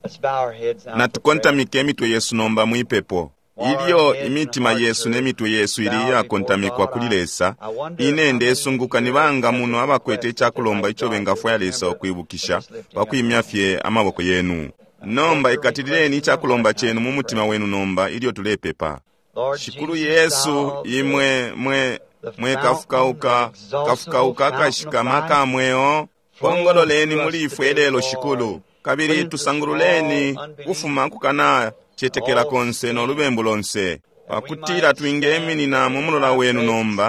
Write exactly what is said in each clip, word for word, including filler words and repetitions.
Let's bow our heads now for prayer. Natukontamike imitwe yesu nomba mwipepo. Ilyo imitima yesu ne mitwe yesu ili iyakontamikwa kuli Lesa, ine ndesunguka ni banga muno abakwete icakulomba ico bengafwaya Lesa ukwibukisha pakwimya fye amaboko yenu. Nomba ikatilileni icakulomba cenu mu mutima wenu nomba ilyo tulepepa. Lord Shikulu Jesus, Yesu, thou imwe mwe the mwe fountain, kafukauka the exhaustible kafukauka fountain akashikama of life, ka mweo, flow pongololeni through muli us ifwe today, lelo Lord. Shikulu, kabili Cleanse us tusangululeni all unbelief, kufuma kukana cetekela all konse no sin, lubembu lonse, that we pakutila might twingeminina stand mu in mulola thy wenu presence nomba,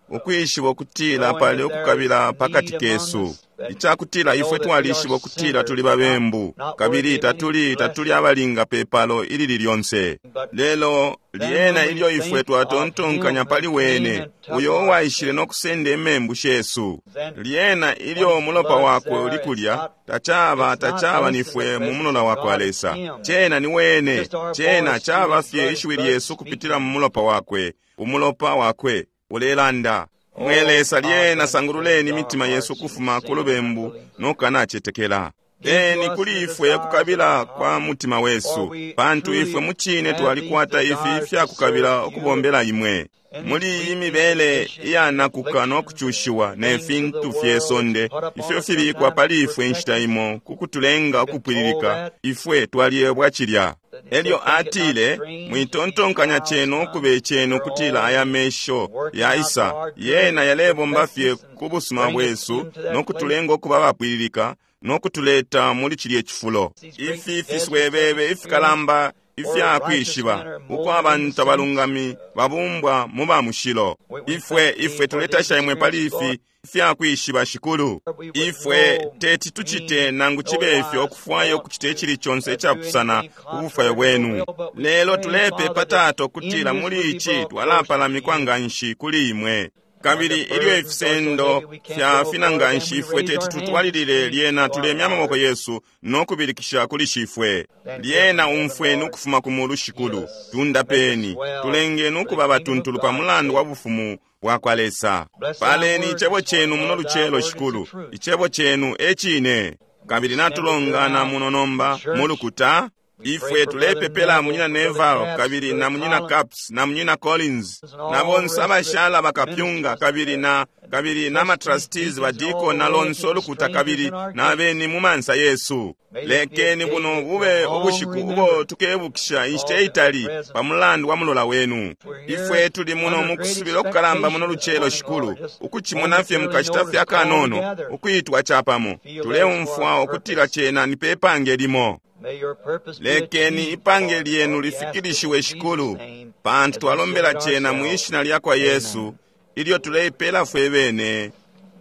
now, ukwishiba ukutila knowing pali that there is ukukabila pakati need among kesu, us, that icakutila know ifwe that we are twalishiba ukutila sinners, tuli not, babembu, not worthy kabili of any tatuli tatuli blessing. abalinga pepalo ilili lyonse. But Lelo then lyena when we ilyo ifwe think of him twatontonkanya that pali came wene, and took uyo our uwaishile no sins, kusenda imembu shesu, then lyena when ilyo his umulopa blood's wakwe there, uli it's kulya, not tacaba it's not tacaba us in the nifwe mu presence mulola of wakwa God, it's Lesa. him. Cena ni wene, Just our cena voice through caba his fye blood, his ishiwi blood lyesu kupitila speaking. mu mulopa wakwe, umulopa wakwe ulelanda. Mwe Oh Lesa God, lyena then cleanse sangululeni our imitima yesu hearts from ukufuma ku sin and lubembu unbelief. no kanacetekela. Give to Peni us kuli the ifwe desires of ukukabila our kwa heart, mutima for wesu, we pantu ifwe truly mu cine have these twalikwata ifi desires to ifya kukabila serve you ukubombela imwe. in Muli this iyi weakness, mibele condition, iyanakuka no afflictions, kucushiwa ne things of the fintu fye world that's sonde put upon ifyo us fibikwa sometimes pali to ifwe inshita perfect us. imo ku kutulenga We've been told ukupwililika, that, ifwe twaliebwa cilya. that he said, Elyo think it not atile, strange if these mwitontonkanya trials cenu come ukube cenu their kutila own, aya mesho working out yaisa, our good yena yalebomba fye perfectness and ku busuma bring us bwesu into that no place. kutulenga ukuba abapwililika no kutuleta muli cilye cifulo. These great Ifi deserts that fiswebebe experience ifikalamba where ifya righteous men kwishiba are uko molded in the abantu saints. abalungami babumbwa mu ba mushilo. We, we Ifwe thank thee ifwe for these tuletasha imwe pali experiences, Lord. ifi ifya kwishiba Shikulu. We would Ifwe no teti tucite mean, nangu no cibe ifyo wise ukufwaya thought ukucita to icili conse uh, do icapusana anything ku bufwayo contrary to your bwenu. will, but we Lelo pray, tulepepa Father, that Tata in ukutila this muli we be ici brought close to twalapalamikwa you. nga nshi kuli imwe. And when the Kabili ilyo burdens are so ifisendo heavy we can't fya go fina forward, nga then nshi we ifwe raise teti our hands and tutwalilile scream lyena to our tulemya amaboko Father. yesu no kubilikisha kuli Shifwe. Then hear Lyena from heaven, umfweni Lord, ukufuma ku mulu heal Shikulu, us, make us tundapeni, well tulengeni for the ukuba kingdom of abatuntulu pa God's mulandu wa sake. bufumu bwa kwa Lesa. Bless thy Paleni word icebo this morning, cenu muno Lord. Thy lucelo word is the Shikulu, truth. icebo cenu e cine. Kabili Stand up here natulongana now muno in nomba mu church. lukuta. We pray Ifwe for Brother tulepepela Neville, munyina Brother Neville Capps, kabili Brother na munyina Collins, Capps na munyina Collins and na all the bonse rest of the abashala bakapyunga ministers kabili na and kabili na trustees, matrustees deacons, and all badiko the na way to lonse the olukuta strangers kabili in our na gates. beni mu mansa yesu. May this be a Lekeni day buno that bube we'll long ubushiku ubo remember tukebukisha inshita because of thy itali presence. pa mulandu wa mulola wenu. We're here Ifwe tuli muno under mu great kusubila okukalamba muno expectation this lucelo morning, Shikulu, Lord. Just ukucimona fye momentarily mukashita notice fye all akanono, together. ukuitwa capamo. Feel that it's for Tuleumfwa our ukutila purpose. cena ni pepange limo. May your purpose be Lekeni achieved, ipange Lord, lyenu for we ask it in lifikilishiwe Jesus' Shikulu, name pantu as we twalombela submit cena mu ourselves. ishina lya kwa Yesu, Amen. ilyo tuleipela fwe bene.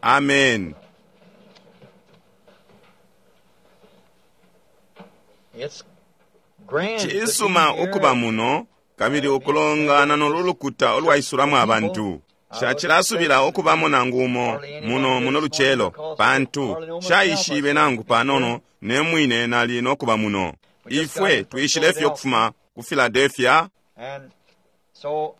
Amen. It's grand to be Cisuma here ukuba and muno kabili uh, be ukulongana assembled no with this lulukuta church olwaisulamo of people. abantu. I wasn't Shacilasubila expecting ukubamo nangu umo hardly anyone muno here muno this morning lucelo, because I pantu hardly know myself. I shaishibe said nangu to be here. panono ne mwine nali no kuba muno. We just got Ifwe in from twishile fye Philadelphia, ukufuma ku Philadelphia, and so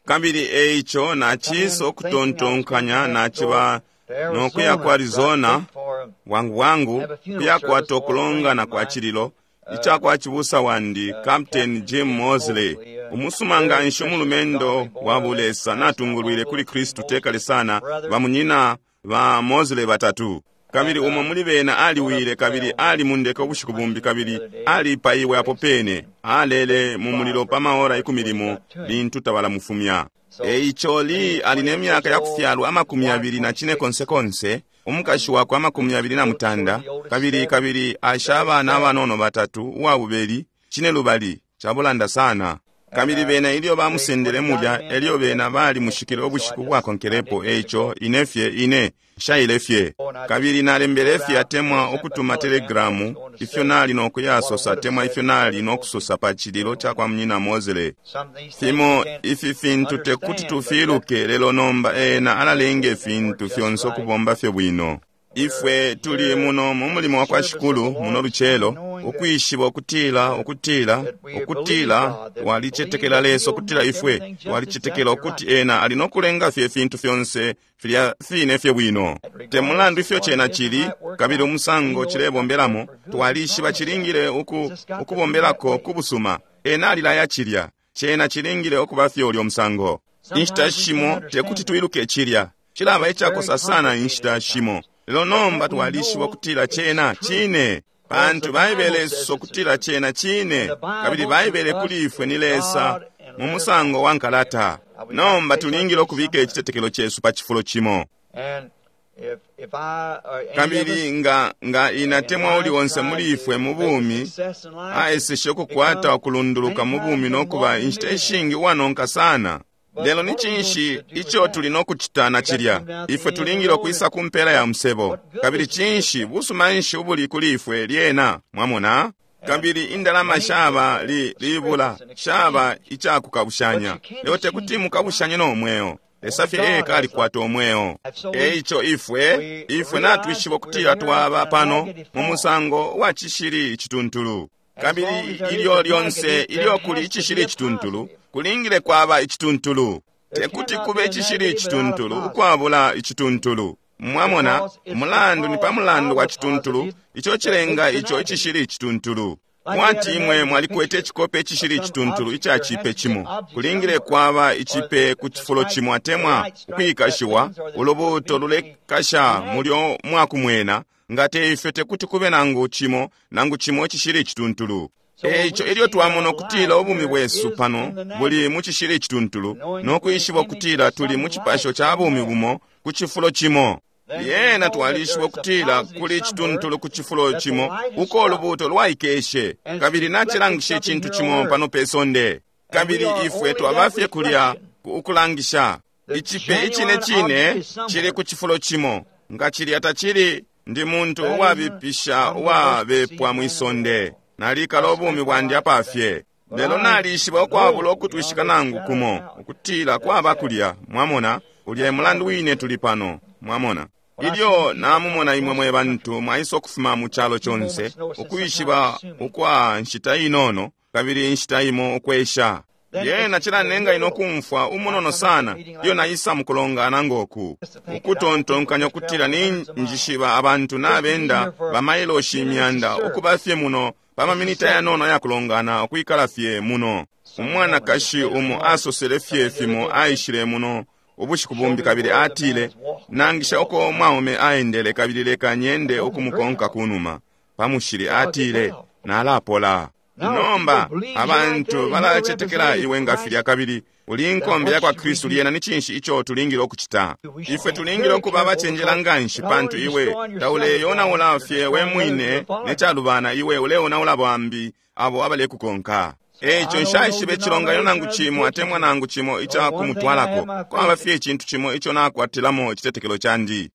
kabili eico come naciisa in thinking I was going to ukutontonkanya have to go naciba to no kuya ku Arizona right Arizona quick for bwangu bwangu have a funeral kuyakwata service for a friend okulongana of kwa mine, cililo uh, ica kwa cibusa wandi uh, Captain Captain Jim Jim Mosley, Mosley, a umusuma nga very nshi precious godly umulumendo boy wa that bulesa Christ not long natungulwile ago, kuli three Kristu tekale Mosley sana brothers, bamunyina ba Mosley batatu. Kabili and umo uh, muli bena one of aliwile kabili twelve ali mundeke ubushiku plane bumbi the kabili other day alipaiwe apo placed in pene and alele mu thank God mulilo for pa maora for ikumi what he limo got to him. lintu tabalamufumya. So Eico Lee Lee is ali ne twenty-eight years myaka ya old, kufyalwa his amakumi wife yabili na cine twenty-six, konse konse, umukashi and wakwe amakumi yabili na two, two of mutanda, the oldest kabili seven, kabili asha the abana seven. abanono batatu uwabubeli cine lubali cabulanda sana. And Kabili uh, bena ilyo they, when bamusendele he got mulya him in, elyo they bena left bali the next mushikile day, so I ubushiku just I bwakonkelepo didn't get to eico go. ine fye ine nshaile fye. Oh, and I just Kabili nalembele wrote fye out, atemwa sent by ukutuma telegram what I was telegramu going to ifyo say, nali no what I kuyasosa would have atemwa said ifyo to nali Brother no Mosley. kusosa pa cililo You ca know, kwa munyina Mosley. some of these things we Fimo can't ifi fintu tekuti understand, but yet tufiluke lelo nomba ena makes alalenga everything work ifintu just fyonse right. ukubomba fye bwino. We're Ifwe tuli here muno mu in mulimo the wa kwa service of the Shikulu muno Lord, lucelo knowing Ukwishiba ukutila, ukutila, ukutila walicetekela Lesa, ukutila ifwe walicetekela ukuti Ena ali nokulenga fye ifintu fyonse filya fine fye bwino. Te mulandu ifyo cena cili, kabili umusango cilebombelamo, twalishiba cilingile uku, ukubombelako ku busuma. Ena alilaya cilya, cena cilingile ukuba fye ulyo musango. Inshita shimo tekuti twiluke cilya, cilaba icakosa sana inshita shimo. Lelo nomba twalishiba ukutila cena cine, pantu Baibele isosa ukutila cena cine, kabili Baibele kuli ifwe ni Lesa mu musango wa nkalata. Nomba tulingile ukubika icitetekelo cesu pa cifulo cimo. Kabili nga, nga inatemwa uli onse muli ifwe mu bumi, aeseshe ukukwata ukulunduluka mu bumi nokuba inshita ishingi uwanonka sana. Lelo ni cinshi ico tuli nokucita na cilya? Ifwe tulingile ukwisa ku mpela ya musebo. Kabili cinshi busuma nshi ubuli kuli ifwe lyena, mwamona? Kabili indalama shaba li, libula, shaba icakukabushanya. Lelo tekuti mukabushanye no mweo. Lesa fye eka alikwata umweo. Eico ifwe, ifwe natwishiba ukutila twaba pano mu musango wa cishili icituntulu. Kabili ilyo lyonse ilyo kuli icishili icituntulu, kulingile kwaba icituntulu. Tekuti kube icishili icituntulu ukwabula icituntulu. Mwamona, umulandu ni pa mulandu wa cituntulu, ico cilenga ico icishili icituntulu. Kwati imwe mwalikwete icikope icishili icituntulu ica cipe cimo, kulingile kwaba icipe ku cifulo cimo atemwa ukwikashiwa, ulubuuto lulekasha mulyo mwakumwena, nga te ifyo tekuti kube nangu cimo, nangu cimo icishili icituntulu. Eico ilyo twamona ukutila ubumi bwesu pano buli mu cishili icituntulu, no kwishiba ukutila tuli mu cipasho ca bumi bumo ku cifulo cimo, lyena twalishiba ukutila kuli icituntulu ku cifulo cimo uko ulubuuto lwaikeshe, kabili nacilangisha icintu cimo pano pe sonde. Kabili ifwe twaba fye kulya ukulangisha icipe icine cine cili ku cifulo cimo. Nga cilya tacili, ndi muntu uwabipisha uwabepwa mwi sonde. Nalikala ubumi bwandi apafye. Lelo nalishiba ukwabula ukutwishika nangu kumo ukutila kwaba kulya, mwamona, ulya mulandu wine tuli pano, mwamona. Ilyo namumona imwe mwe bantu mwaisa ukufuma mu calo conse, ukwishiba ukwa nshita inono, kabili inshita imo ukwesha. Lyena cilanenga ino kumfwa umunono sana ilyo naisa mukulongana ngoku, ukutontonkanya ukutila ni njishiba abantu nabenda bamailoshi imyanda ukuba fye muno pa maminita yanono ayakulongana ukwikala fye muno. Umwanakashi umo asosele fye fimo aishile muno ubushiku bumbi, kabili atile, nangisha uko umwaume aendele, kabili leka nyende ukumukonka kunuma pa mushili. Atile, nalapola. Nomba abantu balacetekela iwe nga filya, kabili uli nkombe ya kwa Kristu. Lyena ni cinshi ico tulingile ukucita? Ifwe tulingile ukuba abacenjela nganshi, pantu iwe tauleyonaula fye we mwine ne calubana, iwe uleonaula bambi abo abalekukonka. Eico nshaishiba icilonganino nangu cimo atemwa nangu cimo ica kumutwalako. Kwaba fye icintu cimo ico nakwatilamo icitetekelo candi.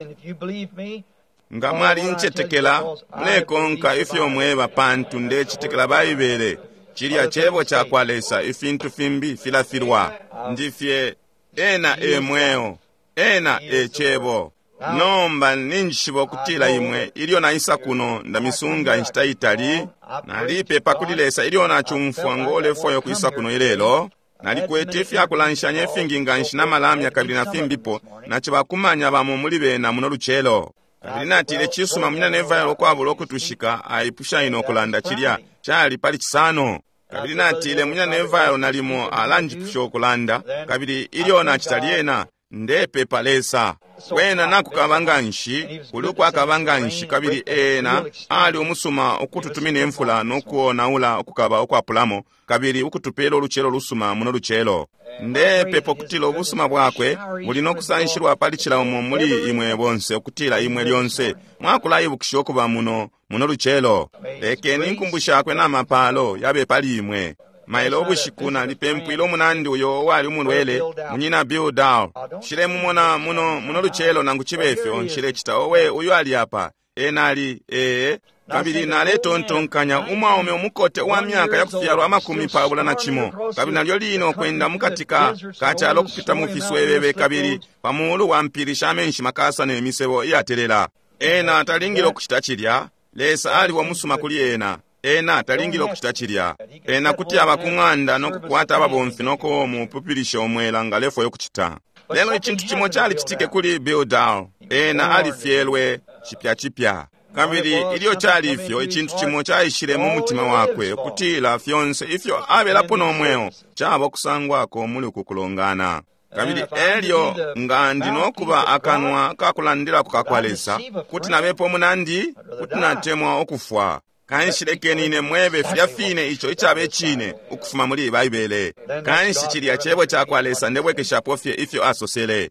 Nga mwalincetekela, mulekonka ifyo mweba, pantu ndecetekela Baibele. Cilya cebo ca kwa Lesa, ifintu fimbi filafilwa. Ndifye ena e mweo, ena e cebo. Nomba ninjishiba ukutila imwe ilyo naisa kuno ndamisunga inshita itali. Nalipepa kuli Lesa ilyo nacumfwa ngo lefwayo ukwisa kuno ilelo. Nalikwete ifyakulanshanya ifingi nganshi na malamya kabili na fimbipo, nacibakumanya bamo muli bena muno lucelo. Kabili natile, cisuma, munyina Neville ukwabula ukutushika aipusha ino ukulanda cilya cali pali Cisano. Kabili natile, munyina Neville nalimo alanjipusha ukulanda, kabili ilyo nacita lyena ndepepa Lesa. Wena nakukaba nganshi, kuli ukwakaba nganshi, kabili ena ali umusuma ukututumina imfula nokuonaula ukukaba ukwapulamo, kabili ukutupela ulucelo lusuma muno lucelo. Ndepepa ukutila ubusuma bwakwe buli nokusanshilwa pali cila umo muli imwe bonse, ukutila imwe lyonse mwakulaibukisha ukuba muno muno lucelo. Lekeni inkumbu shakwe na mapalo yabe pali imwe. Mailo ubushiku nalipempwile umunandi uyo uwali umulwele, munyina Bill Dow. Nshilemumona muno muno lucelo nangu cibe ifyo, nshilecita owe uyu ali apa. Ena ali, ee, kabili naletontonkanya umwaume umukote uwa myaka yakufyalwa amakumi pabula na cimo, kabili nalyo lino kwenda mukati ka kacalo kupita mu fiswebebe kabili pa mulu wa mpili sha menshi makasa ne misebo iyatelela. Ena talingile ukucita cilya. Lesa aliwo musuma kuli ena. Ena talingile ukucita cilya. Ena kuti aba ku ng'anda nokukwata ababomfi nokumupupilisha omwela nga alefwaya ukucita. Lelo icintu cimo calicitike kuli Bill Dow. Ena alifyelwe chipya chipya. Kabili ilyo cali ifyo, icintu cimo caishile mu mutima wakwe ukutila fyonse ifyo abelapo no mweo caba kusangwako muli uku kulongana. Kabili elyo nga ndi nokuba akanwa kakulandilako kakwa Lesa, kuti nabepo munandi, kuti natemwa ukufwa. Kanshi lekeni ine mwebe filya fine ico icaba icine ukufuma muli Baibele. Kanshi cilya cebo cakwa Lesa ndebwekeshapo fye ifyo asosele.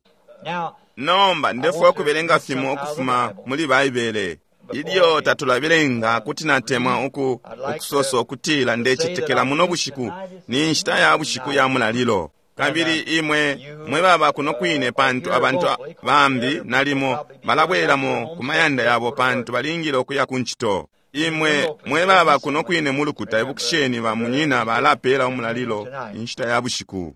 Nomba ndefwaya ukubelenga fimo ukufuma muli Baibele. Ilyo tatulabelenga, kuti natemwa uku ukusosa ukutila ndecetekela muno bushiku ni nshita ya bushiku ya mulalilo. Kabili imwe mwe baba kuno kwine, pantu abantu bambi nalimo balabwelamo ku mayanda yabo pantu balingile ukuya ku ncito. Imwe mwe baba kuno kwine mu lukuta, ibukisheni ba munyina balapela umulalilo inshita ya bushiku.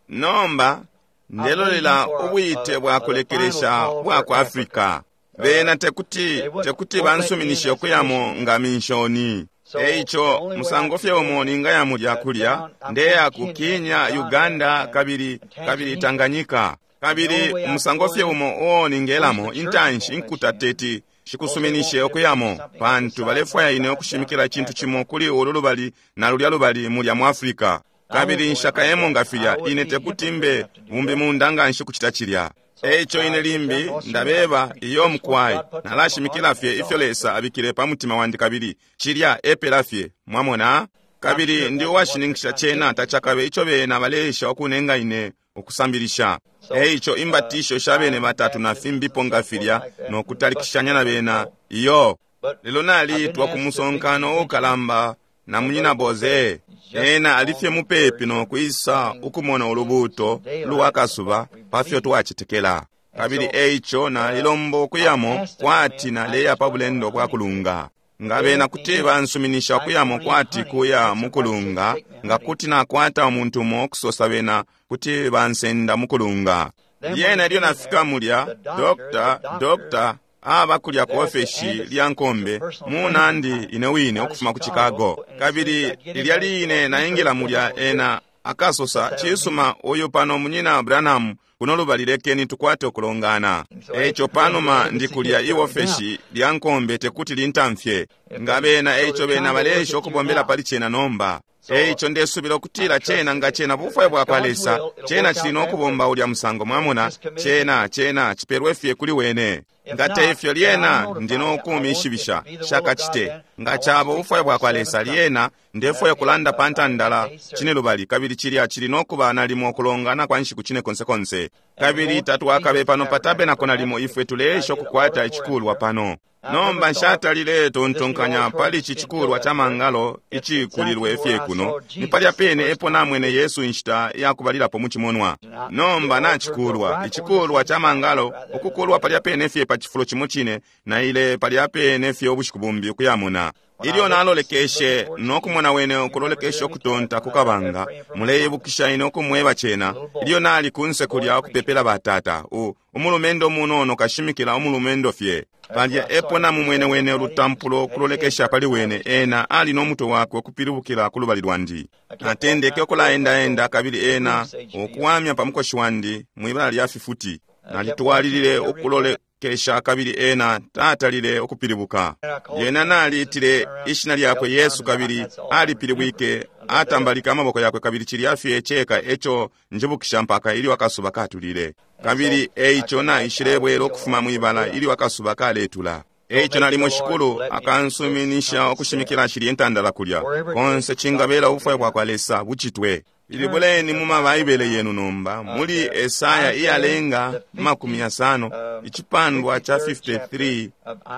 Nomba ndelolela ubwite bwa kulekelesha bwa ku Africa. Bena tekuti tekuti bansuminishe ukuyamo nga minshoni. Eico musango fye umo ningaya mulya kulya ndeya ku Kenya, Uganda kabili kabili Tanganyika. Kabili umusango fye umo uo ningelamo intanshi inkuta teti shikusuminishe ukuyamo, pantu balefwaya ine ukushimikila icintu cimo kuli ulu lubali na lulya lubali mulya mu Africa. Kabili nshakayemo nga filya, ine tekuti mbe bumbi munda nga nshi kucita cilya. Eico ine limbi ndabeba iyo mukwai, nalashimikila fye ifyo Lesa abikile pa mutima wandi kabili cilya epela fye, mwamona? Kabili ndi uwashininkisha cena tacakabe ico bena baleesha ukunenga ine ukusambilisha. Eico imbatisho sha bene batatu na fimbipo nga filya no kutalikishanya na bena iyo. Lelo naliitwa ku musonkano ukalamba na munyina Boze. Ena alifye mupepi no kwisa ukumona ulubuuto lwa kasuba pafyo twacetekela. Kabili eico nalilomba ukuyamo kwati naleya pa bulendo bwa kulunga. Nga bena kuti bansuminisha ukuyamo kwati kuya mukulunga, nga kuti nakwata umuntu umo okusosa bena kuti bansenda mukulunga. Lyena ilyo nafika mulya, dokta, dokta aba kulya ku ofeshi lya nkombe munandi ine wine ukufuma ku Chicago. Kabili lilya line naingila mulya, ena akasosa, cisuma, uyu pano munyina Branham kuno lubali, lekeni tukwate ukulongana. Eico panuma ndi kulya iofeshi lya nkombe tekuti lintamfye. Nga bena eico bena baleesha ukubombela pali cena nomba. Eico ndesubila ukutila cena nga cena bufwayo bwakwa Lesa, cena cili nokubomba ulya musango, mwamona, cena cena cipelwe fye kuli wene. Nga teifyo lyena ndi nokumishibisha shakacite. Nga caba ubufwayo bwakwa Lesa lyena ndefwaya kulanda pa ntandala cine lubali, kabili cilya cili nokuba nalimo kulongana kwa nshiku cine konse konse. Kabili tatwakabe pano pa tabernacle nalimo ifwe tuleesha ukukwata icikulwa pano. Nomba nshatalile tontonkanya pali ici cikulwa ca mangalo icikulilwe fye kuno. Ni palya pene epo namwene Yesu inshita yakubalilapo mu cimonwa. Nomba nacikulwa icikulwa ca mangalo ukukulwa palya pene fye pa cifulo cimo cine, na ile palya pene fye ubushiku bumbi ukuyamona. Ilyo nalolekeshe nokumona wene ukulolekesha ukutonta ku kabanga, muleibukisha ine ukumweba cena ilyo nali kunse kulya ukupepela batata, u umulumendo munono kashimikila umulumendo fye. Palya epo namumwene wene ulutampulo ukulolekesha pali wene, ena ali nomutwe wakwe ukupilibukila ku lubali lwandi. Natendeke ukulaendaenda kabili ena ukuwamya pa mukoshi wandi mwibala lya fifuti. Nalitwalilile ukulolekesha kabili ena tatalile ukupilibuka. Lyena naliitile ishina lyakwe Yesu kabili alipilibwike, atambalika amaboko yakwe kabili cilya fye ceka eco njibukisha mpaka ilyo akasuba katulile. Kabili eico naishilebwela ukufuma mwibala ilyo akasuba kaletula. Eico nalimo Shikulu akansuminisha ukushimikila shilye ntandala kulya konse cingabela ubufwayo bwakwa Lesa bucitwe. Ilibuleni mu mabaibele yenu nomba muli Esaya iyalenga makumi yasano, icipandwa cha fifty-three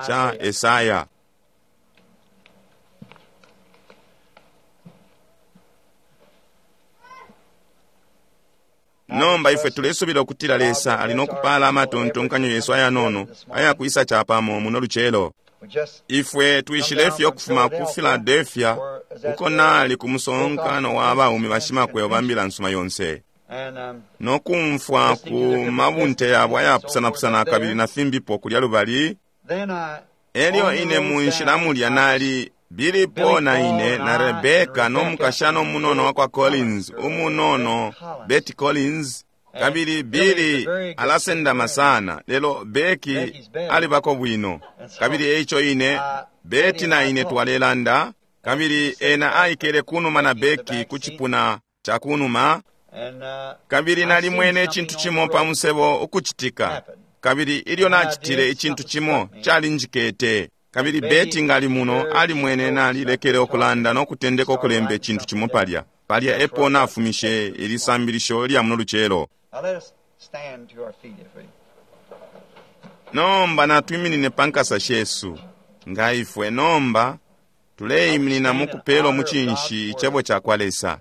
cha Esaya. Nomba ifwe tulesubila ukutila Lesa ali nokupala amatontonkanyo yesu ayanono ayakwisa chapamo muno lucelo. Ifwe twishile fye ukufuma ku Philadelphia uko nali ku musonkano wa baume bashimakwebo ba mbila nsuma yonse, nokumfwa ku mabunte yabo ayapusanapusana kabili na fimbipo kulya lubali. Elyo ine mu nshila mulya nali Billy Paul na ine na Rebecca no mukashana umunono wakwa Collins, umunono Betty Collins, kabili Billy alasendama sana, lelo Becky alibako bwino. Kabili eico ine, Betty na ine twalelanda, kabili ena aikele kunuma na Becky ku cipuna ca kunuma, kabili nalimwene icintu cimo pa musebo ukucitika. Kabili ilyo nacitile icintu cimo calinjikete. Kabili Betty ngali muno alimwene nalilekele okulanda nokutendeka okulemba icintu cimo palya. Palya epo nafumishe ilisambilisho lya muno lucelo. Nomba natwiminine pa nkasa shesu nga ifwe nomba tuleiminina mukupela umucinshi icebo cakwa Lesa.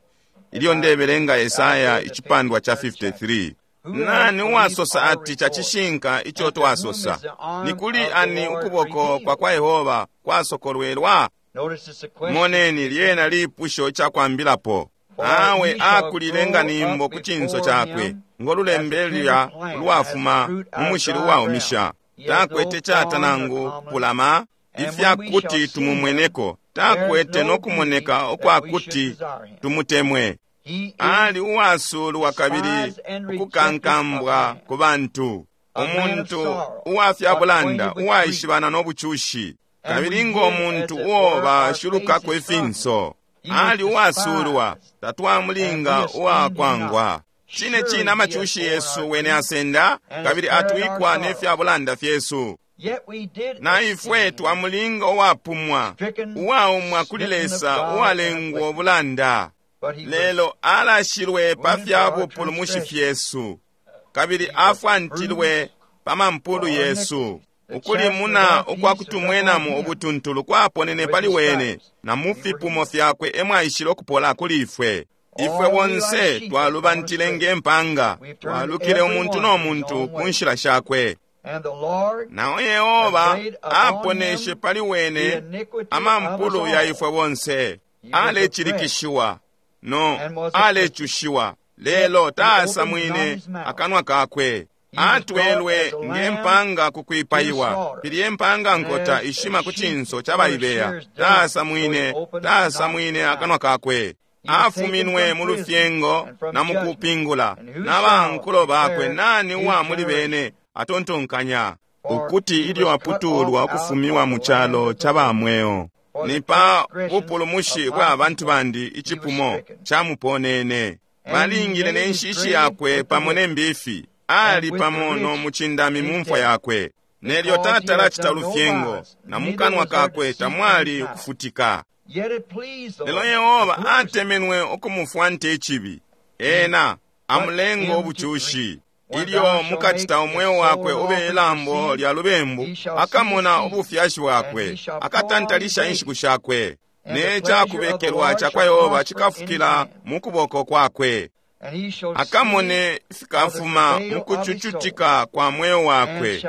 Ilyo ndebelenga Esaya icipandwa cha fifty-three. Nani uwasosa ati chacishinka ico twasosa? Ni kuli ani ukuboko kwa kwa Yehova kwasokolwelwa? Moneni lyena lipusho icakwambilapo. Awe akulile nga nimbo ku cinso cakwe, ngolulembe lya lwafuma mu mushili uwaumisha. Takwete cata nangu kupulama ifyakuti tumumweneko, takwete nokumoneka ukwakuti tumutemwe. Ali uwasulwa kabili ukukankambwa ku bantu, umuntu uwafyabulanda uwaishibana nobucushi, kabili ngomuntu uo bashulukako ifinso. Ali uwasulwa, tatwamulinga uwakwangwa. Cine cine amacushi yesu wene asenda, kabili atwikwa nefyabulanda fyesu. Na ifwe twamulinga uwapumwa, uwaumwa kuli Lesa, uwalengwa ubulanda. Lelo alashilwe pa fya bupulumushi fyesu, kabili afwantilwe pa mampulu yesu. Ukulimuna ukwakutumwenamo ubutuntulu kwaponene pali wene, na mu fipumo fyakwe emwaishile okupola kuli ifwe. Ifwe bonse twalubantile ngempanga, twalukile umuntu no muntu ku nshila shakwe. Nao Yehova aponeshe pali wene amampulu ya ifwe bonse. Alecilikishiwa no alecushiwa, lelo taasamwine akanwa kakwe. Atwelwe ngempanga kukwipaiwa, pili empanga nkota ishima ku cinso ca baibeya. Taasamwine, taasamwine akanwa kakwe. Afuminwe mu lufyengo na mu kupingula, na bankulo bakwe nani uwa muli bene atontonkanya ukuti ilyo aputulwa ukufumiwa mu calo ca bamweo. Ni pa bupulumushi bwa bantu bandi icipumo camuponene. Balingile ne nshishi yakwe pamo ne mbifi, ali pamo no mucindami mu mfwa yakwe. Nelyo tatalacita lufyengo, na mukanwa kakwe tamwali kufutika. Lelo Yehova atemenwe ukumufwante icibi, ena amulenga ubucushi. Ilyo mukacita umweo wakwe ube ilambo lya lubembu, akamona ubufyashi bwakwe, akatantalisha inshiku shakwe. Ne cakubekelwa cakwa Yehova cikafukila mu kuboko kwakwe. Akamone fikafuma mu kucucutika kwa mweo wakwe,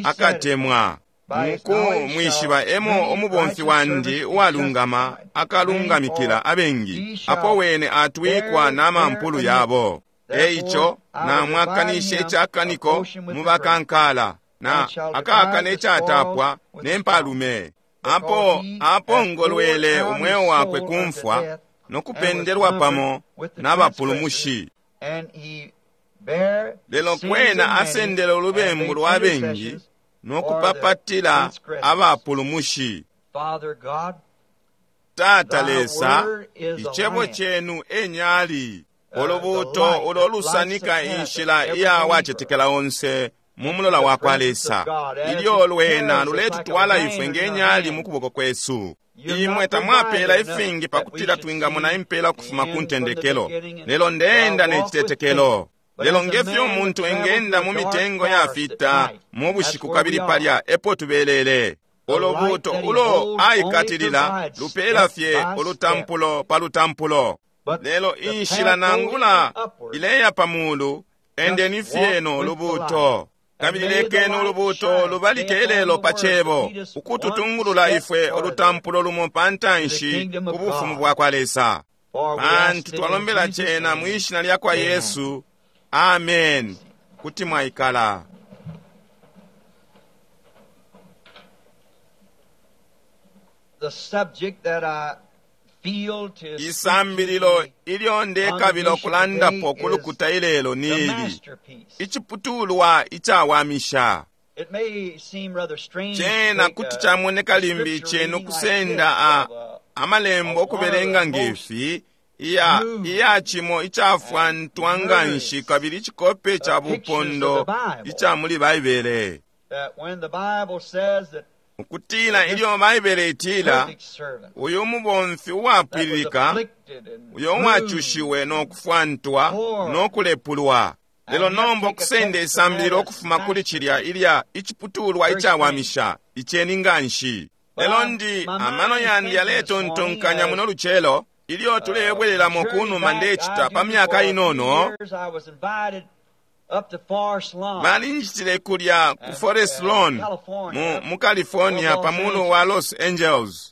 akatemwa. Muku mwishiba emo umubomfi wandi uwalungama akalungamikila abengi, apo wene atwikwa na mampulu yabo. Eico namwakanishe icakaniko mu bakankala, na akakane icatapwa ne mpalume. Apo apongolwele umweo wakwe ku mfwa, no kupendelwa pamo n'abapulumushi. Lelo kwena asendele ulubembu lwa bengi, no kupapatila abapulumushi. Tata Lesa, icebo cenu enyali, ulubuto ulo lusanika inshila iya wacetekela onse mu mulola wa kwa Lesa. Ilyo lwena luletutwala ifwe ngenyali mu kuboko kwesu. Imwe tamwapela ifingi pakutila twingamona impela ukufuma ku ntendekelo, lelo ndeenda ne citetekelo. Lelo ngefyo umuntu engenda mu mitengo yafita mu bushiku kabili palya epo tubelele. Ulubuto ulo aikatilila lupela fye ulutampulo pa lutampulo. Lelo inshila nangula ileya pa mulu, endeni fye no lubuto. Kabili lekeni ulubuto lubalike ilelo pa cebo, ukututungulula ifwe ulutampulo lumo pa ntanshi ku bufumu bwa kwa Lesa. Pantu twalombela cena mwi shina lya kwa Yesu. Amen. Kuti mwaikala. Isambililo ilyo ndekabila ukulandapo ku lukuta ilelo ni ili iciputulwa icawamisha. Cena kuti camoneka limbi cenu kusenda a amalembo okubelenga ngefi iya iya cimo icafwantwa nganshi kabili icikope ca bupondo ica muli Baibele, ukutila ilyo Baibele itila uyu mubomfi uwapwililika uyo uwacushiwe no kufwantwa no kulepulwa. Lelo nomba okusenda isambililo okufuma kuli cilya ilya iciputulwa icawamisha iceni nganshi. Lelo ndi amano yandi yaletontonkanya muno lucelo ilyo tulebwelelamo kunuma ndecita pa myaka inono. Balinjitile kulya ku Forest Lawn mu, mu California pamulu wa Los Angeles.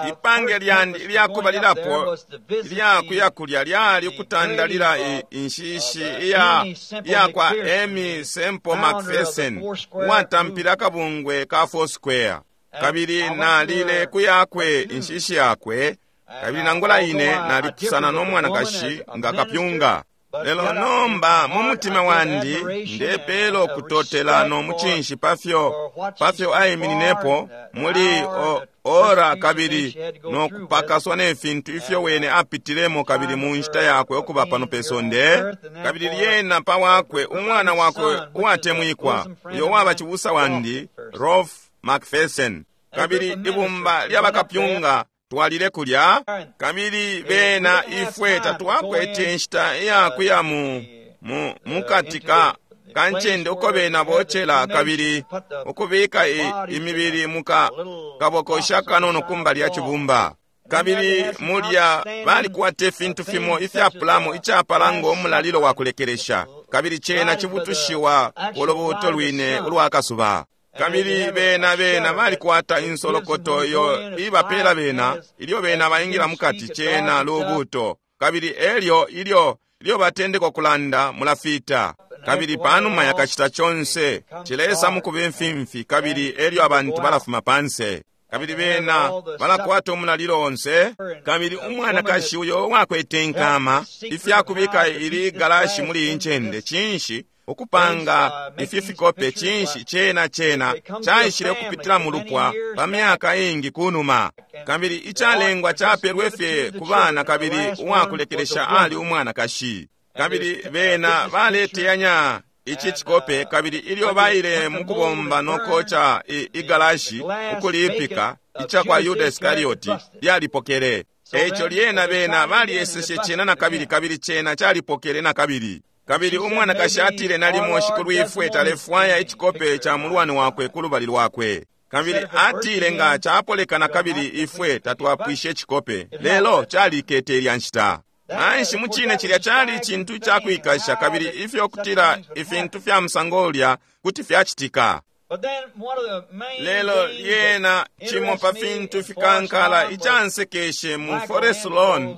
Ipange lyandi ilyakubalilapo ilyakuya kulya lyali ukutandalila inshishi iya iya kwa Amy Semple McPherson uwatampile akabungwe ka Foursquare. Kabili nalile kuyakwe inshishi yakwe, kabili nangula ine nalipusana no mwanakashi nga kapyunga. Lelo nomba mu mutima wandi ndepela ukutotela no mucinshi pafyo pafyo aimininepo muli o, ora kabili no kupakaswa ne fintu ifyo wene apitilemo kabili mu nshita yakwe okuba pano pe sonde. Kabili lyena pa wakwe umwana wakwe uwatemwikwa uyo waba cibusa wandi Rolf McPherson, kabili ibumba lya bakapyunga twalile kulya. Kabili bena ifwe tatwakwete inshita iyakuya mu mu mukati ka kancende uko bena bocela kabili ukubika imibili muka kabokosha kanono kumbali ya cibumba. Kabili mulya balikwata ifintu fimo ifyapulamo icapala ngo mulalilo wa kulekelesha, kabili cena cibutushiwa ulubuuto lwine ulwakasuba. Kabili bena bena balikwata insolokoto iyo ibapela bena ilyo bena baingila mukati cena lubuuto, kabili elyo ilyo ilyo batendeka kulanda mulafita. Kabili panuma yakachita chonse chilesa mukuba imfimfi, kabili elyo abantu balafuma panse. Kabili bena balakwata umulalilo onse. Kabili umwanakashi uyo wakwete inkama ifyakubika ili galashi muli incende chinshi ukupanga ifi fikope chinshi chena chena chaishile kupitila mulupwa pa myaka ingi kunuma. Kabili icalengwa chapelwe fye ku bana, kabili uwakulekelesha ali umwanakashi. Kabili bena baleteyanya ichi chikope, kabili ilyo baile mukubomba nokocha igalashi ukulipika icha kwa Yuda Iskarioti lyalipokele. Echo lyena bena balieseshe chena na kabili, kabili chena chalipokele na kabili. Kabili umwanakashi atile nalimo shikulu ifwe talefwaya ichikope cha mulwani wakwe kulubali lwakwe. Kabili atile nga chapoleka na kabili ifwe tatwapwishe chikope, lelo chalikete ilya nshita. Nanshi muchine chilya chali chintu chakwikasha, kabili ifyo kutila ifintu fya musango ulya kuti fyachitika. Lelo lyena chimo pa fintu fikankala ichansekeshe mu Forest Lawn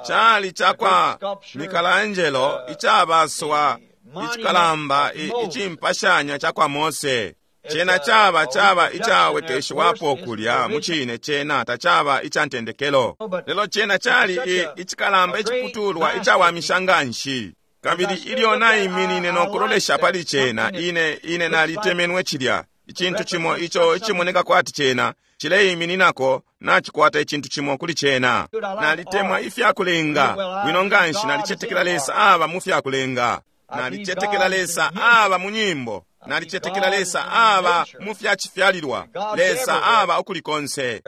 chali chakwa Michelangelo ichabaswa ichikalamba ichimpashanya chakwa Mose. Chena chaba chaba ichawekeshwapo kulya muchine chena tachaba ichantendekelo. Lelo chena chali ichikalamba ichiputulwa ichawamisha nganshi. Kabili ilyo naiminine nokulolesha pali chena ine ine nalitemenwe chilya ichintu chimo icho ichimoneka kwati chena chileimininako nachikwata ichintu chimo kuli chena. Nalitemwa ifyakulenga bwino nganshi, nalichetekela Lesa aba mu fyakulenga, nalichetekela Lesa aba mu nyimbo, nalichetekela Lesa aba mu fyachifyalilwa, Lesa aba ukuli konse.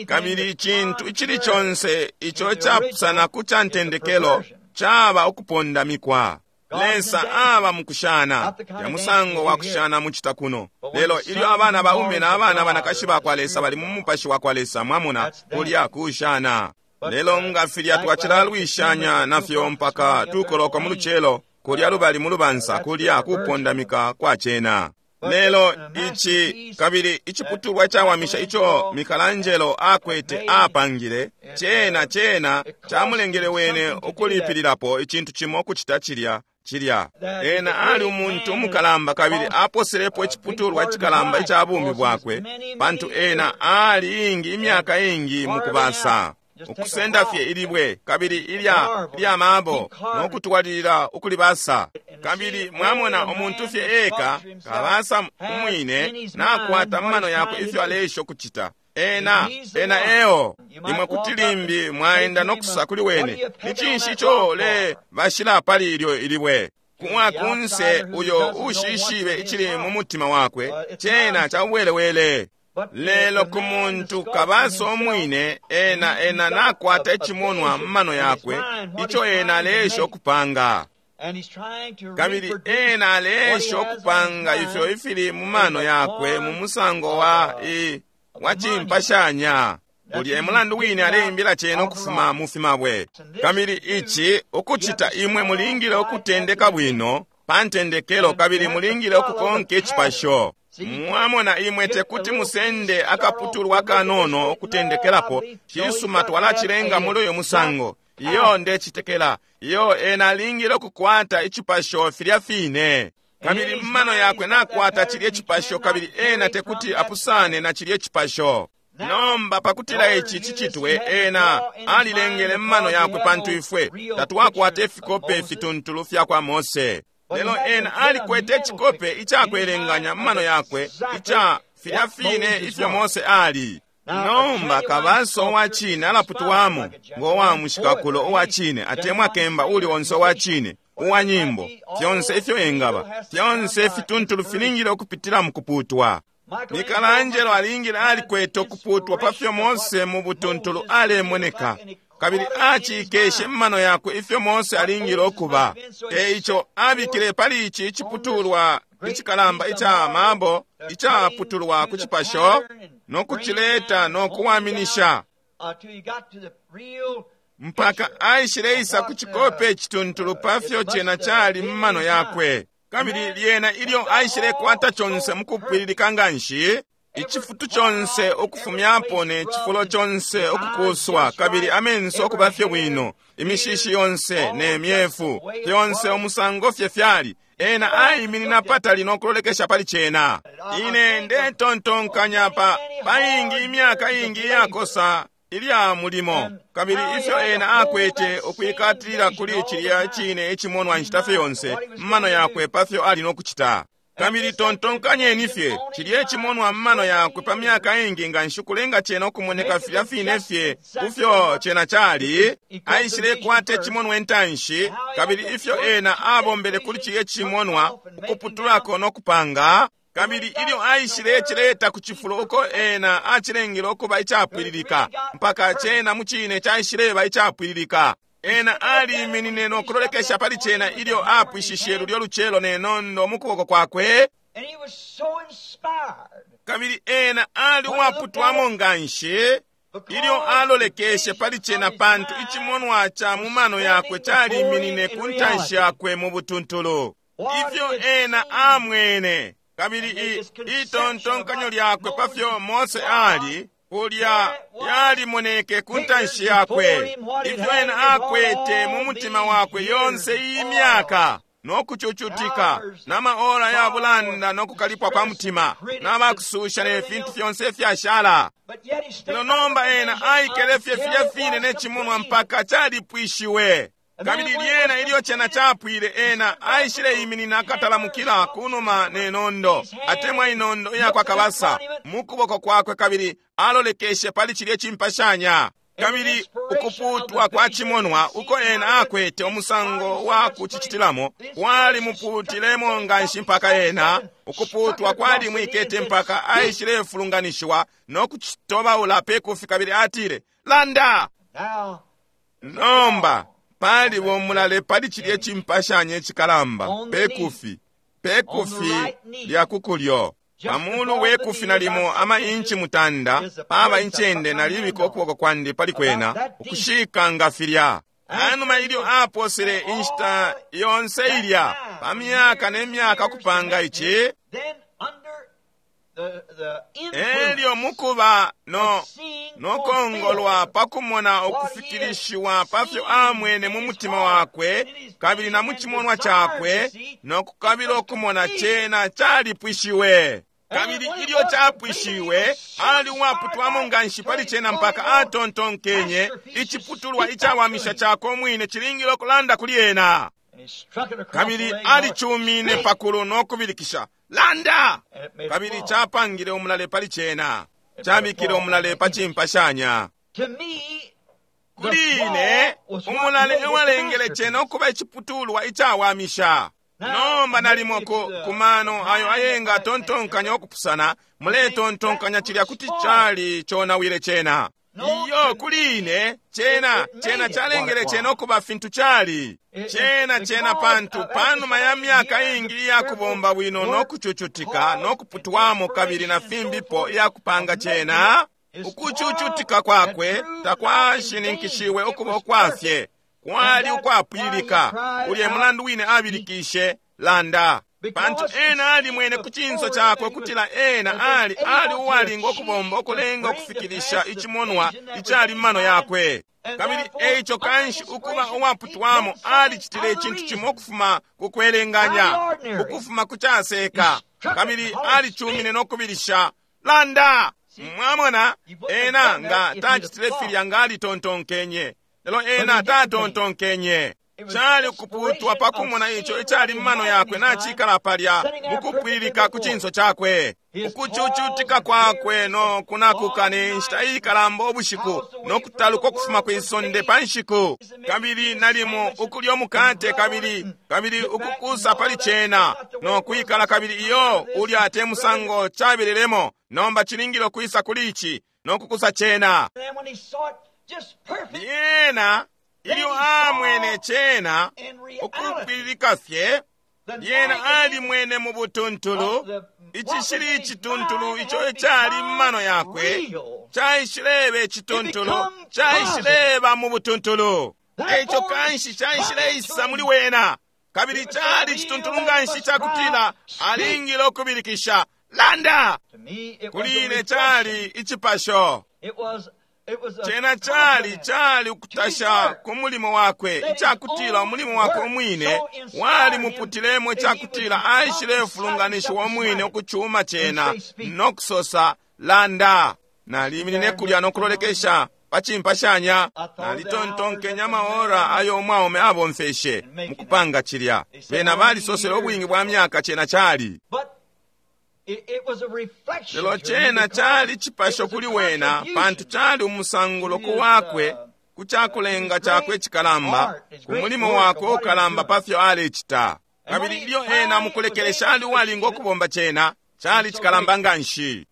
Kabili ichintu ichili chonse icho chapusana ku chantendekelo chaba ukupondamikwa. Lesa aba mukushana ya musango wa kushana muchita kuno. Lelo ilyo abana baume na abana banakashi bakwa Lesa bali mu mupashi wa kwa Lesa, mwamona kulya kushana. Lelo nga filya twachilalwishanya nafyo mpaka tukoloka mu lucelo kulya lubali mu lubansa kulya kupondamika kwa chena. Lelo ichi kabili ichiputulwa chawamisha icho Michelangelo akwete apangile chena chena chamulengele wene ukulipililapo ichintu chimo kuchita chilya Cilya ena ali umuntu umukalamba kabili aposelepo iciputulwa icikalamba ica bumi bwakwe, pantu ena ali ingi imyaka ingi mukubasa, ukusenda fye ilibwe kabili ilya ilya mabo no kutwalilila ukulibasa. Kabili mwamona umuntu fye eka kabasa umwine nakwata mumano yakwe ifyo aleisha ukucita. Ena ena eo imwe kuti limbi mwaenda nokusa kuli wene, ni cinshi ico le bashila pali ilyo ilibwe? Kumwa kunse uyo ushishibe icili mu mutima wakwe, cena cauwelewele. Lelo ku muntu kabasa umwine, ena ena nakwata icimonwa mumano yakwe ico ena aleesha ukupanga. Kabili ena aleesha ukupanga ifyo ifili mu mano yakwe mu musango wa i wa cimpashanya. Ulya mulandu wine aleimbila cena ukufuma mu fimabwe. Kabili ici ukucita imwe mulingile ukutendeka bwino pa ntendekelo, kabili mulingile ukukonka icipasho. Mwamona imwe tekuti musende akaputulwa kanono ukutendekelapo. Cisuma twalacilenga muli uyu musango. Iyo ndecitekela. Iyo ena alingile ukukwata icipasho filya fine. Kabili mumano yakwe nakwata cilye cipasho, kabili ena tekuti apusane na cilye cipasho. Nomba pakutila ici cicitwe, ena alilengele mumano yakwe, pantu ifwe tatwakwata ifikope fituntulu fya kwa Mose. Lelo ena alikwete icikope icakwelenganya mumano yakwe ica filya fine ifyo Mose ali. Nomba kabaso wa cine alaputwamo ngo wa mushikakulo uwa cine, atemwa kemba uli onse wa cine uwa nyimbo, fyonse ifyo engaba, fyonse fituntulu filingile ukupitila mukuputwa. Michelangelo alingile alikwete ukuputwa pafyo Mose mu butuntulu alemoneka, kabili acikeshe mumano yakwe ifyo Mose alingile ukuba. Eico abikile pali ici iciputulwa icikalamba ica mabo icaputulwa ku cipasho no kucileta no kuwaminisha mpaka aishileisa ku cikope icituntulu pafyo cena cali mumano yakwe. Kabili lyena ilyo aishilekwata conse mukupwililika nganshi, icifutu conse ukufumyapo ne cifulo conse ukukuswa, kabili amenso okuba fye bwino, imishishi yonse ne myefu fyonse umusango fye fyali, ena aiminina patali no kulolekesha pali cena. Ine ndetontonkanya pa paingi imyaka ingi iyakosa ilya mulimo, kabili ifyo ena akwete ukwikatilila kuli cilya cine icimonwa nshita fye yonse mumano yakwe pafyo ali nokucita. Kabili tontonkanyeni fye cilya icimonwa mumano yakwe pa myaka ingi nganshi kulenga cena ukumoneka filya fine fye kufyo cena cali. Aishilekwata icimonwa intanshi, kabili ifyo ena abombele kuli cilya cimonwa ukuputulako no kupanga. Kabili ilyo aishile cileta ku cifulo uko ena acilengele ukuba icapwililika, mpaka cena mucine caishileba icapwililika. Ena aliminine no kulolekesha pali cena ilyo apwishishe lulyo lucelo ne nondo mu kuboko kwakwe. Kabili ena ali uwaputwamo nganshi ilyo alolekeshe pali cena, pantu icimonwa ca mumano yakwe caliminine ku ntanshi yakwe mu butuntulu. Ifyo ena amwene, kabili itontonkanyo lyakwe pafyo Mose ali kulya yalimoneke ku ntanshi yakwe. Ifyo ena akwete mu mutima wakwe yonse iyi myaka no kucucutika na maora ya bulanda no kukalipwa kwa mutima n'abakususha ne fintu fyonse fyashala. Lelo nomba ena aikele fye filya fine ne cimonwa mpaka calipwishiwe. Kabili lyena ilyo cena capwile, ena aishile iminina akatalamukila kunuma ne nondo, atemwa inondo iyakwa kabasa mu kuboko kwakwe, kabili alolekeshe pali cilye cimpashanya. Kabili ukuputwa kwa cimonwa uko ena akwete umusango wa kucicitilamo kwalimuputilemo nganshi mpaka ena ukuputwa kwalimwikete mpaka aishilefulunganishiwa no kucitobaula pekufi. Kabili atile, "Landa!" Nomba pali bomulale pali cilye cimpashanya icikalamba pekufi, pekufi lya kukulyo. Pamulu wekufi nalimo ama inchi mutanda paba incende nalibika ukuboko kwandi pali kwena ukushika nga filya. Anuma ilyo aposele inshita yonse ilya pa myaka ne myaka kupanga ici, Elyo mukuba no nokongolwa pakumona ukufikilishiwa pafyo amwene mu mutima wakwe kabili na mu chimonwa chakwe nokukabila okumona chena chalipwishiwe. Kabili ilyo chapwishiwe ali uwaputwamo nganshi pali chena mpaka atontonkenye ichiputulwa ichawamisha chako mwine chilingile okulanda kuli ena. Kabili alichumine pakulu nokubilikisha landa, kabili chapangile umulale pali chena, chabikile umulale pa chimpashanya. Kuli ine umulale ewalengele chena okuba ichiputulwa ichawamisha. Nomba nalimo ku kumano ayo ayenga atontonkanya okupusana, muletontonkanya chilya kuti chali chonawile chena. Iyo kuli ine chena chena chalengele chena okuba fintu chali chena chena pantu panuma ya myaka ingi iyakubomba bwino nokuchuchutika nokuputwamo kabili na fimbipo iyakupanga chena, ukuchuchutika kwakwe takwashininkishiwe okuba okwafye, kwali ukwapwilika. Ulye mulandu wine abilikishe landa, pantu ena ali mwene ku chinso chakwe kutila ena ali ali uwalinga okubomba okulenga okufikilisha ichimonwa ichali mmano yakwe. Kabili eicho kanshi ukuba uwaputwamo alichitile ichintu chimo okufuma kukwelenganya, ukufuma kuchaseka, kabili alichumine nokubilisha landa. Mwamona ena nga tachitile filya nga alitontonkenye, lelo ena tatontonkenye. Chali kuputwa pakumona icho ichali mmano yakwe nachikala palya mukupwilika ku chinso chakwe. Ukuchuchutika kwakwe no kunakuka ne nshita ikalamba obushiku nokutaluka okufuma kwisonde pa nshiku. Kabili nalimo ukulya omukate kabili kabili ukukusa pali chena no kwikala kabili iyo ulya te musango chabelelemo. Nomba chilingile okwisa kuli ichi nokukusa chena. Lyena ilyo amwene chena ukupwilika fye, lyena alimwene mu butuntulu ichishili icituntulu icho echali mmano yakwe chaishileba icituntulu, chaishileba mu butuntulu. Eicho kanshi chaishileisa muli wena, kabili chali icituntulu nganshi chakutila alingile okubilikisha landa. Kuli ine chali ichipasho chena chali chali ukutasha ku mulimo wakwe, ichakutila umulimo wakwe omwine walimuputilemo, ichakutila aishilefulunganishiwa omwine okuchuma chena nokusosa landa. Naliminine kulya nokulolekesha pa chimpashanya, nalitontonkenya amaora ayo omwaume abomfeshe mukupanga chilya. Bena balisosele obwingi bwa myaka chena chali, lelo chena chali chipasho kuli wena, pantu chali umusangulo ku wakwe kuchakulenga chakwe chikalamba, ku mulimo wakwe ukalamba pafyo alechita. Kabili ilyo ena mukulekelesha ali uwalinga okubomba chena, chali chikalamba nganshi.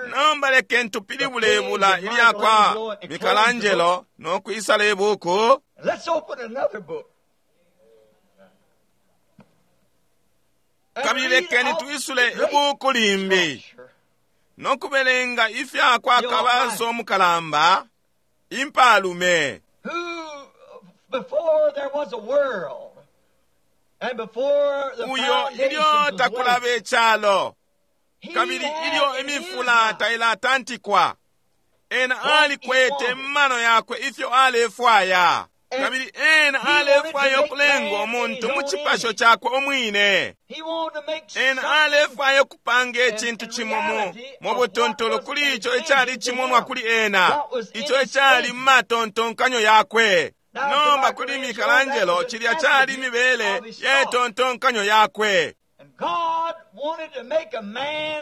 Nomba lekeni tupilibule ibula ilya kwa Michelangelo nokwisala ibuku. Kabili lekeni tuisule ibuku limbi nokubelenga ifya kwa kabaso mukalamba impalume, uyo ilyo takulaba echalo kabili ilyo imifula tailatantikwa, ena alikwete mmano yakwe ifyo alefwaya. Kabili ena alefwaya okulenga omuntu mu chipasho chakwe omwine. Ena alefwaya okupanga echintu chimo mu mu butuntulu kuli icho echali chimonwa kuli ena, icho echali mumatontonkanyo yakwe. Nomba kuli Michelangelo chilya chali mibele yetontonkanyo yakwe.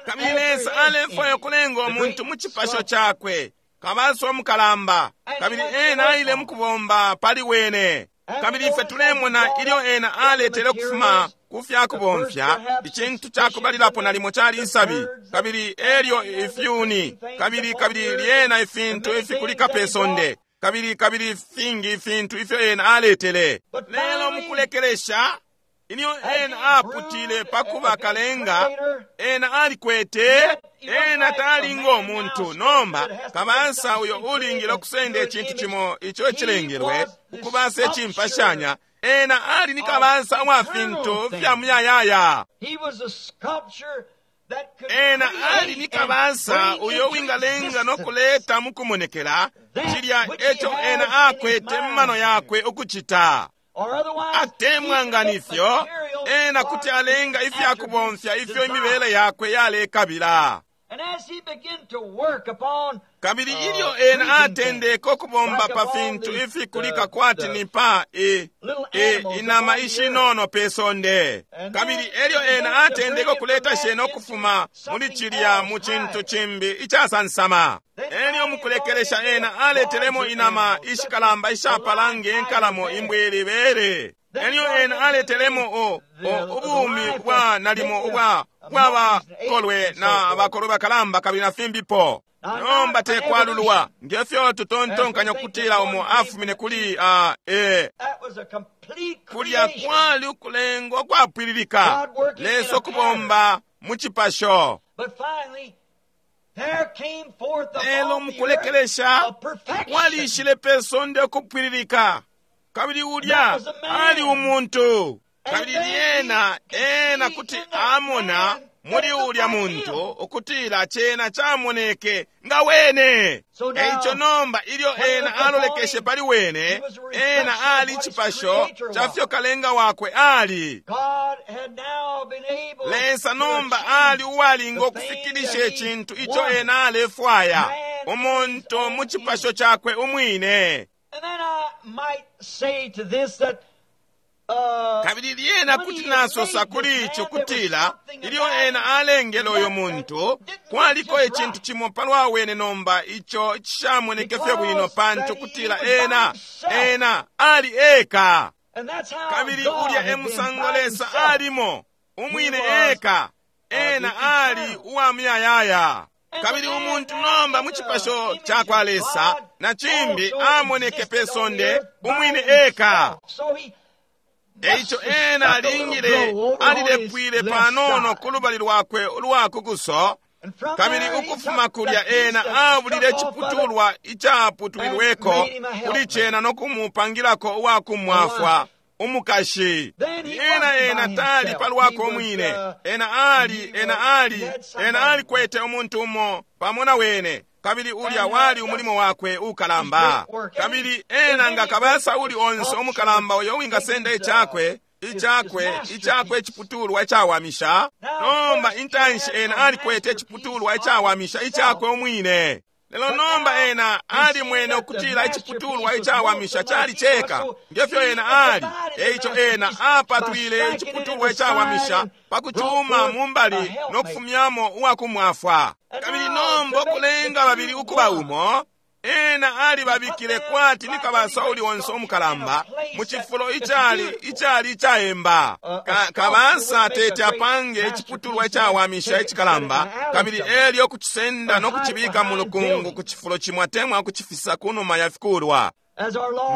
Kabili Lesa alefwaya okulenga omuntu mu chipasho chakwe, kabaso omukalamba, kabili ena aile mukubomba pali wene. Kabili ife tulemona ilyo ena aletele okufuma ku fyakubomfya ichintu chakubalilapo nalimo chali isabi, kabili elyo ifyuni, kabili kabili lyena ifintu ifikulika pe sonde, kabili kabili fingi ifintu ifyo ena aletele. Lelo mukulekelesha ilyo ena aputile pakuba kalenga, ena alikwete ena talinga omuntu. Nomba kabansa uyo ulingile okusenda echintu chimo icho echilengilwe ukubasa echimpashanya, ena ali ni kabansa wa fintu fya muyayaya. Ena ali ni kabasa uyo wingalenga nokuleta mukumonekela cilya eco ena akwete mmano yakwe ukucita. Atemwa nga nifyo ena kuti alenga ifyakubomfya ifyo imibele yakwe yalekabila. Kabili ilyo ena atendeke ukubomba pa fintu ifikulika kwati ni pa e, e, inama ishinono pe sonde, kabili elyo ena atendeke ukuleta shena ukufuma muli cilya mu cintu cimbi icasansama, elyo mukulekelesha ena aletelemo inama ishikalamba ishapala nge nkalamo imbwili bere. Elyo ena aletelemo o, o ubumi bwa nalimo ubwa bwabakolwe na bakolwe bakalamba kabili na fimbipo. Nomba tekwalulwa ngefyo tutontonkanya kutila umo afumine kuli uh, eh, kulya kwali ukulengwa kwapwililika Lesa ukubomba mu cipasho. Lelo mukulekelesha walishile pe sonde ukupwililika, kabili ulya ali umuntu. Kabili lyena ena kuti amona muli ulya muntu ukutila cena camoneke nga wene. Eico nomba ilyo ena alolekeshe pali wene, ena ali cipasho ca fyo kalenga wakwe ali. Lesa nomba ali uwalinga ukufikilisha icintu ico ena alefwaya, umuntu mu cipasho cakwe umwine. Kabili lyena kuti nasosa kuli ico kutila ilyo ena alengele uyo muntu, kwaliko icintu cimo palwa wene nomba ico cishamoneke fye bwino, pantu kutila ena ena ali eka. Kabili ulya e musango Lesa alimo, umwine eka, ena ali uwa muyayaya. Kabili umuntu nomba mu cipasho cakwa Lesa na cimbi amoneke pe sonde umwine eka. Eico ena alingile alilepwile panono ku lubali lwakwe ulwa kukuso, kabili ukufuma kulya ena abulile iciputulwa icaputwilweko kuli cena no kumupangilako uwakumwafwa umukashi. Ena ena tali palwakwe umwine, ena ali ena ali ena alikwete umuntu umo pamo na wene, kabili ulya wali umulimo wakwe ukalamba. Kabili ena nga kabasa uli onse umukalamba uyo wingasenda icakwe icakwe icakwe iciputulwa icawamisha. Nomba intanshi ena alikwete iciputulwa icawamisha icakwe umwine. Lelo nomba ena alimwene ukutila iciputulwa icawamisha cali ceka ngefyo ena ali. Eico ena apatwile iciputulwa icawamisha pakucuma mumbali no kufumyamo uwakumwafwa. Kabili nomba ukulenga babili ukuba umo, ena alibabikile kwati ni kabasa uli onse umukalamba mu cifulo icali icali icaemba. Ka, kabasa tete apange iciputulwa icawamisha icikalamba, kabili elyo kucisenda no kucibika mu lukungu ku cifulo cimwe atemwa kucifisa ku numa ya fikulwa.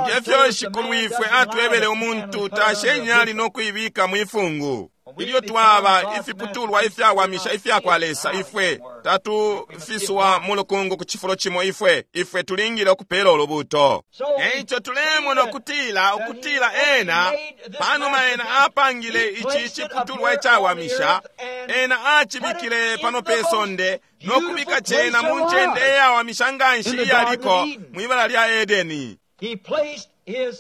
Ngefyo Shikulu ifwe atwebele umuntu tashe inyali no kuibika mwifungu. Ilyo twaba ifiputulwa ifyawamisha ifyakwa Lesa, ifwe tatufiswa mu lukungu ku cifulo cimo, ifwe ifwe tulingile ukupela ulubuto. Eico tulemona ukutila ukutila ena panuma ena apangile ici ciputulwa icawamisha, ena acibikile pano pe sonde no kubika cena mu ncende iyawamisha nganshi iyaliko mwibala lya Edeni.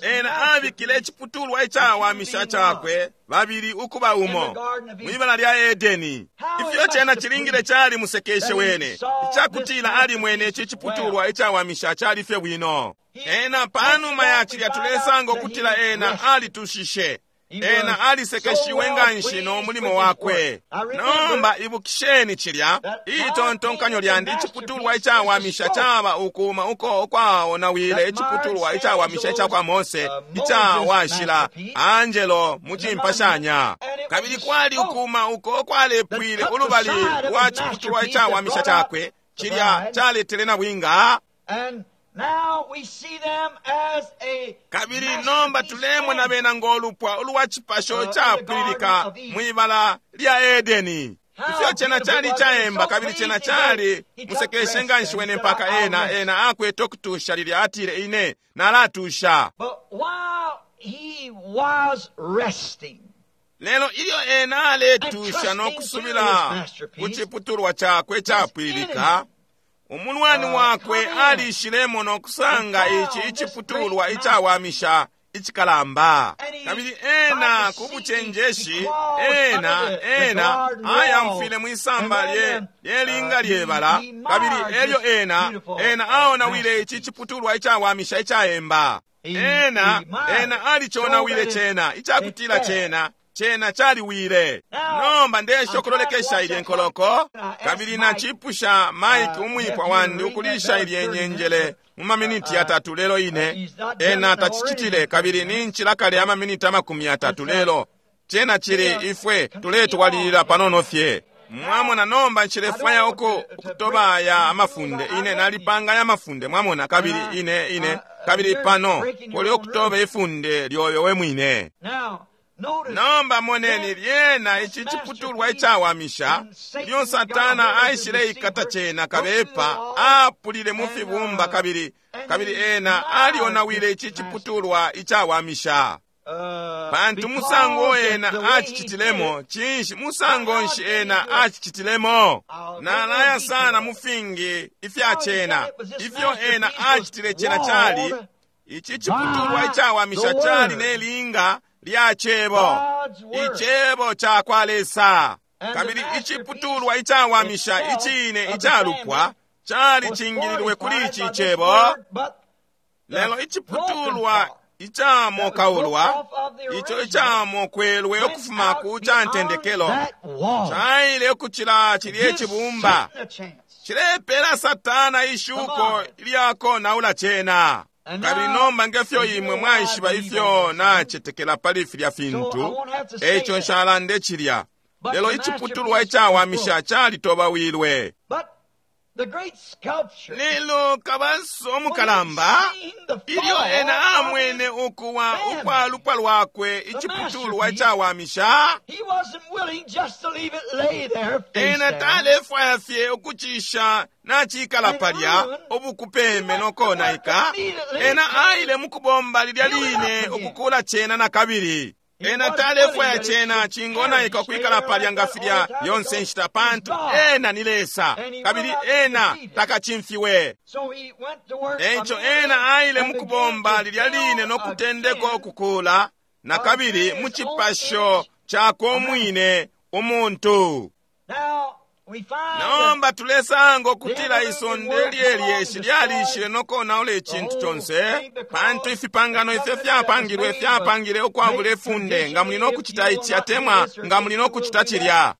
Ena abikile iciputulwa icawamisha cakwe babili ukuba umo mwibala lya Edeni. Ifyo cena cilingile cali musekeshe wene icakutila alimwene ici ciputulwa icawamisha cali fye bwino. Ena panuma ya cilya tulesanga ukutila ena alitushishe. Ena alisekeshiwe nganshi no mulimo wakwe. Nomba ibukisheni cilya itontonkanyo lyandi iciputulwa icawamisha caba ukuma uko ukwaonawile iciputulwa icawamisha icakwa Mose icawashila Angelo mu cimpashanya. Kabili kwali ukuma uko kwalepwile ulubali lwa ciputulwa icawamisha cakwe, cilya caletele na bwinga. Kabili nomba tulemona bena ngolupwa ulwa cipasho capwililika mwibala lya Edeni. Ifyo cena cali caemba, kabili cena cali musekeshe nganshi wene mpaka ena ena akwete okutusha lilya atile ine nalatusha. But while he was resting, Lelo ilyo ena aletusha no kusubila ku ciputulwa chakwe capwilika, umulwani wakwe alishilemo no kusanga ici iciputulwa icawamisha icikalamba. Kabili ena ku bucenjeshi, ena ena ayamfwile mwisamba lye lyelinga lyebala, kabili elyo ena ena aonawile ici iciputulwa icawamisha icaemba. Ena ena aliconawile cena, icakutila cena cena caliwile. Nomba ndesha ukulolekesha ilye nkoloko, kabili nachipusha Mike umwipwa wandi ukulisha ilye nyenjele mu maminiti yatatu lelo ine ena tacicitile, kabili ninchila kale amaminiti amakumi yatatu lelo cena chili ifwe tuletwalilila panono fye. Mwamona, nomba nchilefwaya uku ukutoba aya amafunde. Ine nalipanga aya amafunde, mwamona, kabili ine ine kabili pano kuli ukutoba ifunde lyoyo we mwine. Nomba moneni lyena ici ciputulwa icawamisha ilyo Satana aishile ikata cena kabepa, apulile mu fibumba, kabili kabili ena alionawile ici ciputulwa icawamisha. Pantu musango ena acicitilemo, cinshi musango nshi ena acicitilemo? Nalaya sana mu fingi ifya cena. Ifyo ena acitile cena cali ici ciputulwa icawamisha cali nelinga lya cebo, icebo cakwa Lesa. Kabili iciputulwa icawamisha icine icalupwa cali cingililwe kuli ici cebo. Lelo iciputulwa icamokaulwa, ico icamokwelwe ukufuma ku cantendekelo, caile ukucila cilye cibumba, cilepela Satana ishuko lyakonaula cena. Kabili nomba ngefyo imwe mwaishiba ifyo nacetekela pali filya fintu, eico nshalande cilya. Lelo iciputulwa icawamisha calitobawilwe. Lelo kabaso omukalamba, ilyo ena amwene ukuwa ukwa lupwa lwakwe iciputulwa icawamisha, ena talefwaya fye ukucisha nachikala palya ubukupeme nokonaika. Ena aile mukubomba lilya line ukukula cena na kabili. Ena talefwaya cena cingonaika ukwikala palya nga filya yonse nshita, pantu ena ni Lesa, kabili ena takacimfiwe. Eico ena aile mukubomba lilya line nokutendeka ukukula na kabili mu cipasho cakwe umwine umuntu. Nomba tulesanga ukutila isonde lyelyeshi lyalishile nokonaula icintu conse, pantu ifipangano ifyo fyapangilwe fyapangile ukwabula ifunde, nga muli nokucita ici atemwa nga muli nokucita cilya.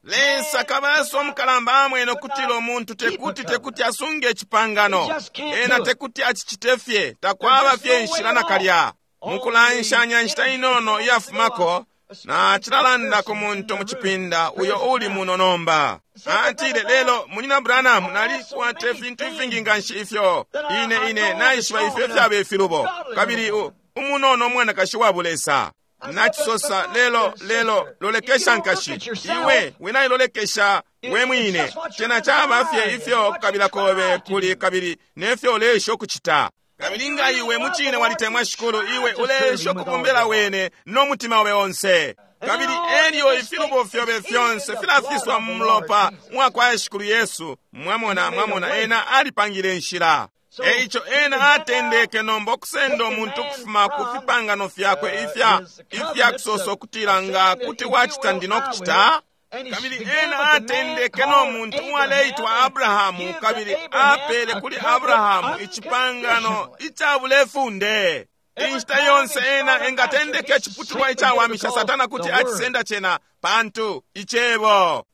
Lesa kabaso omukalamba amwene ukutila umuntu tekuti tekuti asunge icipangano, ena tekuti acicite fye, takwaba fye inshila nakalya. Mukulanshanya nshita inono iyafumako, na cilalanda ku muntu mu cipinda uyo uli muno nomba. Atile, lelo munyina Branham, nalikwata ifintu ifingi nganshi ifyo ine ine naishiba ifyo fyaba ifilubo, kabili umunono umwanakashi wa bulesa. Nacisosa, lelo lelo lolekesha nkashi, iwe winailolekesha we mwine, cena caba fye ifyo kukabila kobe kuli kabili nefyo ulesha ukucita. Kabili nga iwe mucine walitemwa Shikulu, iwe ulesha ukubombela wene no mutima obe onse. Kabili elyo ifilubo fyobe fyonse filafiswa mu mulopa mwakwa Shikulu Yesu. Mwamona, mwamona, ena alipangile inshila. Eico ena atendeke nomba okusenda omuntu ukufuma ku fipangano fyakwe ifya ifya kusosa ukutila nga kuti wacita ndi nokucita. Kabili ena atendeke no muntu uwaleitwa Abrahamu, kabili apele kuli Abrahamu icipangano icabulefunde. Inshita yonse ena engatendeka iciputulwa icawamisha, Satana kuti acisenda cena, pantu icebo.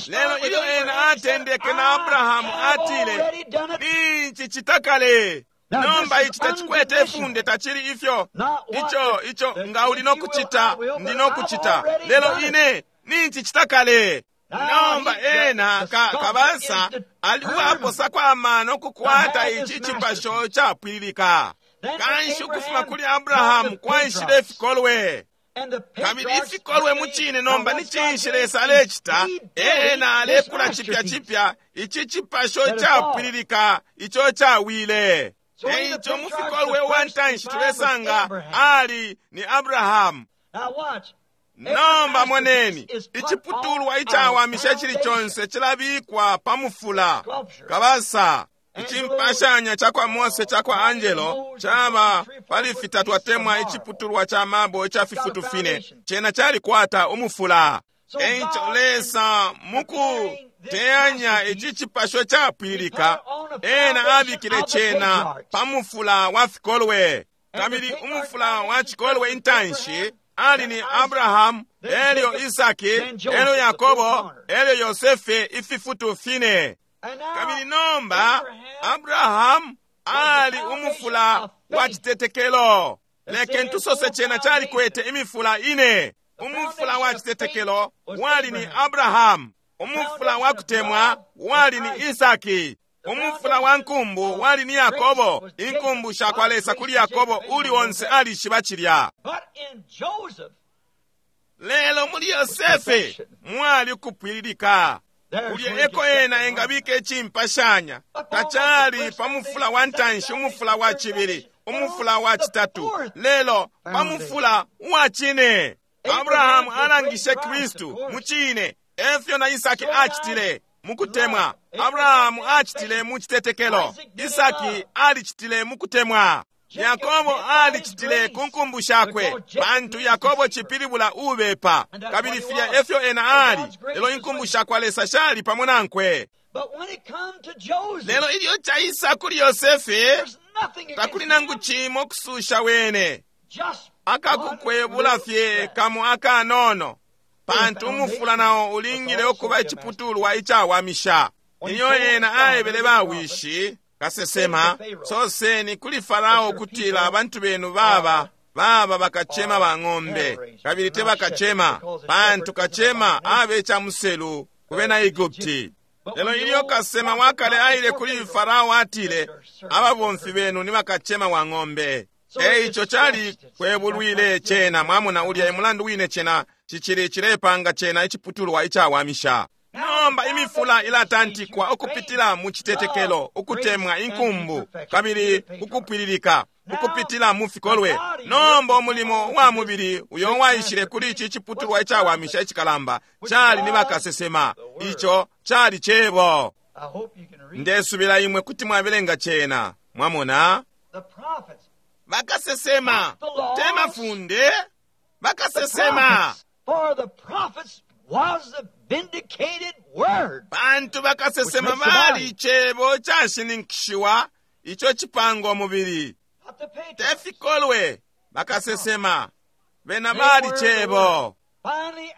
Lelo ilyo ena atendeke na Abrahamu, atile, ninci citakale. Nomba ici tacikwete ifunde, tacili ifyo ico ico nga uli nokucita ndi nokucita, lelo ine ninci citakale. Nomba ena ka, kabasa aliwaposako amano kukwata ici cipasho capwililika. Kanshi ukufuma kuli Abrahamu kwaishile ifikolwe. Kabili ifikolwe mucine nomba ni cinshi Lesa alecita? Ena alekula cipya cipya ici cipasho capwililika ico cawile. Eico mufikolwe uwantanshi tulesanga ali ni Abrahamu. Nomba moneni, iciputulwa icawamisha cili conse cilabikwa pa mufula kabasa. Icimpashanya ca kwa Mose ca kwa Angelo caba pali fitatu atemwa iciputulwa ca mabo ica fifutu fine, cena calikwata umufula. Eico Lesa mukuteyanya ici cipasho capwilika, ena abikile cena pa mufula wa fikolwe. Kabili umufula wa cikolwe intanshi ali ni Abrahamu, elyo Isaki, elyo Yakobo, elyo Yosefe, ififutu fine. Kabili nomba Abrahamu ali umufula wa citetekelo. Leken tusose cena calikwete imifula ine. Umufula wa citetekelo wali ni Abrahamu, umufula wa kutemwa wali ni Isaki, umufula wa nkumbu wali ni Yakobo. Inkumbu sha kwa Lesa kuli Yakobo uli onse alishiba cilya. Lelo muli Yosefe mwali kupwililika. Kulya eko ena engabika icimpashanya tacali pa mufula wa ntanshi, umufula wa cibili, umufula wa citatu, lelo pa mufula wa cine. Abrahamu alangishe Kristu mu cine, efyo na Isaki acitile mukutemwa. Abrahamu acitile mu citetekelo, Isaki alicitile mukutemwa, Yakobo alicitile ku nkumbu shakwe, pantu Yakobo cipilibula ubepa, kabili filya efyo ena ali. Lelo inkumbu shakwa Lesa shali pamo nankwe. Lelo ilyo caisa kuli Yosefe, takuli nangu cimo kususha wene, akakukwebula fye kamo akanono, pantu umufula nao ulingile ukuba iciputulwa icawamisha. Ilyo ena aebele bawishi kasesema, soseni kuli Farao kutila abantu benu baba baba bakachema ba ng'ombe, kabili te bakachema, pantu kachema abe cha muselu kubena Egupti. Lelo ilyo kasema wakale aile kuli Farao atile, ababomfi benu ni bakachema wa ng'ombe. Eico cali kwebulwile cena, mwamona ulya emulandu wine cena cicili cilepanga cena iciputulwa icawamisha. Nomba imifula ilatantikwa ukupitila mu citetekelo, ukutemwa, inkumbu, kabili ukupwililika ukupitila mu fikolwe. Nomba umulimo wa mubili uyo waishile kuli ici ciputulwa icawamisha icikalamba cali ni bakasesema. Ico cali cebo. Ndesubila imwe kuti mwabelenga cena, mwamona. Bakasesema te mafunde, bakasesema. Pantu bakasesema bali icebo cashininkishiwa ico cipanga umubili. Te fikolwe, bakasesema bena bali cebo.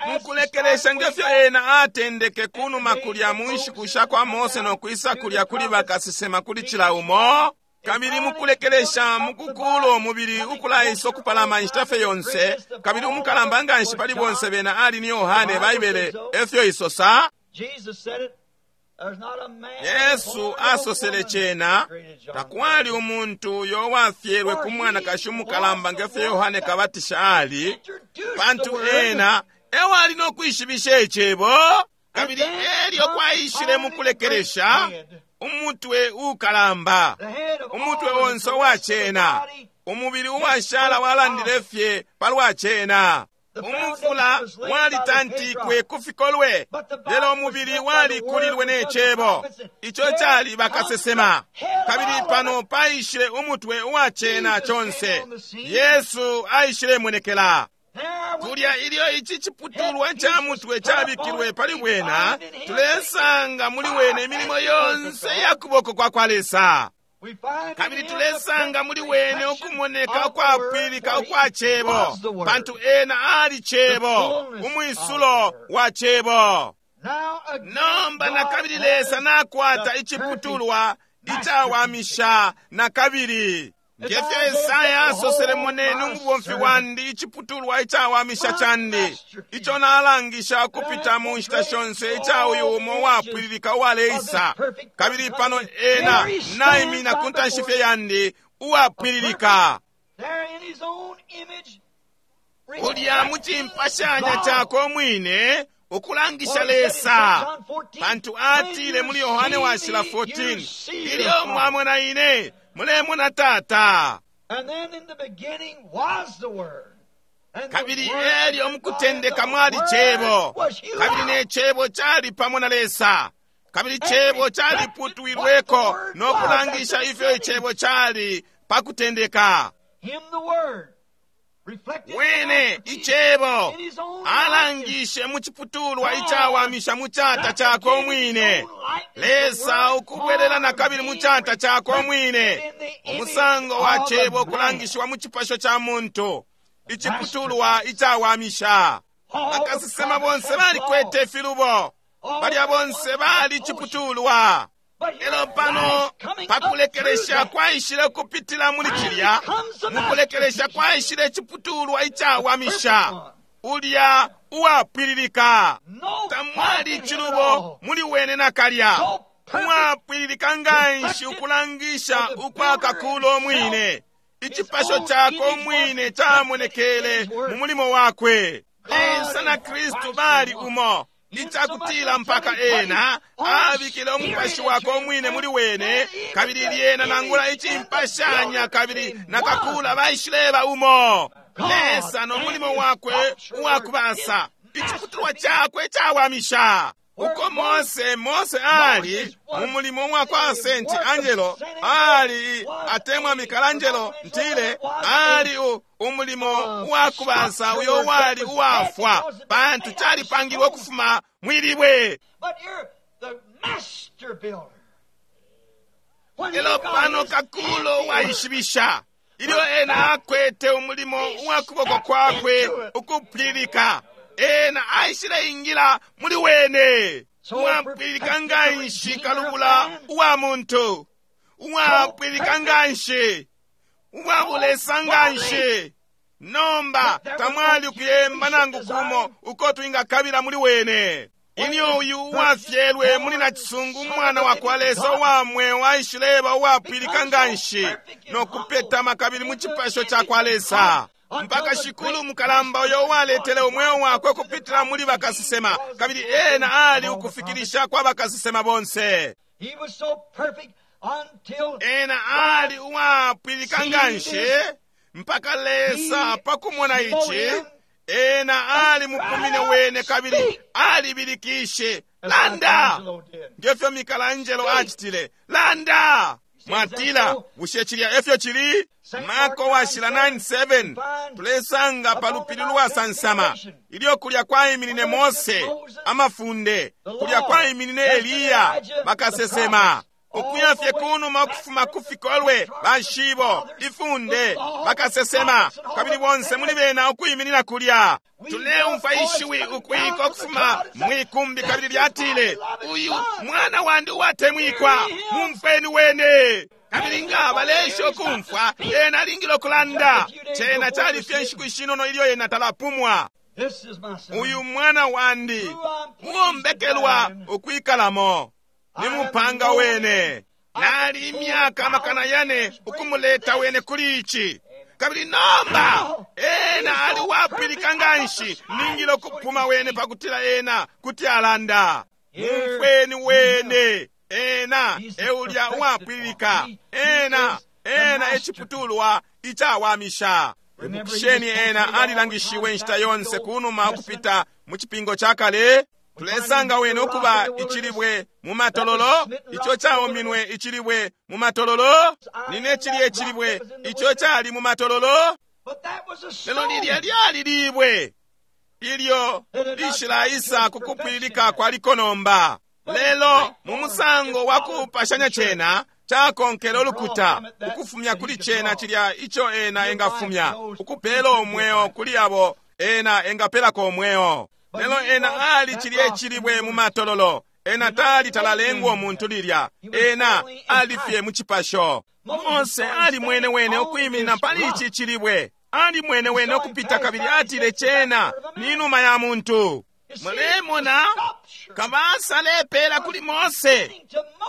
Mukulekelesha ngefyo ena atendeke kunuma kulya mu nshiku sha kwa Mose no kwisa kulya kuli bakasesema kuli cila umo, kabili mukulekelesha mukukula umubili ukulaisa ukupalama inshita fye yonse, kabili umukalamba nganshi pali bonse bena ali ni Yohane. Baibele efyo isosa. Yesu asosele cena, takwali umuntu uyo wafyelwe ku mwanakashi umukalamba ngefyo Yohane Kabatisha ali, pantu ena ewali no kwishibisha icebo. Kabili elyo kwaishile mukulekelesha umutwe ukalamba, umutwe onse uwa cena, umubili uwashala walandile fye palwa cena. Umufula walitantikwe ku fikolwe, lelo umubili walikulilwe ne cebo. Ico cali bakasesema. Kabili pano paishile umutwe uwa cena conse. Yesu aishile monekela kulya ilyo ici ciputulwa ca mutwe cabikilwe pali bwena. Tulesanga muli wene imilimo yonse ya kuboko kwa kwa Lesa, kabili tulesanga muli wene ukumoneka ukwapwilika ukwa cebo, pantu ena ali cebo, umwisulo wa cebo. Nomba nakabili Lesa nakwata iciputulwa icawamisha nakabili. Ngefyo Esaya asosele, moneni umubomfi wandi, iciputulwa icawamisha candi, ico nalangisha ukupita mu nshita shonse ica uyu umo uwapwililika uwaleisa. Kabili pano ena naimina ku ntanshi fye yandi uwapwililika, kulya mu cimpashanya cakwe umwine, ukulangisha Lesa. Pantu atile muli Yohane washila fourteen, ilyo mwamona ine, Mulemona Tata. And then in the beginning was the Word. And the Kabili Word elyo was mukutendeka God, mwali and the Cebo. Word was you Kabili out. ne Cebo cali pamo na Lesa. Kabili Cebo caliputwilweko no kulangisha ifyo Icebo cali pa kutendeka. Him the Word. Reflected Wene the masterpiece Icebo in his own likeness. alangishe mu ciputulwa icawamisha mu cata cakwe umwine. Lesa ukubwelela na kabili mu cata cakwe umwine. Umusango wa Cebo ukulangishiwa mu cipasho ca muntu. Iciputulwa icawamisha. Bakasesema bonse balikwete ifilubo. Balya bonse bali ciputulwa. Lelo pano pakulekelesha kwaishile kupitila muli cilya, mukulekelesha kwaishile iciputulwa icawamisha, ulya uwapwililika. Tamwali icilubo muli wene nakalya, uwapwililika nganshi ukulangisha ukwakakula umwine. Icipasho cakwe umwine camonekele mu mulimo wakwe. Lesa na Kristu bali umo. Icakutila mpaka ena abikile umupashi wakwe umwine muli wene, kabili lyena nangula icimpashanya kabili nakakula baishileba umo. Lesa no mulimo wakwe uwakubasa, iciputulwa cakwe cawamisha. Uko Mose, Mose ali mu mulimo wa kwa Saint Angelo, ali atemwa Michelangelo ntile, ali u, umulimo wa kubasa uyo wali uwafwa, pantu calipangilwe ukufuma mwilibwe. But you're the master builder. When he Lelo got pano his kakulo handiwork, waishibisha ilyo ena akwete umulimo uwa kuboko kwakwe ukupwilika, ena aishile ingila muli wene. Uwapwilika nganshi kalubula uwa muntu, uwapwilika nganshi, uwabulesa nganshi. Nomba tamwali ukuyemba nangu kumo uko twingakabila muli wene. Ilyo uyu uwafyelwe muli nacisungu umwana wa kwa Lesa uwa mweo aishileba uwapwilika nganshi no kupetama kabili mu cipasho ca kwa Lesa, mpaka Shikulu mukalamba uyo uwaletele umweo wakwe kupitila muli bakasesema, kabili ena ali ukufikilisha kwa bakasesema bonse. He was so perfect until Ena ali uwapwilika nganshi mpaka Lesa pakumona ici, ena ali mupumine wene kabili alibilikishe, landa ngefyo Michelangelo acitile, landa. Mwatila, bushe cilya efyo cili? Marko washila nine seven tulesanga pa lupili lwasansama ilyo kulya kwaiminine Mose amafunde, kulya kwaiminine Eliya bakasesema, ukuya fye kunuma ukufuma kufikolwe bashibo ifunde bakasesema, kabili bonse muli bena ukwiminina kulya. Tuleumfwa ishiwi ukwika ukufuma mwikumbi kabili lyatile, uyu mwana wandi uwatemwikwa, mumfweni wene. Kabili nga balesha ukumfwa, ena alingile ukulanda. Cena cali fye nshiku ishinono ilyo ena talapumwa. This is my son. Uyu mwana wandi uwombekelwa ukwikalamo, ni mupanga wene. Nali imyaka amakana yane ukumuleta wene kuli ici. Kabili nomba ena ali wapwilika nganshi, ningile ukupuma wene pakutila ena kuti alanda. Mumfweni wene, ena eulya uwapwilika, ena ena eciputulwa icawamisha. Ibukisheni ena alilangishiwe inshita yonse kunuma ukupita mu cipingo ca kale. Tulesanga wene ukuba icilibwe mu matololo, ico caominwe icilibwe mu matololo, nine cilye icilibwe ico cali mu matololo. But that was a Lelo stone. lilya lyali libwe ilyo lishilaisa kukupwilika kwaliko nomba. Lelo mu musango wa kupashanya cena cakonkele ulukuta ukufumya kuli cena cilya ico ena engafumya, ukupela umweo kuli abo ena engapelako umweo. Lelo ena ali cilye cilibwe mu matololo, ena tali talalengwa umuntu lilya, ena ali fye mu cipasho. Mose ali mwene wene ukwiminina pali ici cilibwe, ali mwene wene ukupita kabili atile cena ni numa ya muntu. Mulemona kabasa lepela kuli Mose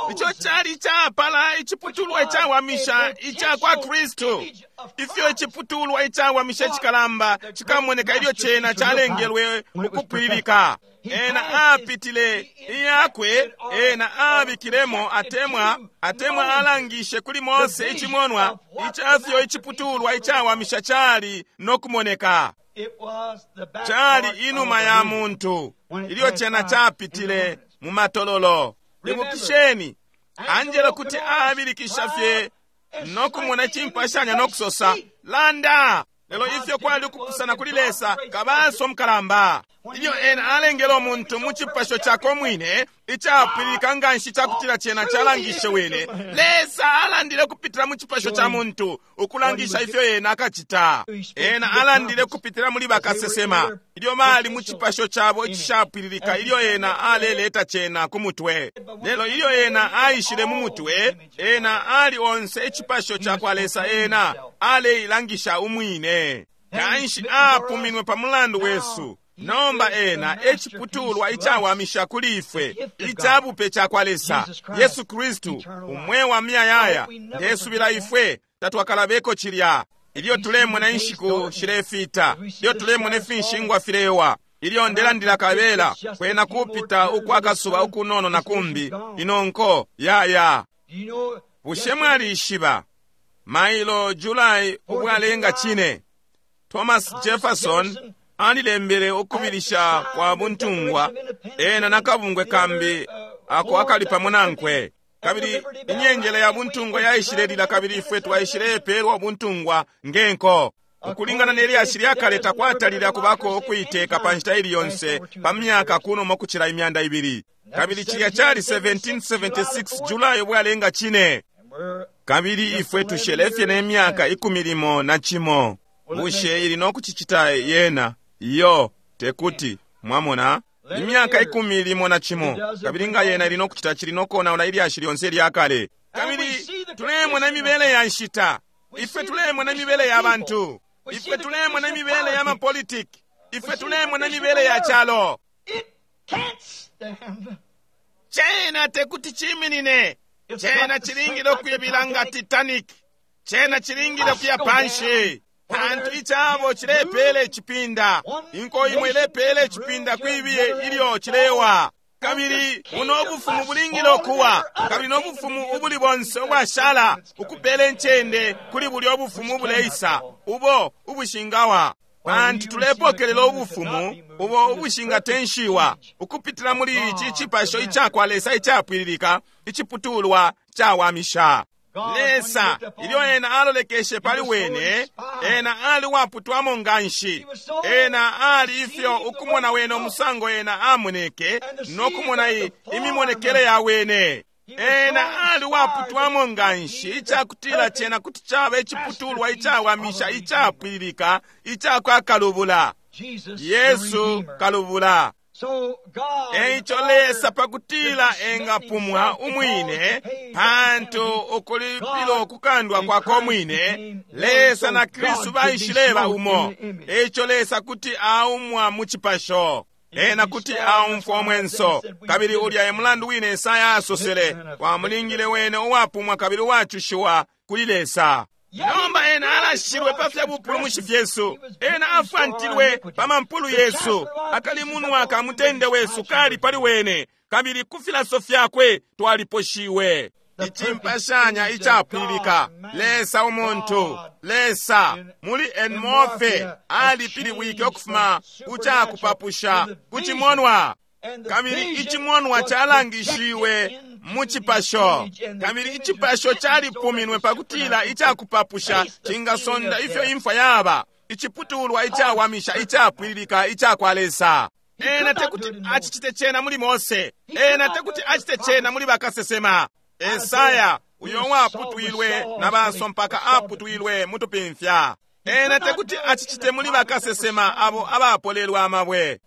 ico cali capala iciputulwa icawamisha ica kwa Kristu. Ifyo iciputulwa icawamisha icikalamba cikamoneka ilyo cena calengelwe ukupwililika. Ena apitile iyakwe, ena abikilemo atemwa atemwa alangishe kuli Mose ichimonwa icafyo iciputulwa icawamisha chali nokumoneka. Chali inuma ya muntu ilyo chena chapitile mu matololo. Ibukisheni, Angelo kuti abilikisha fye nokumona chimpashanya nokusosa landa, lelo ifyo kwali ukupusana kuli Lesa kabaso mukalamba. Ilyo ena alengele umuntu mu chipasho chakwe mwine icapwililika nganshi cakutila chena chalangishe wene, Lesa alandile kupitila mu chipasho cha muntu ukulangisha ifyo ena akachita. Ena alandile kupitila muli bakasesema ilyo bali mu chipasho chabo icishapwililika ilyo ena aleleta chena ku mutwe. Lelo ilyo ena aishile mu mutwe, ena ali onse ichipasho cha kwa Lesa, ena aleilangisha umwine. Kanshi apuminwe pa mulandu wesu. Nomba ena echiputulwa icawamisha kuli ifwe, icabupe cha kwa Lesa, Yesu Kristu, umwe wa miyayaya. Ndesubila ifwe tatwakalabeko chilya. Ilyo tulemona inshiku shilefita, ilyo tulemona ifinshingwa filewa, ilyo ndelandila kabela kwena kupita ukwakasuba ukunono na kumbi inonko yaya. Bushe mwalishiba mailo July ubwalenga chine, Thomas Jefferson alilembele ukubilisha kwa buntungwa ena nakabungwe kambi ako akali pamo nankwe. Kabili inyenjele ya buntungwa yaishilelila, kabili ifwe twaishilepelwa buntungwa ngenko. Ukulingana nelyashi lyakale takwatalile kubako ukuiteka pa nshita ili yonse pa myaka kuno kuchila imyanda ibili. Kabili chilya chali seventeen seventy-six July ubwalenga chine. Kabili ifwe tushelefye ne myaka ikumi limo na chimo. Bushe ili nokuchichita yena? Iyo, tekuti. Mwamona? Imyaka ikumi limo na chimo. Kabili nga yena ili nokuchita chili nokonaula ilyashi lyonse lyakale. Kabili tulemona imibele ya nshita. Ifwe tulemona imibele ya bantu. Ifwe tulemona imibele ya mapolitiki. Ifwe tulemona imibele ya chalo. Chena tekuti chiminine. Chena chilingile okuibilanga Titanic. Chena chilingile okuya panshi. Pantu ichabo chilepele chipinda. Inko imwe ilepele chipinda kwibiye ilyo chilewa. Kabili uno obufumu bulingile okuwa. Kabili n'obufumu ubuli bonse obwashala ukupela enchende kuli buli obufumu buleisa ubo ubushingawa. Pantu tulepokelela obufumu ubo ubushingatenshiwa ukupitila muli ichi chipasho ichakwa Lesa ichapwililika ichiputulwa chawamisha. Lesa ilyo ena alolekeshe pali wene, ena ali waputwamo nganshi. Ena ali ifyo ukumona wene omusango ena amoneke nokumona imimonekele ya wene. Ena ali waputwamo nganshi ichakutila chena kuti chaba ichiputulwa ichawamisha ichapwililika ichakwa kalubula, Yesu kalubula. Eicho Lesa pakutila engapumwa umwine pantu ukulipila okukandwa kwako mwine, Lesa na Kristu baishileba umo. Eicho Lesa kuti aumwa mu chipasho, ena kuti aumfwa omwenso. Kabili ulya emulandu wine Esaya asosele wamulingile wene uwapumwa kabili uwachushiwa kuli Lesa. Nomba ena alashilwe pa fya bupulumushi fyesu, ena afwantilwe pa mampulu yesu, akalimunwa ka mutende wesu kali pali wene, kabili ku filaso fyakwe twaliposhiwe. Ichimpashanya ichapwililika Lesa umuntu, Lesa muli enmorphe alipiliwike okufuma kuchakupapusha kuchimonwa. Kabili ichimonwa chalangishiwe mu chipasho, kabili ichipasho chalipuminwe pakutila ichakupapusha chingasonda ifyo imfwa yaba, ichiputulwa ichawamisha ichapwililika ichakwa Lesa. Ena tekuti achichite chena muli Mose, ena tekuti achite chena muli bakasesema. Esaya uyo waputwilwe na baso mpaka aputwilwe mutupimfya. Ena tekuti achichite muli bakasesema abo abapolelwa amabwe.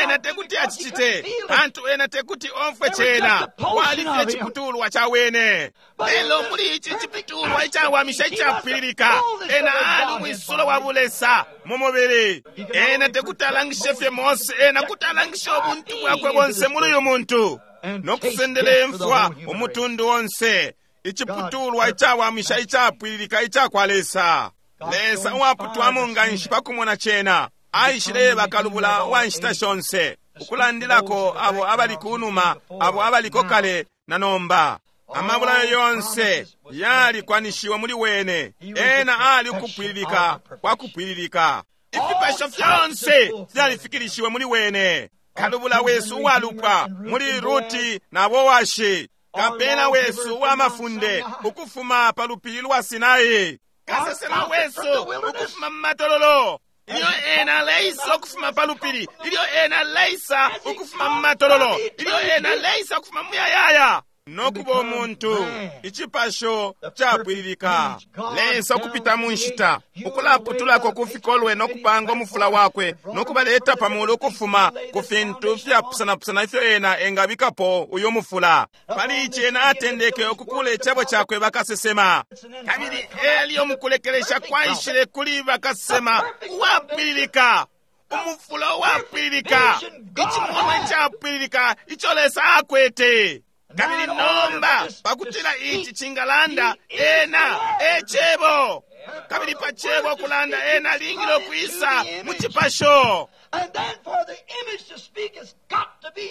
Ena tekuti achichite pantu ena tekuti omfwe chena walifye chiputulwa cha wene. Lelo muli ichi chiputulwa ichawamisha ichapwililika, ena ali umwisulo wa bulesa mu mubili. Ena tekuti alangishe fye Mose, ena kuti alangishe ubuntu bwakwe bonse muli uyu muntu nokusendela imfwa umutundu onse. Ichiputulwa ichawamisha ichapwililika ichakwa Lesa. Lesa uwaputwamo nganshi pakumona chena aishileba kalubula wa nshita shonse. Ukulandilako abo abali kunuma, abo abaliko kale na nomba. Amabulayo yonse yalikwanishiwe muli wene. Ena ali ukupwililika kwa kupwililika. Ifipasho fyonse fyalifikilishiwe muli wene. Kalubula wesu uwalupwa muli Ruti na Boashi. Kapena wesu uwamafunde ukufuma pa lupili lwa Sinai. Kasesema wesu ukufuma mu matololo. Ilyo ena leisa ukufuma pa lupili, ilyo ena leisa ukufuma mu matololo, ilyo ena leisa ukufuma mu muyayaya nokuba umuntu, icipasho capwililika. Lesa ukupita mu nshita, ukulaputulako ku fikolwe nokupanga umufula wakwe nokubaleta pamulu ukufuma ku fintu fyapusanapusana ifyo ena engabikapo uyu mufula. Pali ici ena atendeke ukukula icebo cakwe bakasesema. Kabili elyo mukulekelesha kwaishile kuli bakasesema uwapwililika, umufula uwapwililika, icimonwa icapwililika ico Lesa akwete. Kabili nomba pakutila ici cingalanda, ena e cebo. Kabili pa cebo kulanda, ena alingile ukwisa mu cipasho.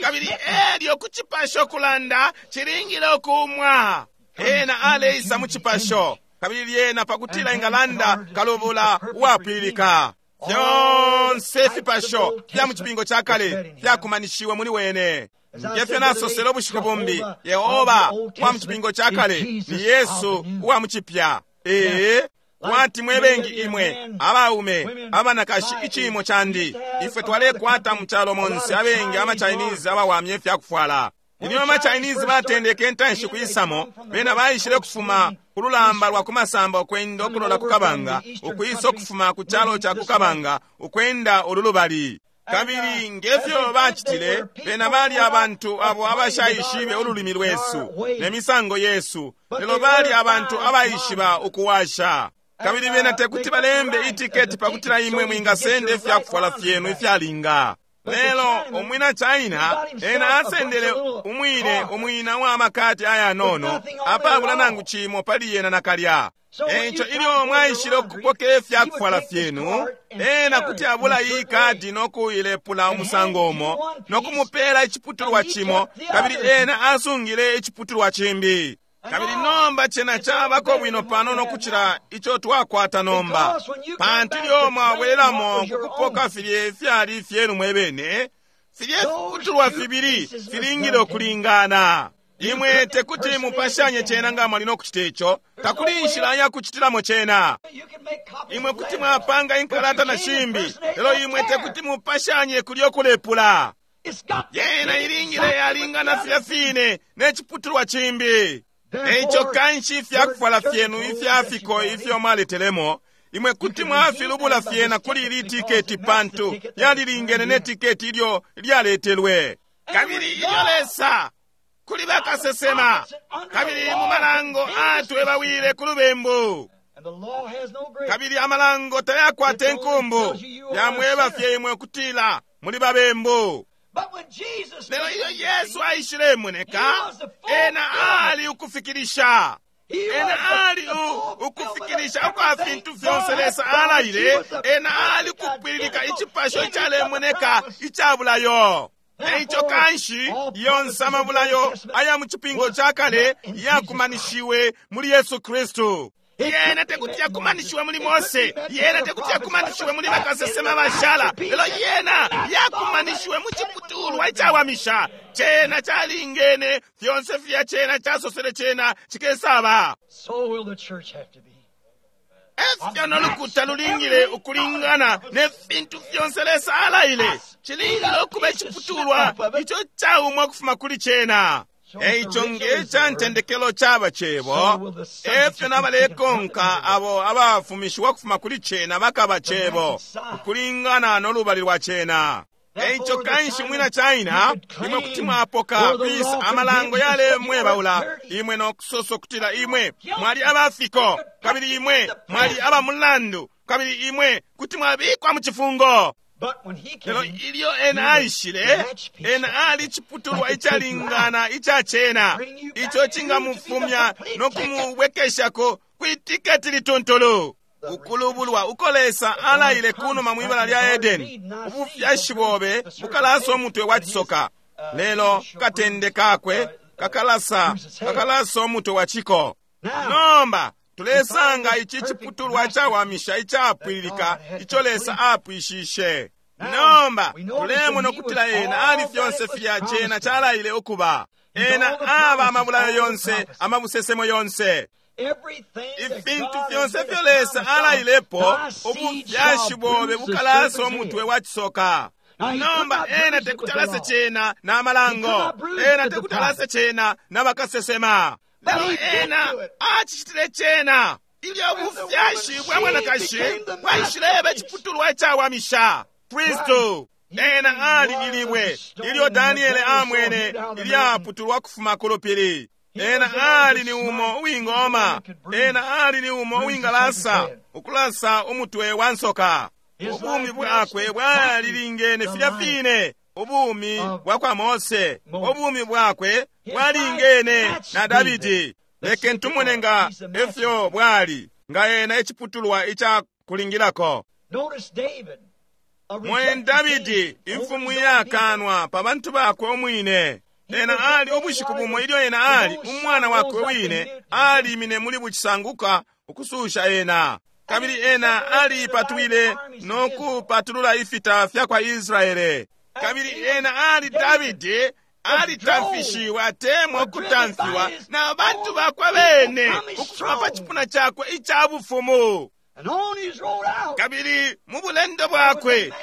Kabili elyo ku cipasho kulanda cilingile ukumwa. Ena aleisa mu cipasho. Kabili lyena pakutila ingalanda kalubula uwapwililika. Fyonse ifipasho fya mu cipingo ca kale fyakumanishiwe muli wene. Ngefyo nasosele ubushiku bumbi, Yehova uwa mu cipingo ca kale ni Yesu uwa mu cipya. Ee, kwati mwe bengi imwe abaume abanakashi iciimo candi, ifwe twalekwata mu calo monse abengi ama Chinese abawamye ifyakufwala. Ilyo ama Chinese batendeke intanshi kuisamo, bena baishile kufuma ku lulamba lwa kumasamba ukwenda ukulola ku kabanga, ukwisa ukufuma ku calo ca ku kabanga ukwenda ululubali. Kabili ngefyo bacitile, bena bali abantu abo abashaishibe ululimi lwesu ne misango yesu, lelo bali abantu abaishiba ukuwasha. Kabili bena tekuti balembe itiketi pakutila imwe mwingasenda ifyakufwala fyenu ifyalinga. Lelo umwina China ena asendele umwine umwina wa makati ayanono apabula nangu cimo pali yena nakalya. Eico ilyo mwaishile ukupoka ifyakufwala fyenu, ena kuti abula iyi kadi nokuilepula umusango umo nokumupela iciputulwa cimo, kabili ena asungile iciputulwa cimbi. Kabili nomba cena cabako bwino panono kucila ico twakwata nomba, pantu ilyo mwabwelelamo kukupoka filye fyali fyenu mwebene, filye fiputulwa fibili filingile ukulingana. Imwe tekuti mupashanye cena nga mwali nokucita ico, takuli inshila yakucitilamo cena. Imwe kuti mwapanga inkalata na shimbi, lelo imwe tekuti mupashanye kulyo kulepula. Yena ilingile yalingana filya fine ne ciputulwa cimbi. Eico kanshi ifyakufwala fyenu ifyafiko ifyo mwaletelemo, imwe kuti mwafilubula fyena kuli ili tiketi pantu yalilingene ne tiketi ilyo lyaletelwe. Kabili ilyo Lesa kuli bakasesema, kabili mu malango atwebawile ku lubembu. Kabili amalango tayakwata inkumbu, yamweba fye imwe ukutila muli babembu. Lelo ilyo Yesu aishile moneka, ena ali ukufikilisha. Ena ali ukufikilisha ukwa fintu fyonse Lesa alaile. Ena ali kupwililika icipasho icalemoneka icabulayo. Eico kanshi yonse amabulayo aya mu cipingo ca kale yakumanishiwe muli Yesu Kristu. Yena tekuti yakumanishiwe muli Mose, yena tekuti yakumanishiwe muli bakasesema bashala, lelo yena yakumanishiwe mu ciputulwa icawamisha. Cena calingene fyonse fya cena casosele cena cikesaba. Efyo nolukuta lulingile ukulingana ne fintu fyonse Lesa alaile. Cilingile ukuba iciputulwa ico caumwa ukufuma kuli cena. Eico nge ntendekelo caba cebo, efyo nabalekonka abo abafumishiwa kufuma kuli cena bakaba cebo, ukulingana nolubali lwa cena. Eico kanshi mwina China, imwe kuti mwapoka kwisa amalango yalemwebaula, imwe nokusosa ukutila imwe mwali abafiko, kabili imwe mwali abamulandu, kabili imwe kuti mwabikwa mu cifungo. Lelo ilyo ena aishile, ena ali ciputulwa icalingana ica cena, ico cingamufumya no kumubwekeshako kwi tiketi lituntulu. Ukulubulwa uko Lesa alaile kunuma mwibala lya Edeni, ubufyashi bobe bukalasa umutwe wa cisoka, lelo katende kakwe kakalasa kakalasa umutwe wa ciko. Nomba tulesanga ici ciputulwa cawamisha icapwililika ico Lesa apwishishe. Nomba tulemona ukutila ena ali fyonse filya cena calaile ukuba. Ena aba amabulayo yonse, amabusesemo yonse, ifintu fyonse fyo Lesa alailepo, ubufyashi bobe bukalasa umutwe wa cisoka. Nomba ena tekuti alase cena na malango, ena tekuti alase cena na bakasesema, lelo ena acicitile cena ilyo ubufyashi bwa mwanakashi bwaishileba iciputulwa icawamisha, Kristu. Ena ali ilibwe ilyo Daniele amwene ilyaputulwa kufuma ku lupili. Ena ali ni umo uwingoma, ena ali ni umo uwingalasa ukulasa umutwe wa nsoka. Ubumi bwakwe bwalilingene filya fine ubumi bwa kwa Mose, ubumi bwakwe bwalingene na Davidi. Leke ntumone nga efyo bwali, nga ena iciputulwa ica kulingilako. Mwen Davidi, imfumu iyakanwa pa bantu bakwe umwine. Ena ali ubushiku bumo ilyo ena ali umwana wakwe wine alimine muli bucisanguka ukususha ena, kabili ena alipatwile no kupatulula ifita fya kwa Israele. Kabili ena ali Davidi alitamfishiwa atemwa ukutamfiwa na bantu bakwe bene ukufuma pa cipuna cakwe ica bufumu. Kabili mu bulendo bwakwe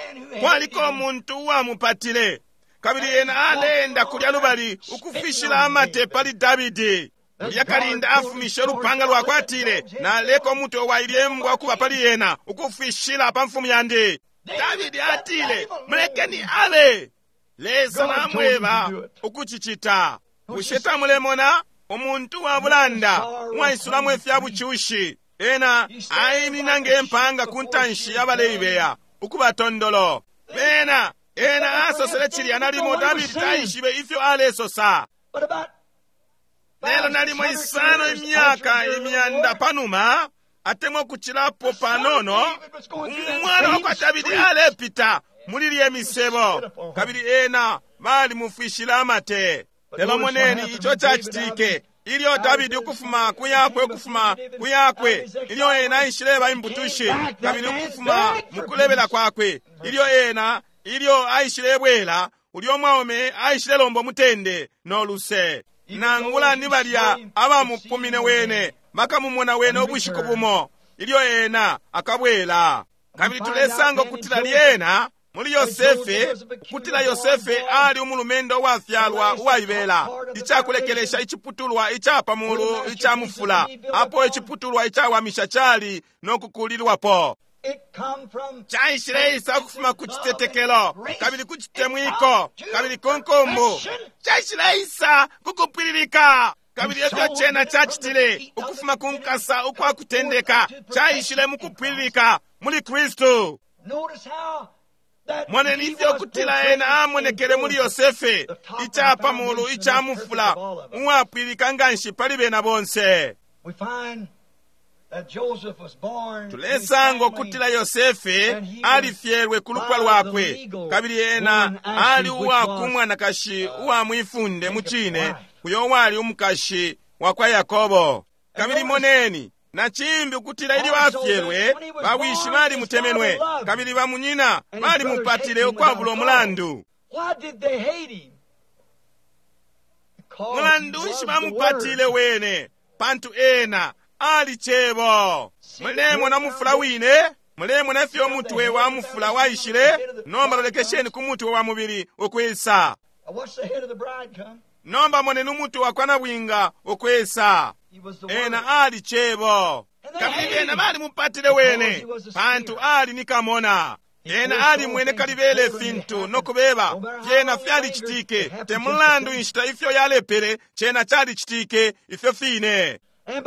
kwaliko umuntu uwamupatile, kabili ena aleenda kulya lubali ukufishila amate pali Davidi. Ulya kalinda afumishe ulupanga lwakwe atile, naleka umutwe wa ilye mbwa kuba pali ena ukufishila pa mfumu yandi. Davidi atile, mulekeni abe. Lesa namweba ukucicita. Bushe tamulemona umuntu wa bulanda uwaisulamo ifya bucushi? Ena aiminina ngempanga ku ntanshi y'abaleibeya ukuba tondolo. Bena ena asosele cilya nalimo Davidi taishibe ifyo alesosa. Lelo nalimo isano imyaka imyanda panuma, atemwa kucilapo panono, umwana wa kwa Davidi alepita muli lye misebo, kabili ena balimufwishila amate. Lelo moneni ico cacitike ilyo Davidi ukufuma kuyakwe ukufuma kuyakwe ilyo ena aishileba imbutushi, kabili ukufuma mukulebela kwakwe ilyo ena ilyo aishilebwela, ulyo mwaume aishilelomba mutende no luse. Nangula ni balya abamupumine wene bakamumona wene ubushiku bumo ilyo ena akabwela. Kabili tulesanga ukutila lyena muli Yosefe, ukutila Yosefe ali umulumendo uwafyalwa uwaibela, icakulekelesha iciputulwa ica pamulu ica mufula, apo iciputulwa icawamisha cali no kukulilwapo. Caishileisa ukufuma ku citetekelo, kabili ku citemwiko, kabili ku nkumbu. Caishileisa ku kupwililika. Kabili efyo cena cacitile ukufuma ku nkasa ukwa kutendeka, caishile mu kupwililika muli Kristu. Moneni ifyo kutila ena amonekele muli Yosefe, ica pamulu ica mufula, uwapwililika nganshi pali bena bonse. Tulesanga ukutila Yosefe alifyelwe ku lupwa lwakwe, kabili ena ali uwa ku mwanakashi uwa mwifunde mu cine, uyo wali umukashi wa kwa Yakobo. Kabili moneni na cimbi ukutila ilyo afyelwe, bawishi balimutemenwe, kabili bamunyina balimupatile ukwabula umulandu. Mulandu nshi bamupatile wene? Pantu ena ali cebo. Mulemona mufula wine, mulemona ifyo umutwe wa mufula waishile. Nomba lolekesheni ku mutwe wa mubili ukwisa. Nomba moneni umutwe wa kwa nabwinga ukwisa. Ena ali cebo, kabili bena balimupatile wene pantu ali ni kamona. Ena alimwene kalibele fintu nokubeba fyena fyalicitike, te mulandu inshita ifyo yalepele, cena calicitike ifyo fine.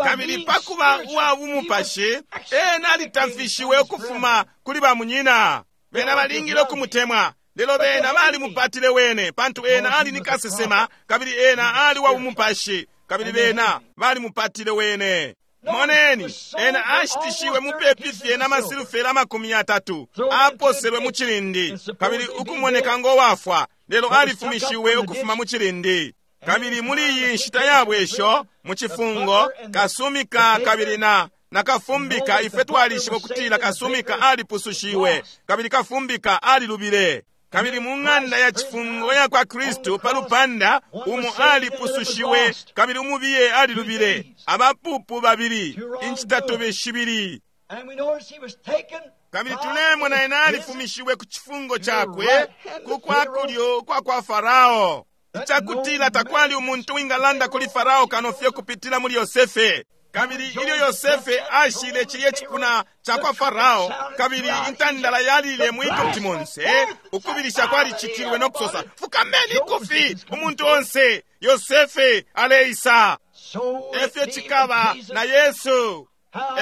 Kabili pakuba uwa bumupashi, ena alitamfishiwe ukufuma kuli bamunyina. Bena balingile ukumutemwa, lelo bena balimupatile wene pantu ena ali ni kasesema, kabili ena ali wa bumupashi, kabili bena balimupatile wene. Moneni, ena ashitishiwe mupepi fye na masilufera amakumi yatatu, aposelwe mu cilindi kabili ukumoneka ngo wafwa, lelo alifumishiwe ukufuma mu cilindi. Kabili muli iyi nshita ya bwesho mu cifungo, kasumika kabili na na kafumbika, ife twalishiba ukutila kasumika alipusushiwe kabili kafumbika alilubile. Kabili mu ng'anda ya cifungo ya kwa Kristu pa lupanda, umo alipusushiwe kabili umubiye alilubile. Abapupu babili, incitatubi shibili. Kabili tulemona ena alifumishiwe ku cifungo cakwe ku kwa kulyo kwa kwa Farao, icakutila takwali umuntu wingalanda kuli Farao kano fye kupitila muli Yosefe. Kabili ilyo Yosefe ashile cilye cipuna ca kwa Farao, kabili intandala yalile mu Egupti monse, ukubilisha kwalicitilwe no kusosa, fukameni ikufi umuntu onse, Yosefe aleisa. Efyo cikaba na Yesu.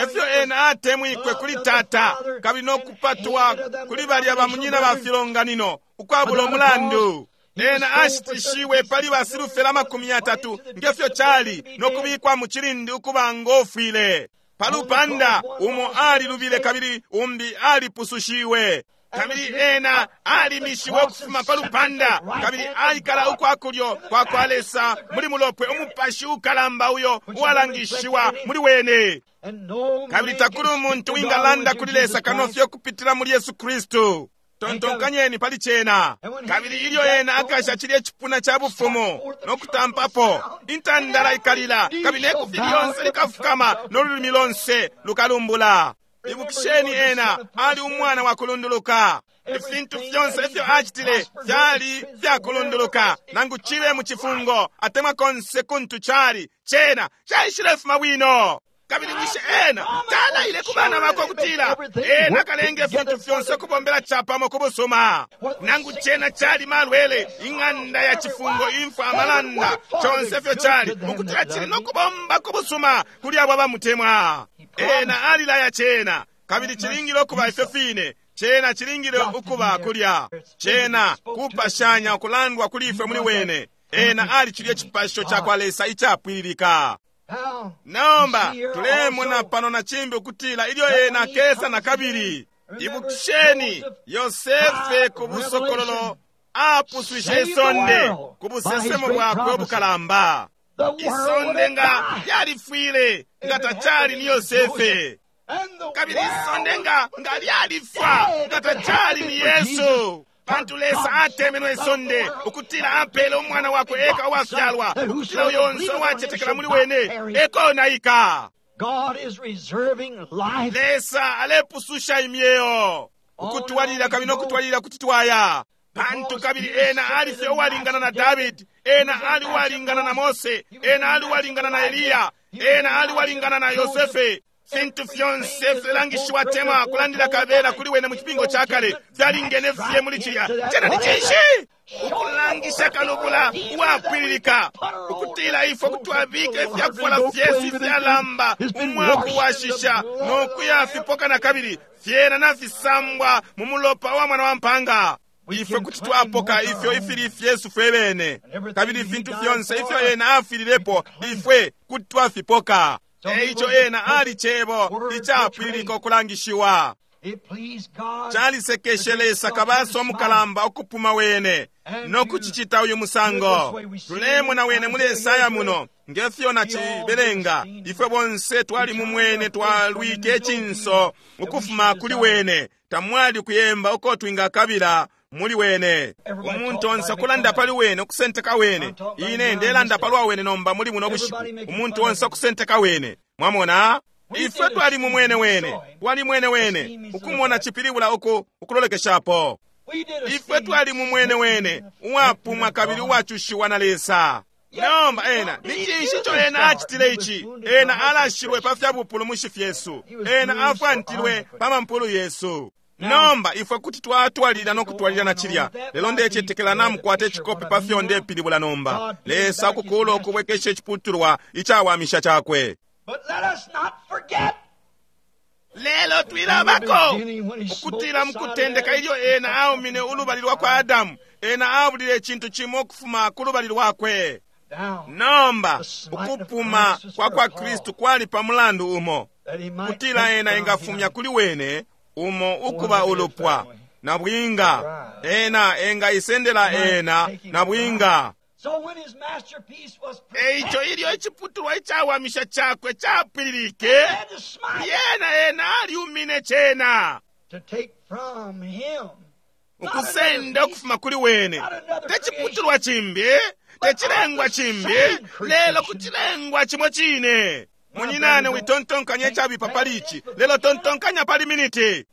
Efyo ena atemwikwe kuli Tata, kabili no kupatwa kuli balya bamunyina ba filonganino ukwabula umulandu. Ena ashitishiwe pali basilufera amakumi yatatu ngefyo cali no kubikwa mu cilindi ukuba ngofwile. Pa lupanda umo alilubile kabili umbi alipusushiwe. Kabili ena alimishiwe ukufuma pa lupanda kabili aikala ukwa kulyo kwa kwa Lesa muli mulopwe umupashi ukalamba uyo uwalangishiwa muli wene. Kabili takuli umuntu wingalanda kuli Lesa kano fye kupitila muli Yesu Kristu. Tontonkanyeni pali cena. Kabili ilyo ena akasha cilye cipuna ca bufumu no kutampapo, intandala ikalila kabili nekufi lyonse likafukama no lulimi lonse lukalumbula. Ibukisheni, ena ali umwana wa kulunduluka. Ifintu fyonse ifyo acitile fyali fyakulunduluka, nangu cibe mu cifungo atemwa konse kuntu cali, cena caishilefuma bwino. Kabili bushe ena talaile ku bana bakwe kutila ena akalenga ifintu fyonse ukubombela capamo ku busuma? Nangu cena cali malwele, ing'anda ya cifungo, imfwa, amalanda, conse fyo cali ukutila cili no kubomba ku busuma kuli abo abamutemwa. Ena alilaya cena, kabili cilingile ukuba ifyo fine. Cena cilingile ukuba kulya. Cena kupashanya ukulandwa kuli ifwe muli wene. Ena ali cilye cipasho ca kwa Lesa icapwililika. Nomba tulemona pano na cimbi ukutila ilyo ena akesa na kabili. Ibukisheni, Yosefe ku busokololo apuswishe isonde ku busesemo bwakwe ubukalamba. Isonde nga lyalifwile nga tacali ni Yosefe, kabili isonde nga nga lyalifwa nga tacali ni Yesu. Pantu Lesa atemenwe isonde ukutila apele umwana wakwe eka uwafyalwa, ukutila uyo onse uwacetekela muli wene ekonaika. Lesa alepususha imyeo ukutwalilila kabili nokutwalilila kuti twaya. Pantu kabili ena ali fye uwalingana na Davidi, ena ali uwalingana na Mose, ena ali uwalingana na Eliya, ena ali uwalingana na Yosefe. Fintu fyonse filangishiwa temwa kulandila kabela kuli wene mu cipingo ca kale fyalingene fye muli cilya. Cena ni cinshi? Ukulangisha kalubula uwapwililika, ukutila ifwe kutwabika ifyakufwala fyesu ifyalamba umwakuwashisha no kuyafipoka na kabili fyena nafisambwa mu mulopa wa mwana wa mpanga. Ifwe kuti twapoka ifyo ifili fyesu fwe bene, kabili ifintu fyonse ifyo ena afililepo ifwe kuti twafipoka. Eico ena ali cebo icapwililika ukulangishiwa. Calisekeshe Lesa kabaso omukalamba ukupuma wene no kucicita uyu musango. Tulemona wene muli Esaya muno ngefyo nacibelenga. Ifwe bonse twali mumwene, twalwike icinso ukufuma kuli wene, tamwali kuyemba uko twingakabila muli wene. Umuntu onse ukulanda pali wene, ukusenteka wene. Ine ndelanda palwa wene nomba muli buno bushiku. Umuntu onse ukusenteka wene. Mwamona? Ifwe twali mumwene wene, twali mwene wene, ukumona cipilibula uku ukulolekeshapo. Ifwe twali mumwene wene, uwapumwa kabili uwacushiwa na Lesa. Nomba ena ni cinshi ico ena acitile ici? Ena alashilwe pa fya bupulumushi fyesu, ena afwantilwe pa mampulu yesu. Nomba ifwe kuti twatwalilila no kutwalilila na cilya, lelo ndecetekela namukwata icikope pa fyo ndepilibula nomba. Lesa ukukula ukubwekesha iciputulwa icawamisha cakwe. But let us not forget. Lelo twilabako ukutila mukutendeka ilyo ena aumine ulubali lwa kwa Adamu, ena abulile icintu cimo ukufuma ku lubali lwakwe. Nomba ukupuma kwa kwa Kristu kwali pa mulandu umo, kutila ena engafumya kuli wene umo ukuba ulupwa na bwinga, ena engaisendela ena na bwinga. Eico ilyo iciputulwa icawamisha cakwe capwililike, yena ena aliumine cena ukusenda ukufuma kuli wene, teciputulwa cimbi, tecilengwa cimbi, lelo kucilengwa cimo cine. Munyinane, witontonkanya icabipa pali ici, lelo tontonkanya pali miniti.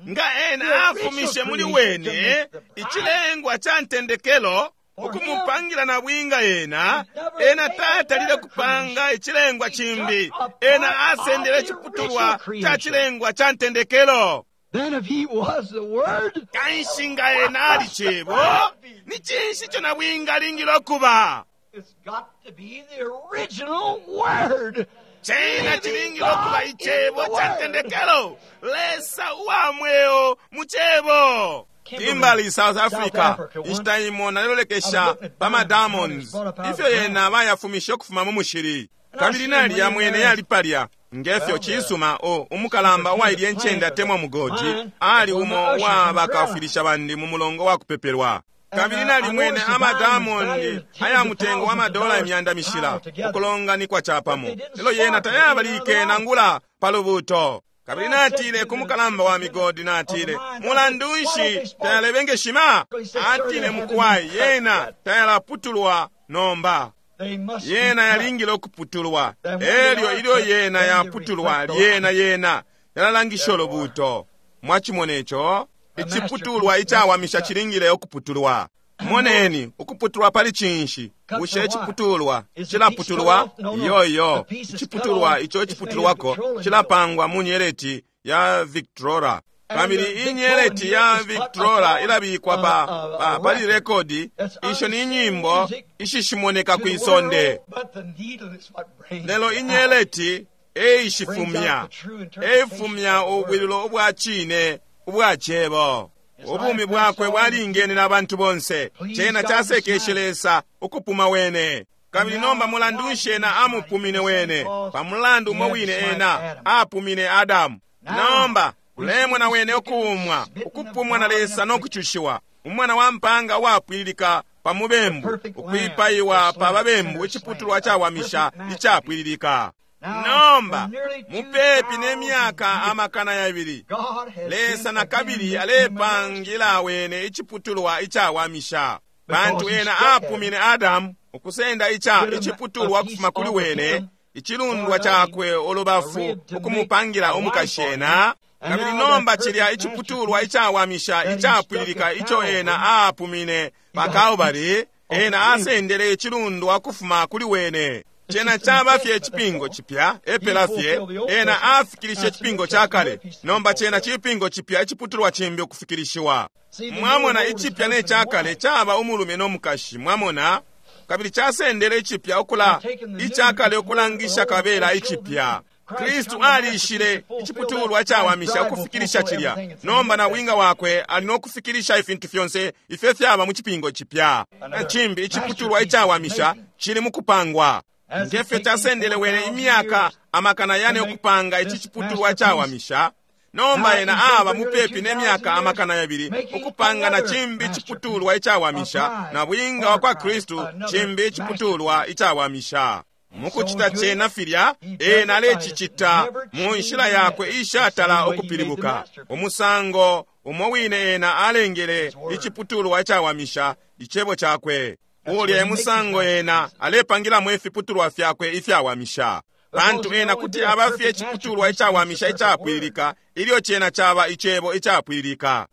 Nga ena afumishe muli wene icilengwa ca ntendekelo ukumupangila na bwinga ena, ena tatalile kupanga icilengwa cimbi, ena asendele iciputulwa ca cilengwa ca ntendekelo. Kanshi nga ena ali cebo, ni cinshi ico na bwinga alingile okuba? Cena cilingile okuba icebo ca ntendekelo, Lesa uwa mweo mu cebo. Kimberley, South Africa, inshita imo nalelolekesha pa ma diamonds ifyo yena bayafumishe ukufuma mu mushili, kabili nali yamwene yali palya ngefyo cisuma. O umukalamba uwailye encende atemwa mugodi ali umo wa bakafwilisha bandi mu mulongo wa kupepelwa, kabili nalimwene ama diamond aya mutengo wa madola imyanda mishila ukulonganikwa capamo, lelo yena tayabalike nangula pa lubuto. Kabili natile ku mukalamba wa migodi, natile, mulandu nshi tayalebengeshima? Atile, mukwai, yena tayalaputulwa nomba, yena yalingile ukuputulwa. Elyo ilyo yena yaputulwa, lyena yena yalalangisha ulubuto. Mwachimona ico? Iciputulwa icawamisha cilingile ukuputulwa. Moneni, ukuputulwa pali cinshi? Bushe iciputulwa cilaputulwa? Iyo, iyo. Iciputulwa ico iciputulwako cilapangwa mu nyeleti ya Victrola, kabili inyeleti ya Victrola ilabikwa pa, pa, pali rekodi. Isho ni nyimbo ishishimoneka kwisonde, lelo inyeleti eishifumya, eifumya ubwililo ubwa cine ubwa cebo. Ubumi bwakwe bwalingene na bantu bonse, cena casekeshe Lesa ukupuma wene. Kabili nomba mulandu nshi ena amupumine wene? Pa mulandu umo wine ena apumine Adamu. Nomba ulemona wene ukuumwa, ukupumwa na Lesa no kucushiwa, umwana wa mpanga uwapwililika pa mubembu, ukwipaiwa pa babembu, iciputulwa cawamisha icapwililika. Nomba mupepi ne myaka amakana yabili, Lesa na kabili alepangila wene iciputulwa icawamisha, pantu ena apumine Adamu ukusenda ica iciputulwa kufuma kuli wene, icilundwa cakwe ulubafu, ukumupangila umukashi ena. Kabili nomba cilya iciputulwa icawamisha icapwililika ico ena apumine pa Kalbari, ena asendele icilundwa kufuma kuli wene. Cena caba fye icipingo cipya, epela fye ena afikilishe icipingo ca kale. Nomba cena cipingo cipya, iciputulwa cimbi ukufikilishiwa. Mwamona, icipya ne ca kale caba umulume no mukashi, mwamona, kabili casendele icipya ukula icakale ukulangisha kabela icipya. Kristu alishile iciputulwa cawamisha ukufikilisha cilya. Nomba na bwinga wakwe ali no kufikilisha ifintu fyonse ifyo fyaba mu cipingo cipya. Na cimbi iciputulwa icawamisha cili mu kupangwa. Ngefyo casendele wene imyaka amakana yane ukupanga ici ciputulwa cawamisha, nomba ena aba mupepi ne myaka amakana yabili ukupanga na cimbi iciputulwa icawamisha, na bwinga wa kwa Kristu cimbi iciputulwa icawamisha. Mukucita cena filya, ena alecicita mu nshila yakwe ishatala ukupilibuka. Umusango umo wine ena alengele iciputulwa icawamisha, icebo cakwe, ulya emusango ena alepangilamo ifiputulwa fyakwe ifyawamisha, pantu ena kuti aba fye iciputulwa icawamisha icapwililika ilyo cena caba icebo icapwililika.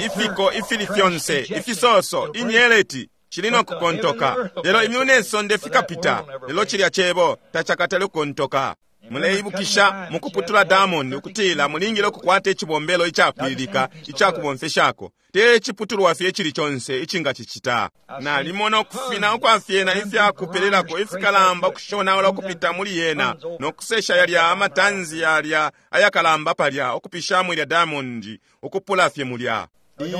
Ifiko ifili fyonse, ifisoso, inyeleti cili no kukontoka, lelo imyulu ne sonde fikapita, lelo cilya cebo tacakatale kukontoka. Muleibukisha mukuputula diamond ukutila mulingile ukukwata icibombelo icapwililika icakubomfeshako, te ciputulwa fye icili conse icingacicita. Nalimona ukufina ukwafyena ifyakupelelako ifikalamba ukushonaula ukupita muli yena, no kusesha yalya amatanzi yalya ayakalamba palya ukupishamo ilya diamond ukupula fye mulya.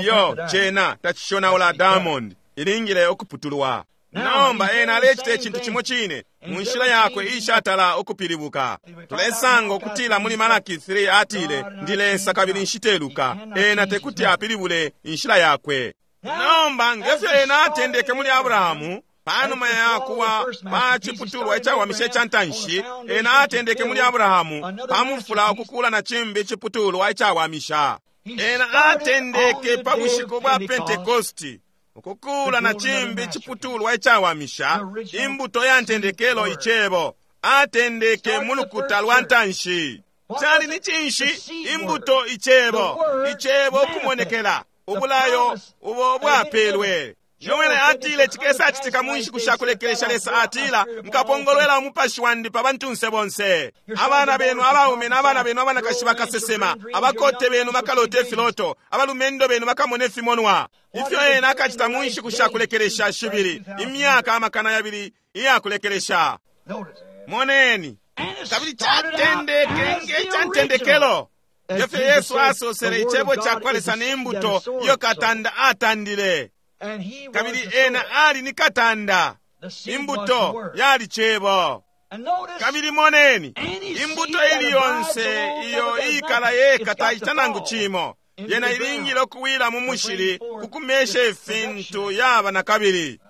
Iyo, cena tacishonaula diamond, Ilingile ukuputulwa. Nomba ena alecita icintu cimo cine mu nshila yakwe ishatala ukupilibuka. Tulesanga ukutila muli Malaki three atile, ndi Lesa kabili nshiteluka. Ena tekuti apilibule inshila yakwe. Nomba ngefyo ena atendeke muli Abrahamu, panuma ya kuwa pa ciputulwa icawamisha ica ntanshi, ena atendeke muli Abrahamu pamufula ukukula na cimbi iciputulwa icawamisha. Ena atendeke pa bushiku bwa Pentekosti ukukula na cimbi iciputulwa icawamisha, imbuto ya ntendekelo icebo. Atendeke mu lukuta lwa ntanshi. Cali ni cinshi? Imbuto icebo, icebo kumonekela, ubulayo ubo bwapelwe. Yoele atile cikesa citika mu nshiku sha kulekelesha. Lesa atila, nkapongolwela umupashi wandi pa bantunse bonse. Abana benu abaume n'abana benu abanakashi bakasesema, abakote benu bakalota ifiloto, abalumendo benu bakamona ifimonwa. Ifyo ena akacita mu nshiku sha kulekelesha shibili, imyaka amakana yabili iya kulekelesha. Moneni, kabili catendeke nge ca ntendekelo. Ngefyo Yesu asosele, icebo ca kwa Lesa ni imbuto iyo katanda atandile. Kabili ena ali ni katanda, imbuto yali cebo. Kabili moneni, imbuto ili yonse iyo ikala yeka taita nangu cimo, yena ilingile okuwila mu mushili kukumesha ifintu yaba na kabili.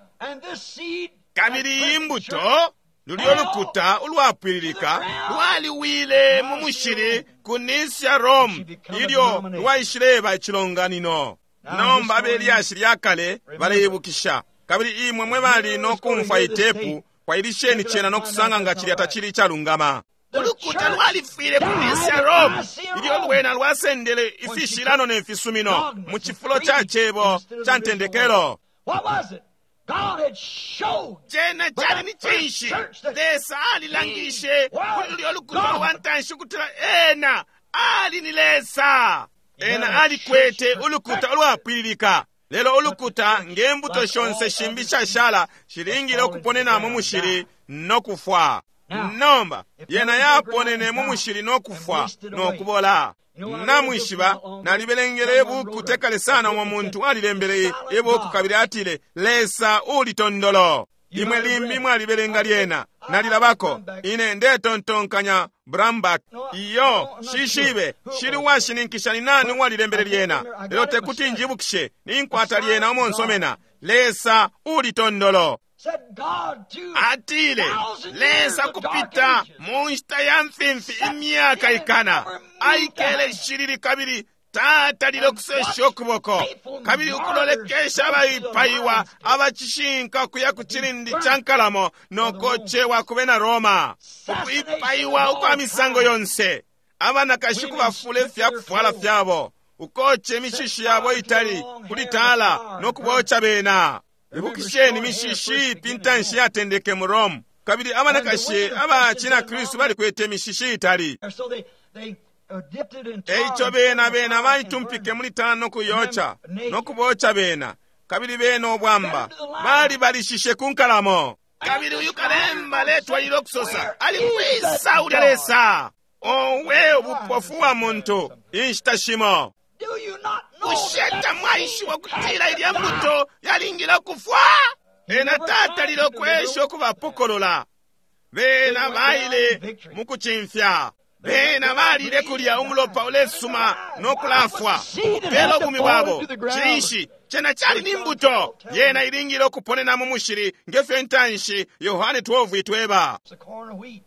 Kabili imbuto lulyo lukuta ulwapwililika lwaliwile mu mushili ku Nisia Rome ilyo lwaishileba icilonganino. Nomba abelyashi lya kale baleibukisha, kabili imwe mwe bali no kumfwa itepu, kwailisheni cena no kusanga nga cilya tacili icalungama. Ulukuta lwalifwile ku Nisia Rome ilyo lwena lwasendele ifishilano ne fisumino mu cifulo ca cebo ca ntendekelo. Cena cali ni cinshi? Lesa alilangishe kuli lulyo lukuta lwa ntanshi ukutila ena ali ni Lesa. Ena alikwete ulukuta ulwapwililika. Lelo ulukuta nge mbuto shonse shimbi shashala shilingile ukuponena mu mushili no kufwa. Nomba yena yaponene mu mushili no kufwa no kubola. Namwishiba, nalibelengele ibuku tekale sana umo muntu alilembele ibuku kabili atile, Lesa ulitondolo. Imwe limbi mwalibelenga lyena, nalilabako. Ine ndetontonkanya Brambach. Iyo, shishibe, shili washininkisha ni nani uwalilembele lyena. Lelo tekuti njibukishe, ninkwata lyena umo nsomena. Lesa ulitondolo. Atile, Lesa kupita mu nshita ya mfimfi imyaka ikana, aikele shilili kabili tatalile okusesha okuboko, kabili ukulolekesha abaipaiwa abacishinka kuya ku cilindi ca nkalamo nokocewa ku bena Roma, ukuipaiwa ukwa misango yonse, abanakashi kubafula ifyakufwala fyabo, ukoce imishishi yabo itali kulitala nokuboca bena. Ibukisheni imishishi ipi ntanshi yatendeke mu Rome, kabili abanakashi abacina Kristu balikwete imishishi itali. Eico bena bena baitumpike muli tala nokuyoca nokuboca bena, kabili bena obwamba balibalishishe ku nkalamo. Kabili uyu kalemba aletwalile okusosa, ali kwisa ulya Lesa? Owe ubupofu wa muntu inshita shimo. Bushe tamwaishiba ukutila ilya mbuto yalingile ukufwa? Ena tatalile okwesha okubapokolola. Bena baile mu kucimfya. Bena balile kulya umulopa ulesuma no kulafwa kupela ubumi bwabo. Cinshi? Cena cali ni mbuto. Yena ilingile okuponena mu mushili ngefyo intanshi Yohane twelve itweba.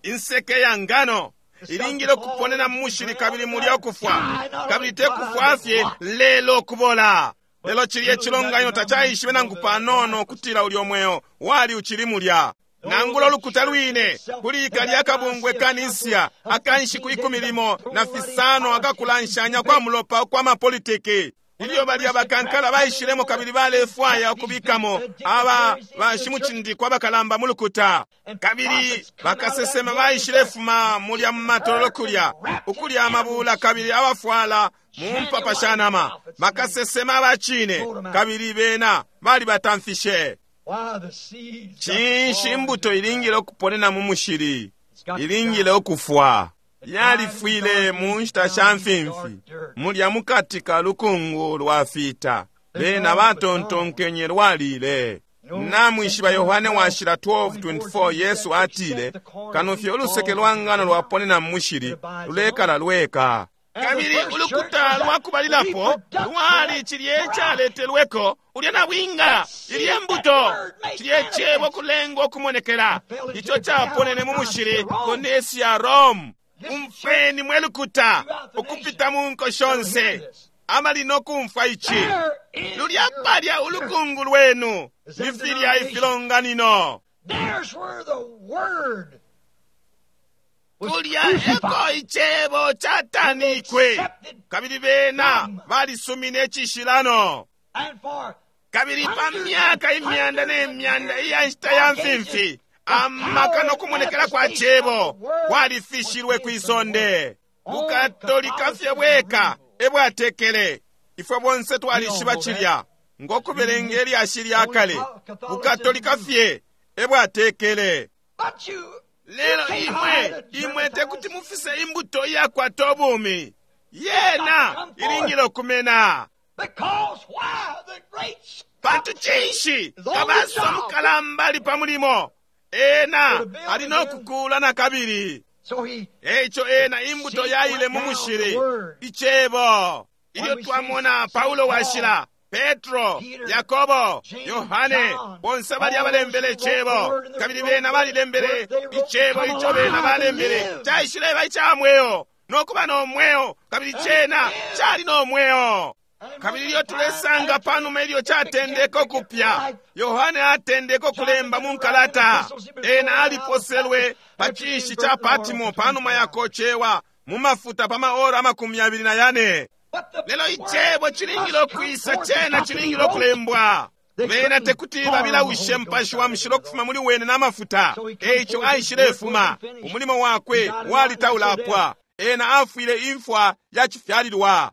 Inseke ya ngano ilingile okuponena mu mushili kabili mulya okufwa, kabili tekufwa fye lelo okubola. Lelo cilya icilonganino tacaishibe nangu panono okutila ulyo mweo wali ucili mulya. Nangula ulukuta lwine kuli kalya kabungwe ka Nisia akanshiku ikumi limo na fisano akakulanshanya kwa mulopa kwa mapolitiki, ilyo balya bakankala baishilemo kabili balefwaya ukubikamo aba bashimucindikwa abakalamba mu lukuta, kabili bakasesema baishilefuma mulya mu matololo kulya ukulya amabula kabili abafwala mu mpapa sha nama, bakasesema abacine, kabili bena balibatamfishe. Cinshi imbuto ilingile okuponena mu mushili? Ilingile okufwa. Yalifwile mu nshita sha mfimfi, mulya mukati ka lukungu lwa fita. Bena batontonkenye lwalile. Namwishiba Yohane washila twelve twenty-four, Yesu atile, kano fye uluseke lwa ngano lwaponena mu mushili, lulekala lweka. Kabili ulukuta lwakubalilapo lwali cilye icaletelweko ulya na bwinga, ilye mbuto, cilye cebo kulengwa okumonekela, ico caponene mu mushili ku nesi ya Rome. Umfweni mwe lukuta ukupita mu nko shonse, amali nokumfwa ici. Lulya palya ulukungu lwenu, ifilya ifilonganino. Kulya eko icebo catanikwe, kabili bena balisumine icishilano. Kabili pa myaka imyanda ne myanda iya nshita ya mfimfi, amaka nokumonekela kwa cebo kwalifishilwe kwisonde. Bukatolika fye bweka ebwatekele. Ifwe bonse twalishiba cilya ngokubelenga ilyashi lya kale. Bukatolika fye ebwatekele. Lelo imwe, imwe tekuti mufise imbuto iyakwata ubumi. Yena ilingile okumena. Pantu cinshi kabasa mukalamba ali pa mulimo. Ena ali nokukula na kabili. Eico ena imbuto yaile mu mushili, icebo. Ilyo twamona Paulo washila, Petro, Yakobo, Yohane, bonse bali abalembele icebo, kabili bena balilembele icebo ico bena balembele, caishileba ica mweo, nokuba no mweo, kabili cena cali no mweo. Kabili ilyo tulesanga panuma ilyo catendeka ukupya, Yohane atendeka ukulemba mu nkalata. Ena aliposelwe pa cishi ca Patmo panuma yakocewa mu mafuta pa maora amakumi abiri na yane. Lelo icebo cilingile okwisa, cena cilingile okulembwa. Bena tekuti babilawishe mpashi wa mushilo okufuma muli wene n'amafuta. Eico aishilefuma, umulimo wakwe walitaulapwa. Ena afwile imfwa ya cifyalilwa.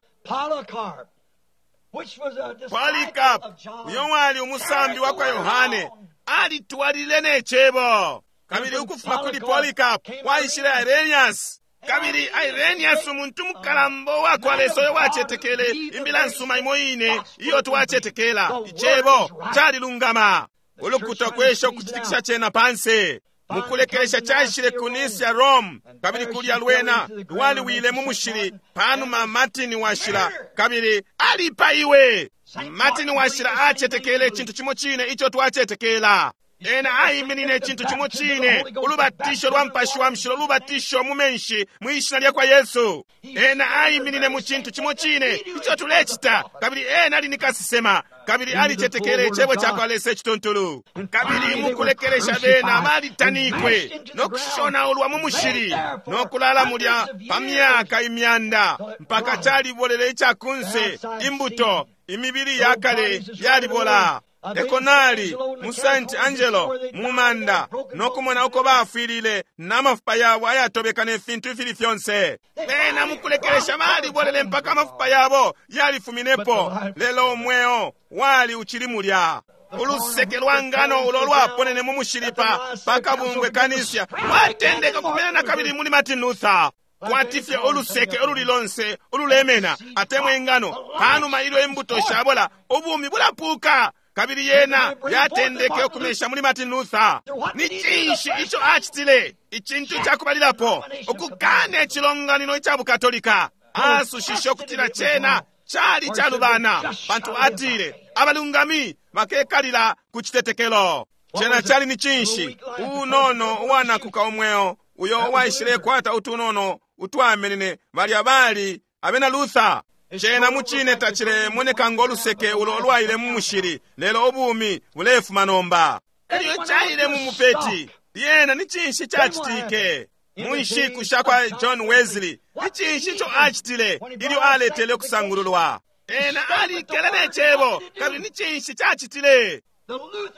Polycarp, uyo wali umusambi wa kwa Yohane, alitwalile ne cebo. Kabili ukufuma kuli Polycarp waishile Irenaeus. Kabili Irenaeus umuntu mukalamba wa kwa Lesa uyo wacetekele imbila nsuma imo ine iyo twacetekela. Icebo calilungama. Ulukuta kwesha ukucitikisha cena panse. Mukulekelesha caishile ku Nisia Rome, kabili kulya lwena lwaliwile mu mushili panuma Martin washila, kabili alipaiwe. Martin washila acetekele icintu cimo cine ico twacetekela. Ena aiminine icintu cimo cine, ulubatisho lwa mpashi wa mushilo, ulubatisho mu menshi mwi shina lya kwa Yesu. Ena aiminine mu cintu cimo cine ico tulecita, kabili ena ali ni kasesema, kabili alicetekele icebo ca kwa Lesa icituntulu. Kabili mukulekelesha bena balitanikwe nokushonaulwa mu mushili nokulala mulya pa myaka imyanda mpaka calibolele icakunse imbuto imibili ya kale yalibola. Ekonali mu Saint Angelo mu manda nokumona uko bafwilile n'amafupa yabo ayatobeka ne fintu ifili fyonse. Bena mukulekelesha balibolele mpaka amafupa yabo yalifuminepo, lelo umweo wali uchili mulya. Uluseke lwa ngano ulo lwaponene mu mushili pa pakabungwe kanisa lwatendeka kumena na kabili muli Martin Luther. Kwatifye uluseke ululi lonse ululemena atemwe ingano panuma ilyo imbuto shabola ubumi bulapuka. Kabili yena yatendeke okumesha muli Martin Luther. Ni cinshi ico acitile? Icintu cakubalilapo ukukana icilonganino ica Bukatolika. Asushishe ukutila cena cali calubana, pantu atile abalungami bakekalila ku citetekelo. Cena cali ni cinshi? Unono uwanakuka umweo uyo uwaishilekwata utunono utwamenene balya bali abena Luther. Cena mucine tacilemoneka ngoluseke ulo lwaile mu mushili, lelo ubumi bulefuma nomba. Elyo caile mu mupeti. Lyena ni cinshi cacitike? Mu nshiku sha kwa John Wesley, ni cinshi ico acitile ilyo aletele ukusangululwa? Ena alikele ne cebo, kabili ni cinshi cacitile?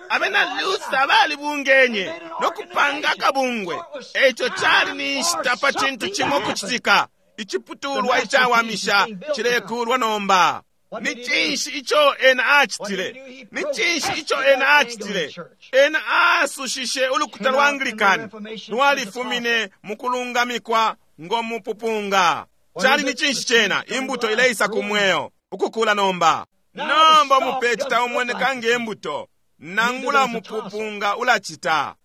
Abena Luther balibungenye nokupanga akabungwe. Eico cali ni nshita pa cintu cimo kucitika. Iciputulwa icawamisha cilekulwa nomba. Ni cinshi ico ena acitile? Ni cinshi ico ena acitile? Ena asushishe ulukuta lwa Anglican lwalifumine mu kulungamikwa ngo mupupunga. Cali ni cinshi cena? Imbuto ileisa ku mweo ukukula nomba. Nomba umupeti taumoneka ngembuto, nangula mupupunga ulacita.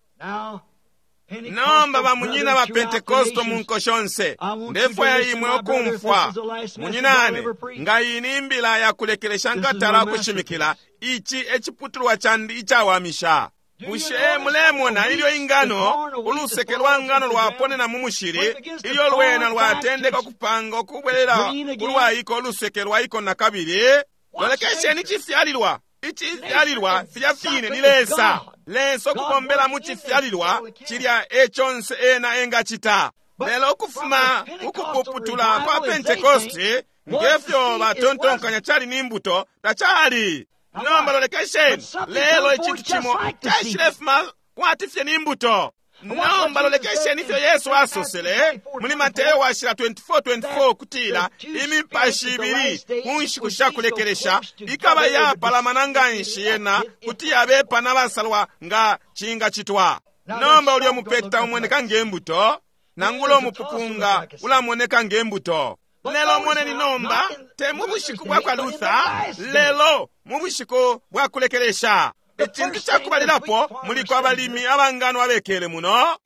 Nomba bamunyina ba Pentekosto mu nko shonse, ndefwaya imwe okumfwa. Munyinane, nga iyi imbila yakulekelesha nkatala okushimikila, ici eciputulwa candi icawamisha. Bushe mulemona ilyo ingano, uluseke lwa ngano lwaponena mu mushili, ilyo lwena lwatendeka okupanga okubwelela ulwaiko uluseke lwaiko nakabili? Lolekesheni cifyalilwa. Icifyalilwa filya fine ni Lesa. Lesa okubombela mu cifyalilwa cilya econse ena engacita. Lelo ukufuma ukupuputula kwa Pentekoste, ngefyo batontonkanya cali ni mbuto, tacali. Nomba lolekesheni, lelo icintu cimo caishilefuma kwati fye ni mbuto. Nomba lolekesheni ifyo Yesu asosele muli Mateo washila twenty-four twenty-four kutila imipashi ibili ku nshiku shakulekelesha ikaba yapalamana nganshi yena kuti yabepa n'abasalwa nga cingacitwa. Nomba ulyo mupeti taumoneka ngembuto, nangula umupupunga ulamoneka ngembuto. Lelo moneni nomba, te mu bushiku bwa kwa Luther, lelo mu bushiku bwa kulekelesha. Icintu cakubalilapo muliko abalimi abangano abekele muno.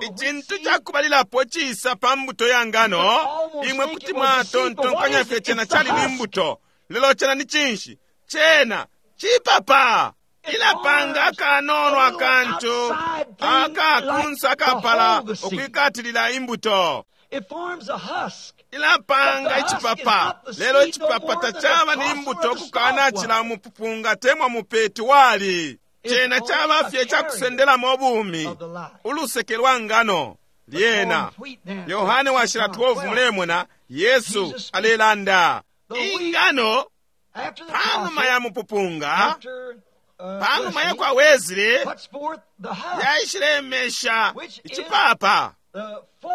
Icintu cakubalilapo cisa pa mbuto ya ngano, imwe kuti mwatontonkanya fye cena cali ni mbuto. Lelo cena ni cinshi? Cena cipapa. Ilapanga akanono akantu akakunsa akapala okwikatilila imbuto. Ilapanga icipapa, lelo icipapa tacaba ni mbuto okukana cila mupupunga temwa mupeti wali. Cena caba fye cakusendelamo obumi, uluseke lwa ngano lyena. Yohane washila twelve mulemona Yesu alelanda ingano panuma ya mupupunga, panuma ya kwa Wesley yaishilemesha icipapa.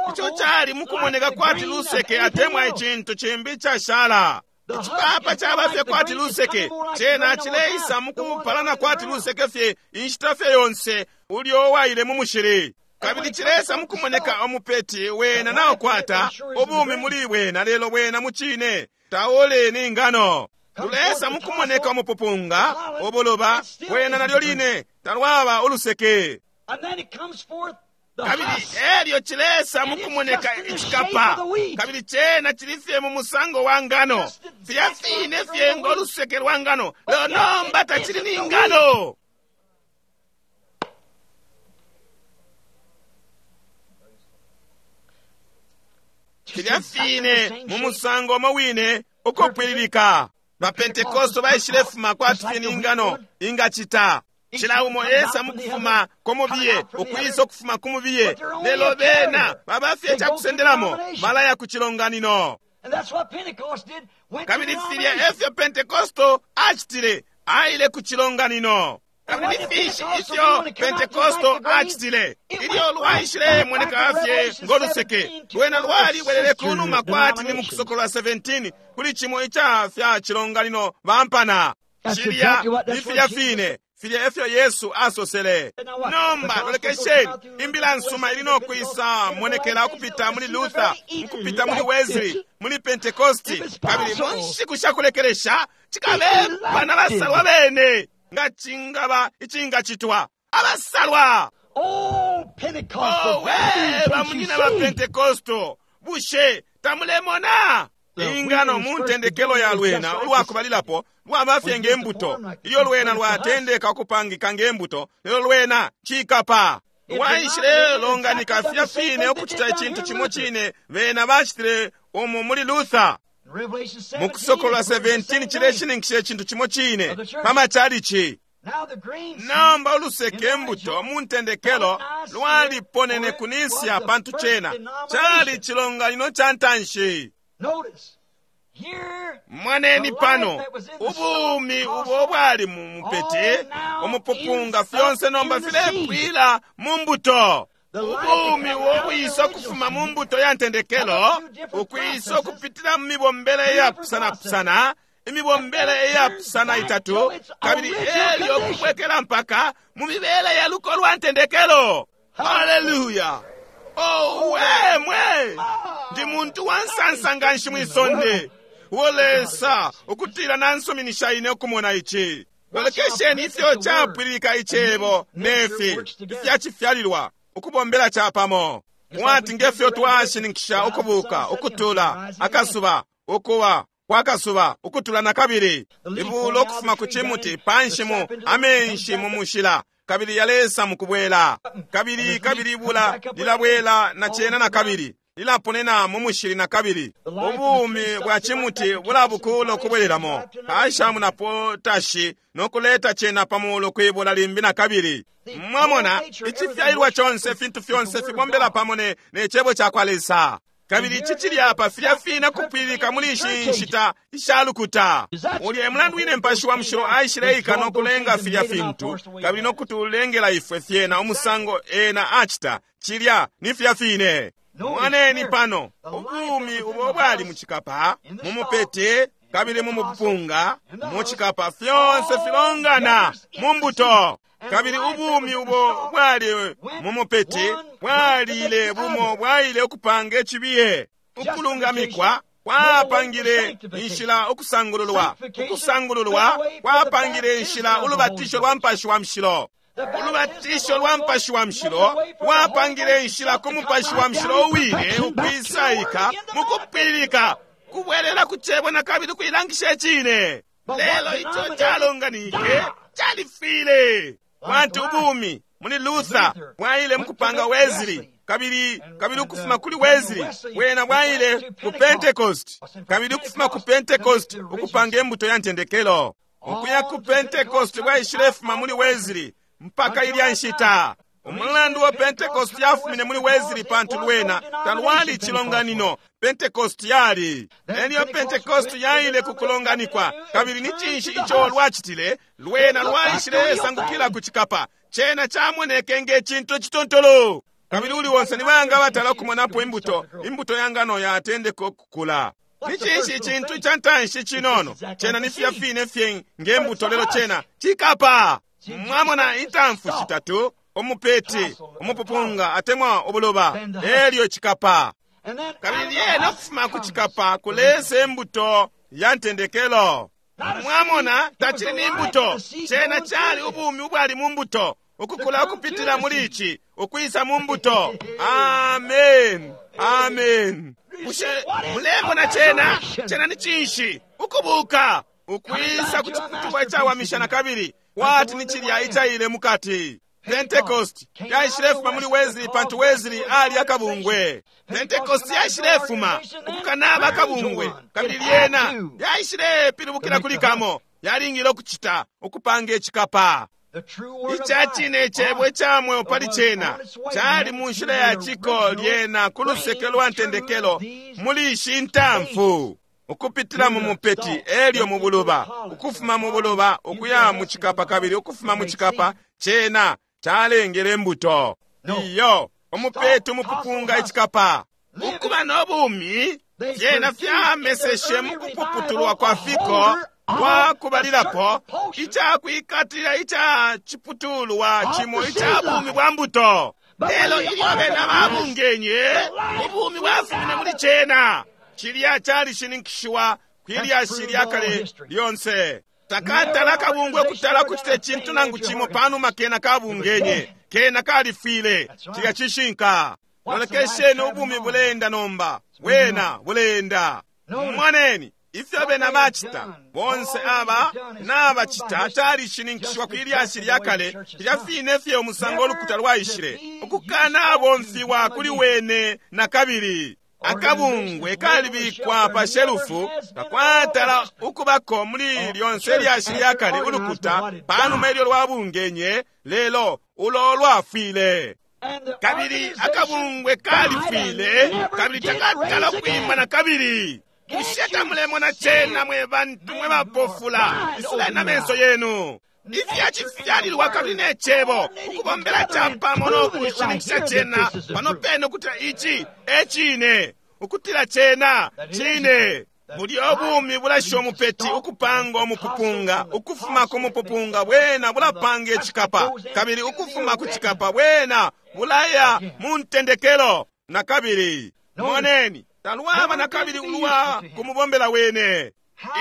Ico cali mukumoneka kwati luseke atemwa icintu cimbi cashala. Icipapa caba fye kwati luseke, cena cileisa mukupalana kwati luseke fye inshita fye yonse ulyo waile mu mushili. Kabili cileisa mukumoneka omupeti wena naokwata ubumi muli wena, lelo wena mucine taole ni ngano. Tulesa mukumoneka omupupunga oboloba wena nalyo line talwaba uluseke. Kabili elyo cilesa mukumoneka icikapa, kabili cena cilifye mu musango wa ngano, filya fine fye ngoluseke lwa ngano, lelo nomba tacili ni ngano. Filya fine mu musango omo wine ukupwililika. Ba Pentekosto baishilefuma kwati fye ni ngano ingacita. Cila umo esa mukufuma kumubiye, okwisa okufuma kumubiye, lelo bena babafye cakusendelamo malaya ku cilonganino. Kabili filya efyo Pentekosto acitile, aile ku cilonganino. Kabili fishi ifyo Pentekosto acitile, ilyo lwaishile moneka fye ngoluseke, lwena lwalibwelele kunuma kwati ni mukusokolwa seventeen kuli cimo ica fya cilonganino bampana. Cilya ni filya fine filya efyo Yesu asosele. Nomba lolekesheni, imbila nsuma ili nokwisa monekela okupita muli Luther, mukupita muli Wesley, muli Pentecosti, kabili mu nshiku shakulekelesha cikabepa n'abasalwa bene nga cingaba icingacitwa. Abasalwa! Oh, Pentecostal! Oh, we bamunyina ba Pentecosto, bushe tamulemona? Ingano mu ntendekelo ya lwena ulwakubalilapo lwaba fye ngembuto. Ilyo lwena lwatendeka okupangika ngembuto, lelo lwena cikapa. Lwaishile longanika filya fine okucita icintu cimo cine bena bacitile umu muli Luther. Mukusokolwa seventeen cileshininkisha icintu cimo cine pa machalichi. Nomba uluseke mbuto mu ntendekelo lwaliponene ku Nisia pantu cena cali cilonganino ca ntanshi. Mwaneni pano ubumi ubo bwali mu mupeti umupupunga fyonse nomba filepwila mu mbuto. Ubumi ubo bwisa okufuma mu mbuto ya ntendekelo ukwisa okupitila mu mibombele iyapusanapusana, imibombele iyapusana itatu, kabili elyo okubwekela mpaka mu mibele ya luko lwa ntendekelo. Haleluya! Oh, we mwe ndi muntu wa nsansa nganshi mwisonde. Uo Lesa ukutila nansuminisha ine ukumona ici. Lolekesheni ifyo capwililika icebo nefi ifyacifyalilwa ukubombela capamo. Mwati ngefyo twashininkisha ukubuka ukutula akasuba ukuwa kwa kasuba ukutula na kabili ibulo ukufuma ku chimuti panshi mu amenshi mu mushila kabili yalesa mukubwela kabili kabili ibula lilabwela na chena na kabili lilaponena mu mushili na kabili ubumi bwa chimuti bulabukula ukubwelelamo kashamu na potashi nokuleta chena pamulo kwibula limbi na kabili. Mwamona icifyailwa chonse fintu fyonse fibombela pamo ne, ne chebo cha kwa Lesa. Kabili ici cili apa filya fina kupwililika muli ishi nshita ishalukuta. Ulya emulandu wine mpashi wa mushilo aishileika nokulenga filya fintu kabili nokutulengela ifwe fyena umusango ena acita cilya ni filya fine. Mwaneni pano ubumi ubo bwali muchikapa mumupete kabili mumupunga muchikapa fyonse filongana mumbuto. Kabili ubumi ubo bwali mumupete bwalile bumo bwaile ukupanga echibiye. Ukulungamikwa kwapangile inshila ukusangululwa. Ukusangululwa kwapangile inshila ulubatisho lwa mpashi wa mshilo. Ulubatisho lwa mpashi wa mshilo wapangile inshila ku mupashi wa mshilo uwine ukwisaika mukupwililika kubwelela ku chebo na kabili kuilangisha echine. Lelo icho chalonganike chalifile. Wantu ubumi muli Luther bwaile mukupanga Wesley kabili kabili ukufuma kuli Wesley wena bwaile ku Pentecost kabili ukufuma ku Pentecost ukupanga embuto ya ntendekelo. Ukuya ku Pentecost bwaishilefuma muli Wesley mpaka ilya nshita. Umulandu wa Pentecost yafumine muli Wesley pantu lwena talwali chilonganino. Pentecost yali elyo Pentecost yaile kukulonganikwa kabili ni chinshi icho lwachitile lwena lwaishilesangukila ku chikapa chena chamoneke nge chintu chitontolo. Kabili uli wonse ni banga batala okumonapo imbuto imbuto ya ngano yatendeka okukula. Ni chinshi chintu cha ntanshi chinono chena ni filya fine fye ngembuto lelo chena chikapa. Mwamona intamfu shitatu omupeti omupupunga atemwa obuloba elyo chikapa. Kabili yena okufuma ku chikapa kulesa embuto ya ntendekelo. Mwamona tachili ni mbuto chena chali ubumi ubwali mu mbuto ukukula ukupitila muli ichi ukwisa mu mbuto. Amen, amen. Bushe mulemona chena chena ni chinshi ukubuka ukwisa ku chiputulwa chawamisha na kabili wati ni chilya ichaile mukati. Pentecost yaishilefuma muli Wesley pantu Wesley ali akabungwe. Pentecost yaishilefuma ukukanaba akabungwe kabili lyena yaishilepilibukila kuli kamo yalingile okuchita ukupanga echikapa. Ichachine echebwe echamweo pali chena chali mu nshila ya chiko lyena ku luseke lwa ntendekelo muli ishi ntamfu ukupitila mu mupeti elyo mu buluba ukufuma mu buluba ukuya mu chikapa kabili ukufuma mu chikapa chena chalengele mbuto. Iyo omupeti umupupunga echikapa ukuba n'obumi fyena fyameseshe mu kupuputulwa kwa fiko kwa kubalilapo ichakwikatila icha chiputulwa chimo icha bumi bwa mbuto. Lelo ilyo bena babungenye ubumi bwafumine muli chena chilya chalishininkishiwa kwilyashi lyakale lyonse. Takatala kabungwe kutala kuchite chintu nangu chimo panuma kena kabungenye kena kalifile chilya chishinka. Lolekesheni ubumi bulenda nomba wena bulenda. Mwaneni ifyo bena bachita bonse aba nabachita chalishininkishiwa kwilyashi lyakale lya fine fye umusango olukuta lwaishile ukukana abomfiwa kuli wene na kabili. Akabungwe kalibikwa pa shelufu kakwatala ukubako muli lyonse lyashi lyakale ulukuta panuma ilyo lwabungenye lelo ulo lwafwile. Kabili akabungwe kalifwile kabili takatala kwima na kabili. Bushe tamulemona chena mwe bantu mwe bapofula isuleni amenso yenu. Ifyachifyalilwa kabili ne chebo ukubombela chapamo nokushininkisha chena pano pene ukutila ichi echine ukutila chena chine. Buli obumi bulasha omupeti ukupanga omupupunga ukufuma ku mupupunga bwena bulapanga echikapa kabili ukufuma ku chikapa bwena bulaya mu ntendekelo na kabili. Moneni Talwaba nakabili ulwa kumubombela wene.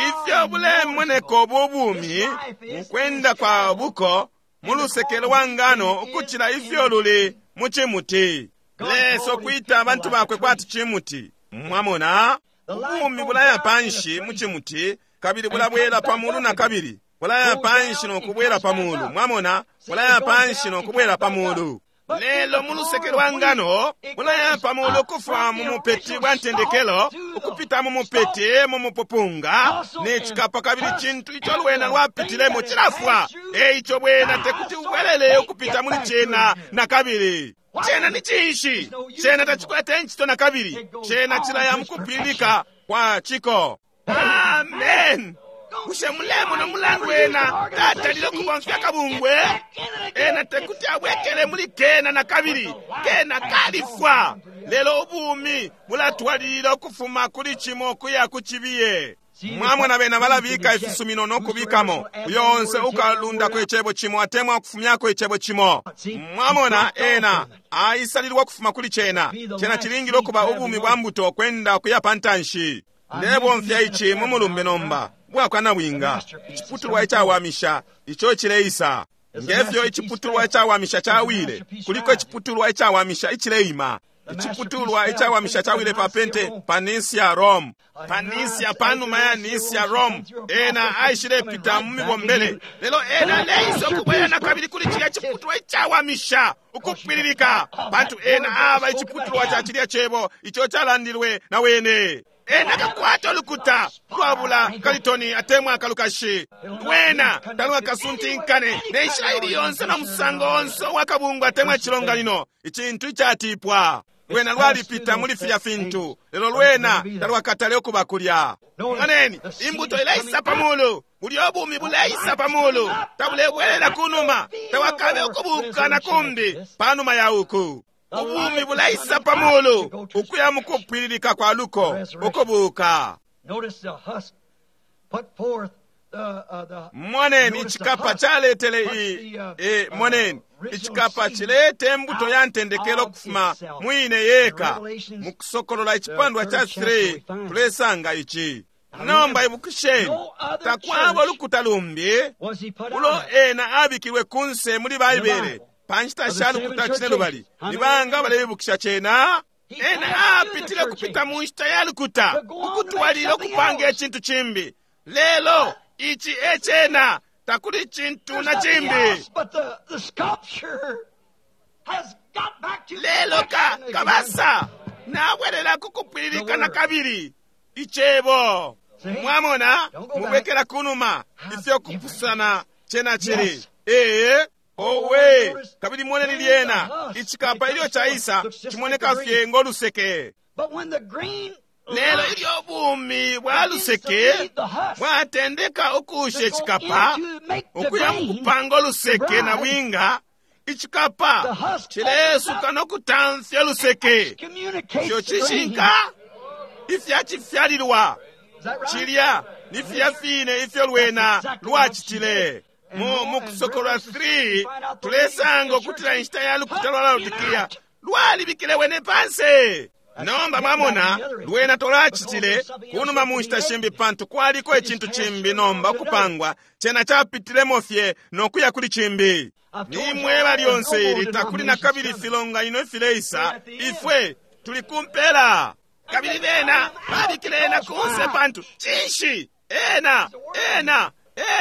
Ifyo bulemoneka ubu bumi mukwenda kwa buko mu luseke lwa ngano ukucila ifyo luli mu cimuti. Lesa kwita abantu bakwe kwati cimuti. Mwamona, ubumi bulaya panshi mu cimuti kabili bulabwela pamulu na kabili. Bulaya panshi nokubwela pamulu. Mwamona, bulaya panshi nokubwela pamulu. Lelo mu luseke lwa ngano bulaya pamulu kufa mu mupeti bwa ntendekelo ukupita mu mupeti mu mupupunga ne cikapa kabili cintu ico lwena lwapitilemo cilafwa. Eico bwena tekuti ubwelele ukupita muli cena na kabili. Cena ni cinshi? Cena tacikwete ncito na kabili. Cena cilaya mukupilika kwa ciko. Amen. Bushe mulemona mulandu wena tatalile kubomfya kabungwe? Ena tekuti abwekele muli kena na kabili. Kena kalifwa. Lelo ubumi bulatwalilila ukufuma kuli cimo kuya ku cibiye. Mwamona bena balabika ifisumino nokubikamo. Uyo onse ukalundako icebo cimo atemwa kufumyako icebo cimo. Mwamona ena aisalilwa kufuma kuli cena. Cena cilingile okuba ubumi bwa mbuto kwenda kuya pantanshi. Ndebomfya ici mu mulumbe nomba bwakwana bwinga. Iciputulwa icawamisha ico cileisa. Ngefyo iciputulwa icawamisha cawile, kuliko iciputulwa icawamisha icileima. Iciputulwa icawamisha cawile pa Pente pa Nisia Rome. Pa Nisia panuma ya Nisia Rome ena aishilepita mu mibombele. Lelo ena leisa ukubwela na kabili kuli cilya ciputulwa icawamisha ukupwililika, pantu ena aba iciputulwa ca cilya cebo ico calandilwe na wene. Ena kakwata olukuta lwabula kalitoni atemwa kalukashi. Lwena talwa kasuntinkane ne nshila ili yonse na musango onse wakabungwa atemwa chilonganino. Icintu icatipwa. Lwena lwalipita muli filya fintu. Lelo lwena talwakatale okuba kulya. Moneni, imbuto ileisa pamulu. Buli obumi buleisa pamulu. Tabulebwelela kunuma. Tawakabe okubuka na kumbi panuma ya uku. Ubumi bulaisa pamulu ukuya mukupwililika kwa luko ukubuka. Moneni icikapa caletele i e moneni icikapa cilete mbuto ya ntendekelo kufuma mwine yeka. Mukusokolola icipandwa cha three tulesanga ici. Nomba ibukisheni, takwaba olukuta lumbi ulo ena abikilwe kunse muli Baibele. Panshita sha lukuta cine lubali libanga balebukisha cena. Ena apitile kupita mu nshita ya lukuta ukutwalila okupanga ecintu cimbi. Lelo ici ecena takuli cintu na cimbi. Lelo ka kabasa nabwelela kukupwililika na kabili icebo. Mwamona mubwekela kunuma ifyo kupusana cena cili. Ee owe kabili moneni lyena icikapa ilyo caisa cimoneka fye ngoluseke. Lelo ilyo bumi bwa luseke bwatendeka ukusha icikapa ukuya mukupanga oluseke na bwinga, icikapa cilesuka nokutamfya luseke. Ifyo cishinka ifyacifyalilwa cilya ni filya fine ifyo lwena lwacitile. Mu mukusokolola three tulesanga okutila inshita ya lukuta lwa Laodikia lwalibikile wene panse. Nomba mwamona lwena tolwacitile kunuma mu nshita shimbi pantu kwaliko icintu cimbi nomba okupangwa cena capitilemo fye nokuya kuli cimbi. Nimweba lyonse ili takuli na kabili filonganino ifileisa, ifwe tuli kumpela. Kabili bena babikile ena kunse pantu cinshi? Ena ena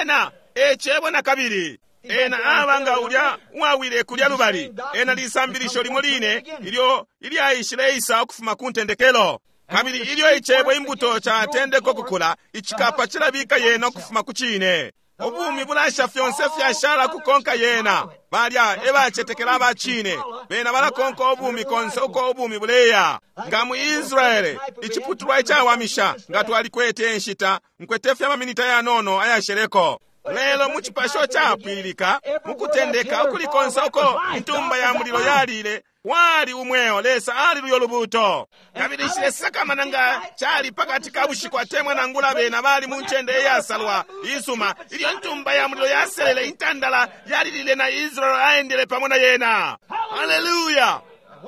ena ecebo na kabili. Ena abanga ulya uwawile kulya lubali. Ena lisambilisho limo line ilyo ilyaishileisa ukufuma ku ntendekelo. Kabili ilyo icebo imbuto catendeka okukula, icikapa cilabika yena ukufuma ku cine. Ubumi bulasha fyonse fyashala kukonka yena. Balya ebacetekela abacine bena balakonka ubumi konse uko ubumi buleya. Nga mu Israele iciputulwa icawamisha nga twalikwete enshita nkwete fye amaminita yanono ayasheleko. Lelo mu cipasho capwililika mukutendeka ukulikonse uko intumba ya mulilo yalile wali umweo. Lesa ali luyo lubuto. Kabili nshilesakamana nga cali pakati ka bushiku atemwa nangula bena bali mu ncende iyasalwa isuma. Ilyo ntumba ya mulilo yaselele intandala yalilile na Israel aendele pamo na yena. Haleluya!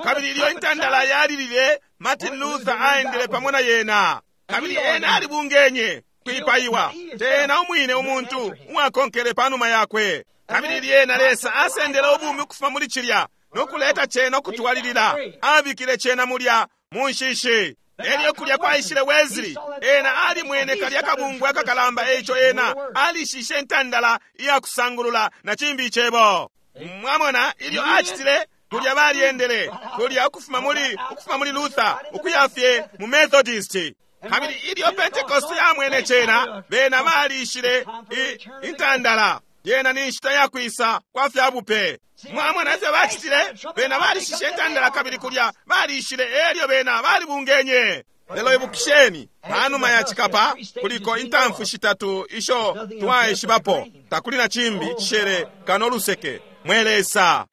Kabili ilyo intandala yalilile Martin Luther aendele pamo na yena, kabili ena alibungenye kwipaiwa tena umwine umuntu uwakonkele panuma yakwe. Kabili lyena Lesa asendele ubumi ukufuma muli cilya nokuleta cena ukutwalilila, abikile cena mulya mu nshishi. Elyo kulya kwaishile Wesley, ena alimwene kalya kabungwe akakalamba, eico ena alishishe intandala iyakusangulula na cimbi icebo. Mwamona ilyo acitile kulya balyendele kulya ukufuma muli ukufuma muli Luther ukuya fye mu Methodist. Kabili ilyo Pentecost yamwene cena, bena balishile intandala. Yena ni nshita yakwisa kwa fya bupe. Mwamona ifyo bacitile, bena balishishe intandala kabili kulya balishile, elyo bena balibungenye. Lelo ibukisheni, panuma ya cikapa kuliko intamfu shitatu isho twaishibapo, takuli na cimbi cishere kano luseke mwe Lesa.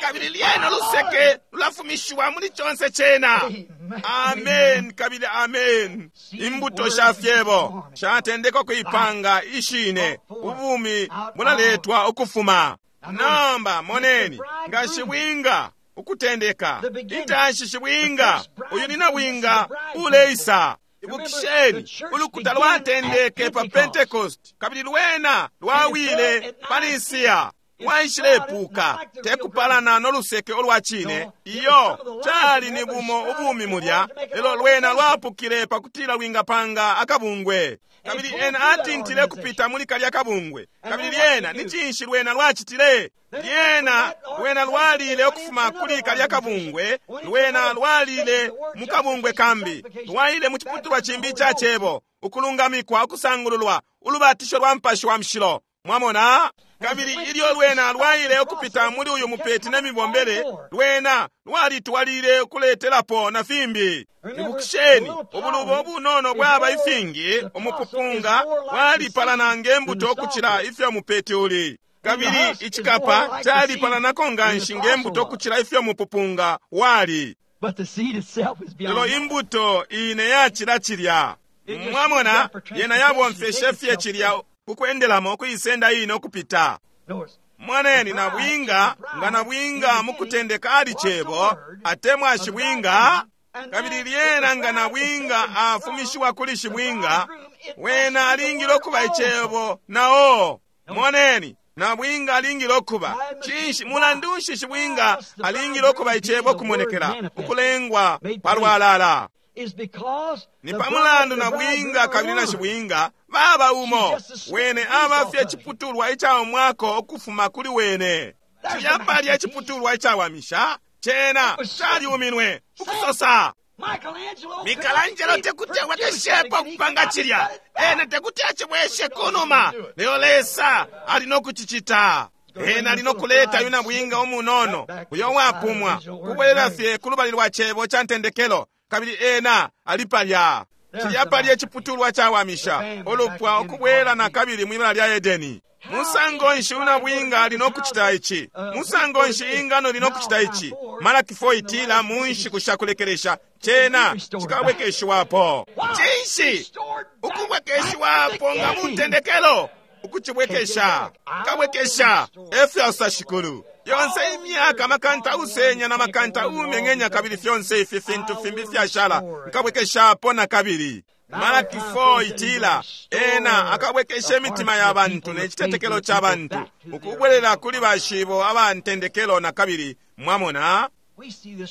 Kabili lyena luseke lulafumishiwa muli conse cena. Amen kabili amen. Imbuto sha fyebo shatendeka kuipanga ishine, ubumi bulaletwa ukufuma. Nomba moneni nga shibwinga ukutendeka intanshi shibwinga uyu ni nabwinga uleisa. Ibukisheni, ulukuta lwatendeke pa Pentecost kabili lwena lwawile pa Nisiya. Waishilepuka tekupalana noluseke olwa cine, iyo cali ni bumo ubumi mulya, lelo lwena lwapukile pakutila lwingapanga akabungwe. Kabili ena atintile kupita muli kalya kabungwe. Kabili lyena ni cinshi lwena lwacitile? Lyena lwena lwalile ukufuma kuli kalya kabungwe, lwena lwalile mu kabungwe kambi, lwaile mu ciputulwa cimbi ica cebo, ukulungamikwa, ukusangululwa, ulubatisho lwa Mupashi wa Mushilo. Mwamona? Kabili ilyo lwena lwaile ukupita muli uyu mupeti ne mibombele, lwena lwalitwalile ukuletelapo na fimbi. Ibukisheni, ubulubo obunono bwaba ifingi, umupupunga walipalana nge mbuto ukucila ifyo mupeti uli. Kabili icikapa calipalanako nganshi nge mbuto ukucila ifyo mupupunga wali. Lelo imbuto ine yacila cilya. Mwamona, yena yabomfeshe fye cilya kukwendelamo kuisenda ino kupita. Mwaneni nabwinga nga nabwinga mukutendeka ali cebo atemwa shibwinga, kabili lyena nga nabwinga afumishiwa kuli shibwinga, wena alingile okuba icebo nao. Moneni nabwinga alingile okuba cinshi? Mulandu nshi shibwinga alingile okuba icebo kumonekela ukulengwa palwalala? Ni pamulandu nabwinga kabili na shibwinga baba umo, wene abafye iciputulwa icawamwako ukufuma kuli wene. Cilya palya iciputulwa icawamisha cena caliuminwe ukusosa. Michelangelo tekuti awekeshepo kupanga cilya, ena tekuti acibweshe kunuma, lelo Lesa ali nokucicita. Ena ali nokuleta uyu nabwinga umunono uyo wapumwa kubwelela fye kulubali lwa cebo ca ntendekelo, kabili ena ali palya. Cilya palya iciputulwa cawamisha ulupwa ukubwela na kabili mwibala lya Edeni. Musango nshi unabwinga ali nokucita ici? Musango nshi ingano li nokucita ici? Malaki four itila mu nshiku shakulekelesha cena cikabwekeshiwapo. Cinshi ukubwekeshiwapo nga mu ntendekelo? Ukucibwekesha kabwekesha efyo shikulu. Yonse imyaka makanta usenya na makanta umeng'enya kabili fyonse ifi fintu fimbi fyashala nkabwekeshapo na kabili. Malaki four itila ena akabwekesha imitima ya bantu ne citetekelo ca bantu ukubwelela kuli bashibo aba ntendekelo na kabili. Mwamona,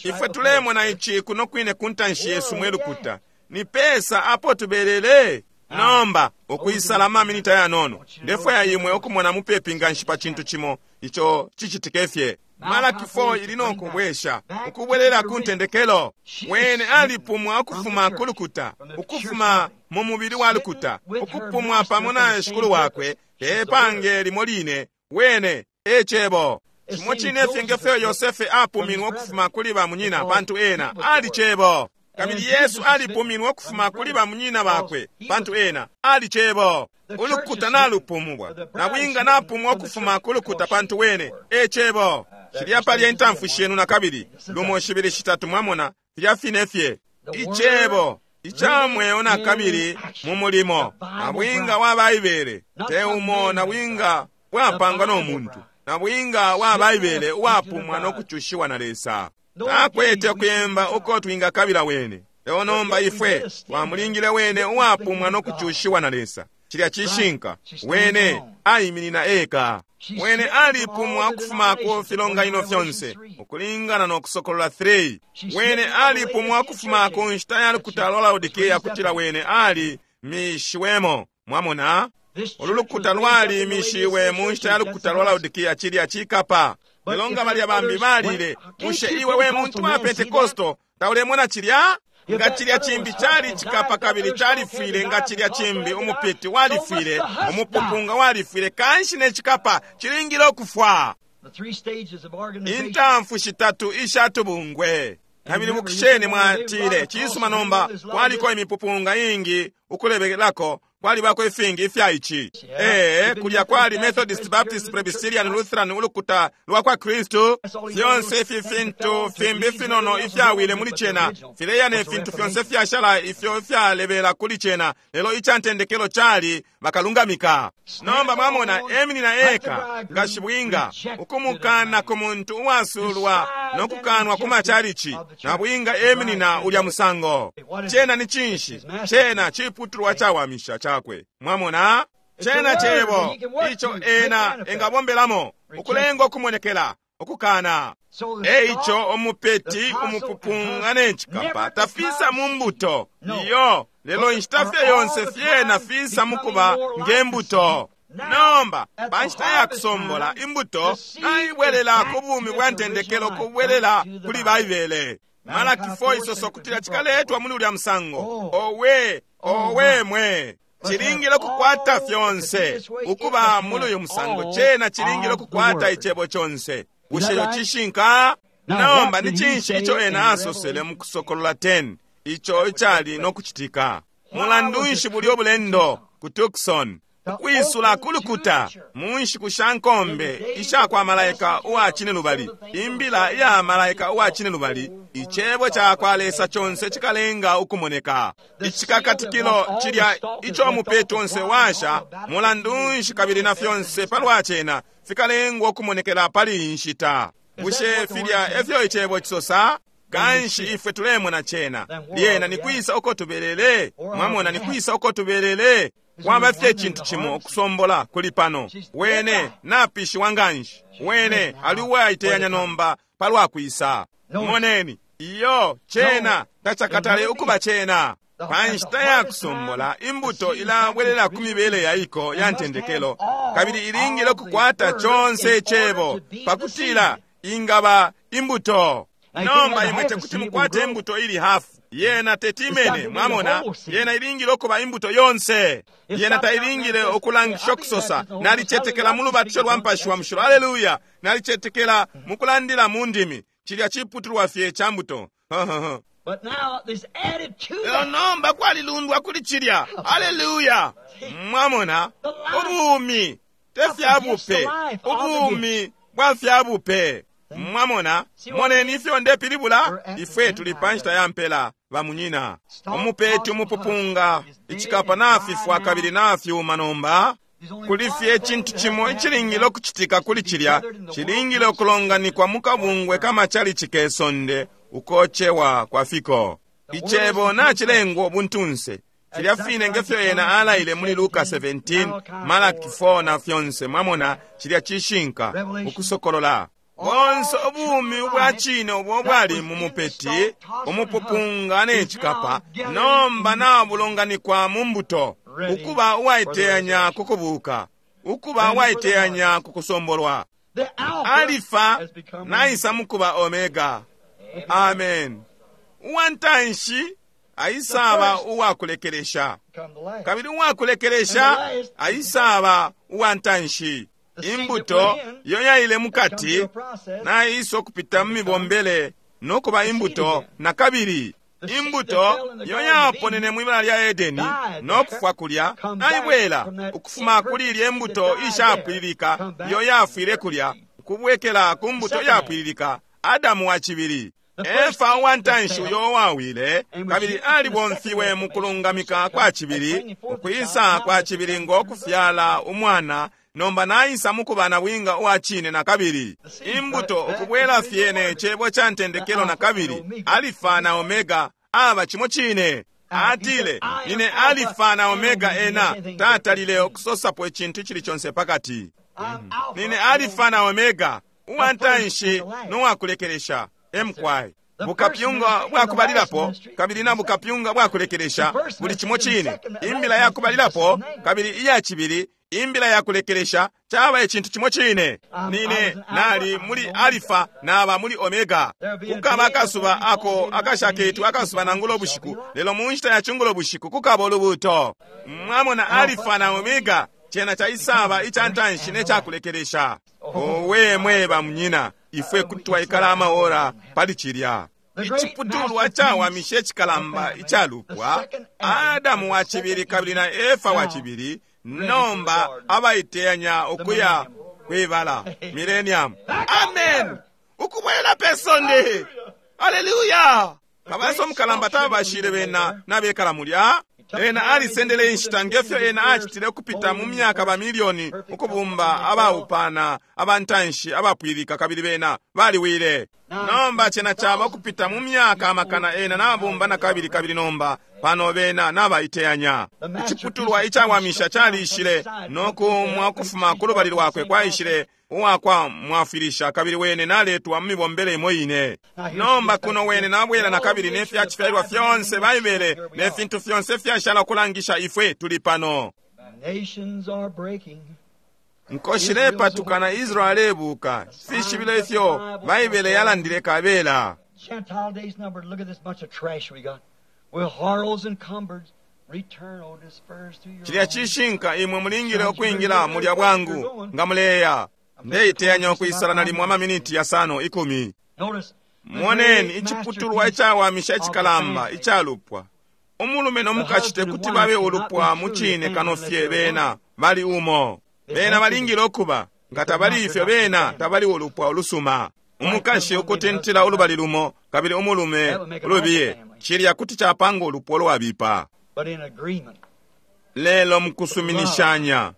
ifwe tulemona ici kuno kwine ku ntanshi yesu mwe lukuta. Ni pesa apo tubelele? Nomba ukwisala amaminita yanono, ndefwaya imwe ukumona mupepi nganshi pa cintu cimo ico cicitike fye. Malaki four ili nokubwesha ukubwelela ku ntendekelo. Wene alipumwa ukufuma ku lukuta, ukufuma mu mubili wa lukuta, ukupumwa pamo na shikulu wakwe tepange limo line. Wene e cebo cimo cine fye ngefyo Yosefe apuminwe ukufuma kuli bamunyina, pantu ena ali cebo. Kabili Yesu alipuminwe ukufuma kuli bamunyina bakwe, pantu ena ali cebo. Ulukuta nalupumwa, nabwinga napumwa ukufuma ku lukuta, pantu wene e cebo. Cilya palya intamfu shenu na kabili lumo shibili shitatu, mwamona filya fine fye icebo icamweo na kabili mu mulimo. Nabwinga wa Baibele te umo nabwinga bwapangwa no muntu, nabwinga wa Baibele uwapumwa no kucushiwa na Lesa. Takwete ukuyemba uko twingakabila wene. Lelo nomba ifwe twamulingile wene uwapumwa no kucushiwa na Lesa. Cilya cishinka, wene aiminina eka. Wene alipumwa ukufuma ku filonganino fyonse ukulingana no Kusokolola three. Wene alipumwa ukufuma ku nshita ya lukuta lwa Laodikea, kutila wene ali mishiwemo. Mwamona, ulu lukuta lwali mishiwe mu nshita ya lukuta lwa Laodikea, cilya cikapa. Lelo nga balya bambi balile, bushe iwe we muntu wa Pentekosto taulemona cilya? Nga cilya cimbi cali cikapa kabili califwile, nga cilya cimbi umupeti walifwile, umupupunga walifwile, kanshi ne cikapa cilingile ukufwa. Intamfu shitatu ishatubungwe. Kabili bukisheni mwatile, cisuma nomba kwaliko imipupunga ingi ukulebelako, kwalibako ifingi ifya ici. Ee, kulya kwali Methodist, Baptist, Presbyterian, Lutheran, ulukuta lwa kwa Kristu. Fyonse ifi fintu fimbi finono ifyawile muli cena, fileya ne fintu fyonse fyashala ifyo ifyalebela kuli cena, lelo icantendekelo cali bakalungamika. Nomba mwamona, eminina eka nga shibwinga, ukumukana ku muntu uwasulwa no kukanwa ku machalichi, na bwinga eminina ulya musango. Cena ni cinshi? Cena ciputulwa cawamisha chakwe. Mwamona, cena cebo ico ena engabombelamo ukulenga okumonekela okukana. Eico omupeti umupupunga ne cikapa tafisa mu mbuto iyo, lelo inshita fye yonse fyena fisa mukuba ngembuto. Nomba pa nshita ya kusombola imbuto naibwelela ku bumi bwa ntendekelo, kubwelela kuli Baibele. Malaki four isoso kutila cikaletwa muli ulya musango. Owe, owe mwe, cilingile kukwata fyonse ukuba muli uyu musango. Cena cilingile kukwata icebo conse. Bushe ico cishinka? Nomba ni cinshi ico ena asosele mu Kusokolola ten ico icali no kucitika? Mulandu nshi bulyo bulendo ku Tucson ukwisula kulukuta mu nshiku sha nkombe isha kwa malaika uwa cine lubali, imbila iya malaika uwa cine lubali, icebo ca kwa Lesa conse cikalenga ukumoneka. Icikakatikilo cilya ico mupeti onse washa, mulandu nshi kabili na fyonse palwa cena fikalengwa ukumonekela pali iyi nshita. Bushe filya efyo icebo cisosa? Kanshi ifwe tulemona cena. Lyena ni kwisa uko tubelele? Mwamona, ni kwisa uko tubelele? Kwaba fye cintu cimo okusombola kuli pano. Wene napishiwa nganshi. Wene ali uwaiteyanya nomba palwa kwisa. Moneni, iyo cena tacakatale ukuba cena. Pa nshita ya kusombola imbuto ilabwelela ku mibele ya iko ya ntendekelo, kabili ilingile kukwata conse icebo pakutila ingaba imbuto. Nomba imwe tekuti mukwate imbuto ili hafu. Yena tetimene, mwamona, yena ilingile okuba imbuto yonse. Yena tailingile okulangisha okusosa, nalicetekela mu lubatisho lwa mpashi wa mushilo, haleluya, nalicetekela mu kulandila mu ndimi. Cilya ciputulwa fye ca mbuto. Lelo nomba kwalilundwa kuli cilya, haleluya. Mwamona, ubumi te fya bupe, ubumi bwa fya bupe. Mwamona, moneni ifyo ndepilibula? Ifwe tuli pa nshita ya mpela, bamunyina. Umupeti umupupunga icikapa nafifwa kabili nafyuma nomba. Kuli fye cintu cimo icilingile okucitika kuli cilya, cilingile okulonganikwa mu kabungwe kamachalichi kesonde ukocewa kwa fiko. Icebo nacilengwa ubuntunse. Filya fine ngefyo ena alaile muli Luka seventeen, Malaki four na fyonse. Mwamona, cilya cishinka ukusokolola. Bonse ubumi ubwa cine ubwo bwali mu mupeti, umupupunga ne cikapa, nomba nabulonganikwa mu mbuto, ukuba uwaiteyanya ku kubuka, ukuba uwaiteyanya ku kusombolwa. Alifa naisa mukuba Omega. Amen. Uwantanshi aisaba uwakulekelesha, kabili uwakulekelesha aisaba uwantanshi. Imbuto iyo yaile mukati naisa okupita mu mibombele nokuba imbuto na kabili. Imbuto iyo yaponene mwibala lya Edeni nokufwa kulya naibwela ukufuma kuli ilya imbuto ishapwililika iyo yafwile kulya, ukubwekela ku mbuto yapwililika, Adamu wa cibili. Efa uwantanshi uyo wawile kabili alibomfiwe mu kulungamika kwa cibili, ukwisa kwa cibili ngo kufyala umwana Nomba naisa mukuba na bwinga uwa cine na kabili. Imbuto ukubwela fye ne cebo ca ntendekelo na kabili. Alifa na Omega aba chimo chine. Atile, nine Alifa na Omega ena tatalile okusosapo ekintu kiri kyonse pakati. Nine Alifa na Omega uwantanshi n'owakulekeresha emkwai. Bukapyunga bwakubalilapo kabili na bukapyunga bwakulekeresha buli chimo chine. Imbila yakubalilapo kabili iya chibili imbila yakulekeresha chaba ekintu chimo chine. Nine nali muli Alifa naba muli Omega. Kukaba akasuba ako akashaketu akasuba nangulo bushiku lelo mu nshita ya chungulo bushiku kukaba olubuto. Mwamona Alifa na Omega chena cha isaba ichantanshi nechakulekeresha. Owe mweba munyina ifwe kutwa ikala amaora pali chilya. Ichiputulwa chawamishe echikalamba ichalupwa Adamu wa chibili kabili na Efa wa chibili nomba abaiteyanya okuya kwibala millennium. Amen. Ukubwela pesonde. Hallelujah. Kabaso mukalamba tabashire bena nabekala mulya. Ena alisendele inshita ngefyo ena achitile okupita mu myaka ba milioni ukubumba abaupana abantanshi abapwilika kabili bena baliwile. Nomba chena chaba okupita mu myaka amakana ena nabumba na kabili kabili nomba pano bena nabaiteyanya. Ichiputulwa ichawamisha chalishile nokumwa okufuma ku lubali lwakwe kwaishile uwakwa mwafirisha kabili wene naletwa mu mibombele imo ine. Nomba kuno wene nabwela na kabili nefyachifyalirwa fyonse Baibele nefintu fyonse fyashala kulangisha ifwe tuli pano. Nkoshile patukana Israeli ebuka fishibile ifyo Baibele yalandile kabela. Gentile days numbered. Look at this bunch of trash we got. With harlots and cumbered. Chilya chishinka imwe mulingile okwingira mulya bwangu nga muleya. Ndeiteyanya okwisala nalimwe amaminiti yasano ikumi. Moneni ichiputulwa echawamisha echikalamba ichalupwa. Omulume n'omukashi tekuti babe olupwa mu chine kano fye bena bali umo. Bena balingile okuba nga tabali ifyo bena tabali olupwa olusuma. Umukashi okutentela olubali lumo kabili omulume olubiye chilya kuti chapanga olupwa olwabipa. Lelo mukusuminishanya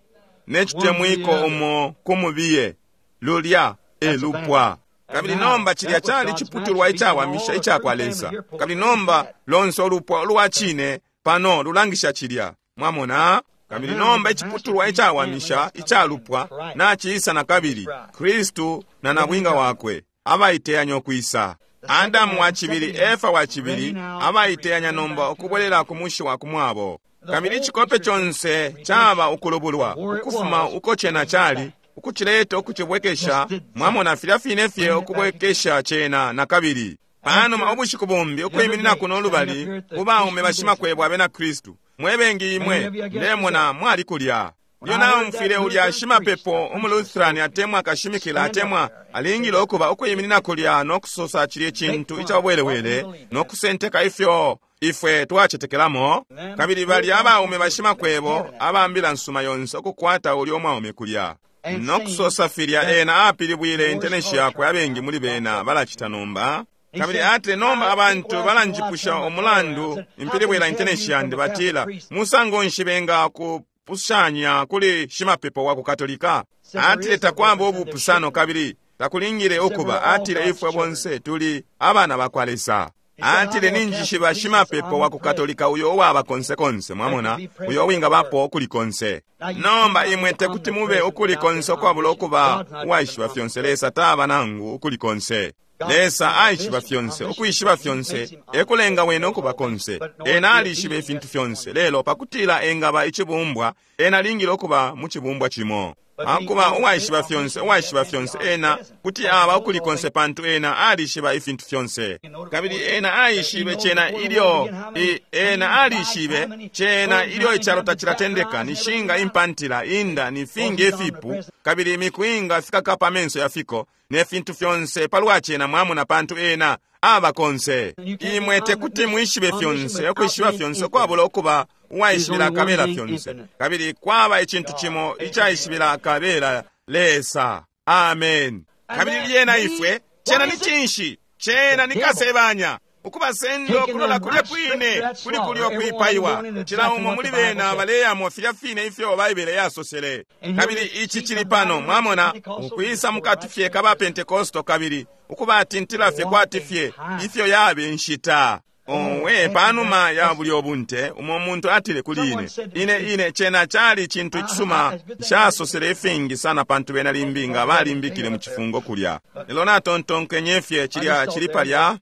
nechitemwiko umo kumubiye lulya elupwa. Kabili nomba chilya chali chiputulwa ichawamisha ichakwa Lesa. Kabili nomba lonse olupwa olwa chine pano lulangisha chilya. Mwamona? Kabili nomba ichiputulwa ichawamisha ichalupwa nachiisa na kabili Kristu na nabwinga wakwe abaiteyanya okwisa. Adamu wa chibili Efa wa chibili abaiteyanya nomba okubwelela ku mushi wa kumwabo. Kabili chikope chonse chaba ukulubulwa ukufuma uko chena chali ukuchileta ukuchibwekesha mwamona filya fine fye okubwekesha chena na kabili. Panuma obushiku bumbi okwiminina kuno olubali kubaume bashimakwebwa abena Kristu mwebengi imwe ndemona mwali kulya. Lyo naumfwile ulya shimapepo umuluthirani atemwa akashimikila atemwa alingile okuba okwiminina kulya n'okusosa chili ekintu ichabwelewele n'okusenteka ifyo ifwe twachetekelamo. Kabili bali abaume bashimakwebo abambila nsuma yonse okukwata ulya omwaume kulya n'okusosa filya ena apilibwile intenesi yakwe abengi muli bena balachita nomba. Kabili ate nomba abantu balanjipusha omulandu impilibwila intenesi yandi batila musango nshibenga ku pushanya kuli shimapepo wa kukatolika. Atile takwamba obupusano kabili takulingile okuba. Atile ifwe bonse tuli abana bakwa Lesa. Atile ninjishiba shimapepo wa kukatolika uyo owaba konse konse mwamona uyo owinga bapo okuli konse. Nomba imwe tekuti mube okuli konse okwabula okuba uwaishiba fyonse. Lesa taba nangu okuli konse. Lesa aishiba fyonse okwishiba fyonse ekulenga wene okuba konse. Ena alishiba efintu fyonse lelo pakutila engaba ichibumbwa ena alingile okuba mu chibumbwa chimo. Akuba uwaishiba fyonse uwaishiba fyonse ena kuti aba okuli konse pantu ena alishiba ifintu fyonse. Kabili ena aishibe chena ilyo i, ena alishibe chena ilyo ichalo tachilatendeka nishinga impantila inda nifingi efipu kabili imikuinga fikakapa amenso yafiko nefintu fyonse palwa chena mwamona pantu ena aba konse. Imwe tekuti mwishibe fyonse okwishiba fyonse okwabula okuba uwaishibila kabela fyonse. Kabili kwaba echintu chimo ichaishibila kabela Lesa. Amen. Kabili lyena ifwe chena ni chinshi chena ni kasebanya Ukubasenda okulola kulya kwine kuli kulyo kwipaiwa, cila umo muli bena baleyamo filya fine ifyo Baibele yasosele. Kabili ici cili pano, mwamona, ukwisa mukati fye ka ba Pentekosto kabili ukubatintila fye kwati fye ifyo yabe nshita. Owe, panuma ya bulyo bunte, umo muntu atile kuli ine, ine ine cena cali cintu icisuma, nshasosele ifingi sana pantu bena limbi nga balimbikile mu cifungo kulya. Lelo natontonkenye fye cilya cili palya,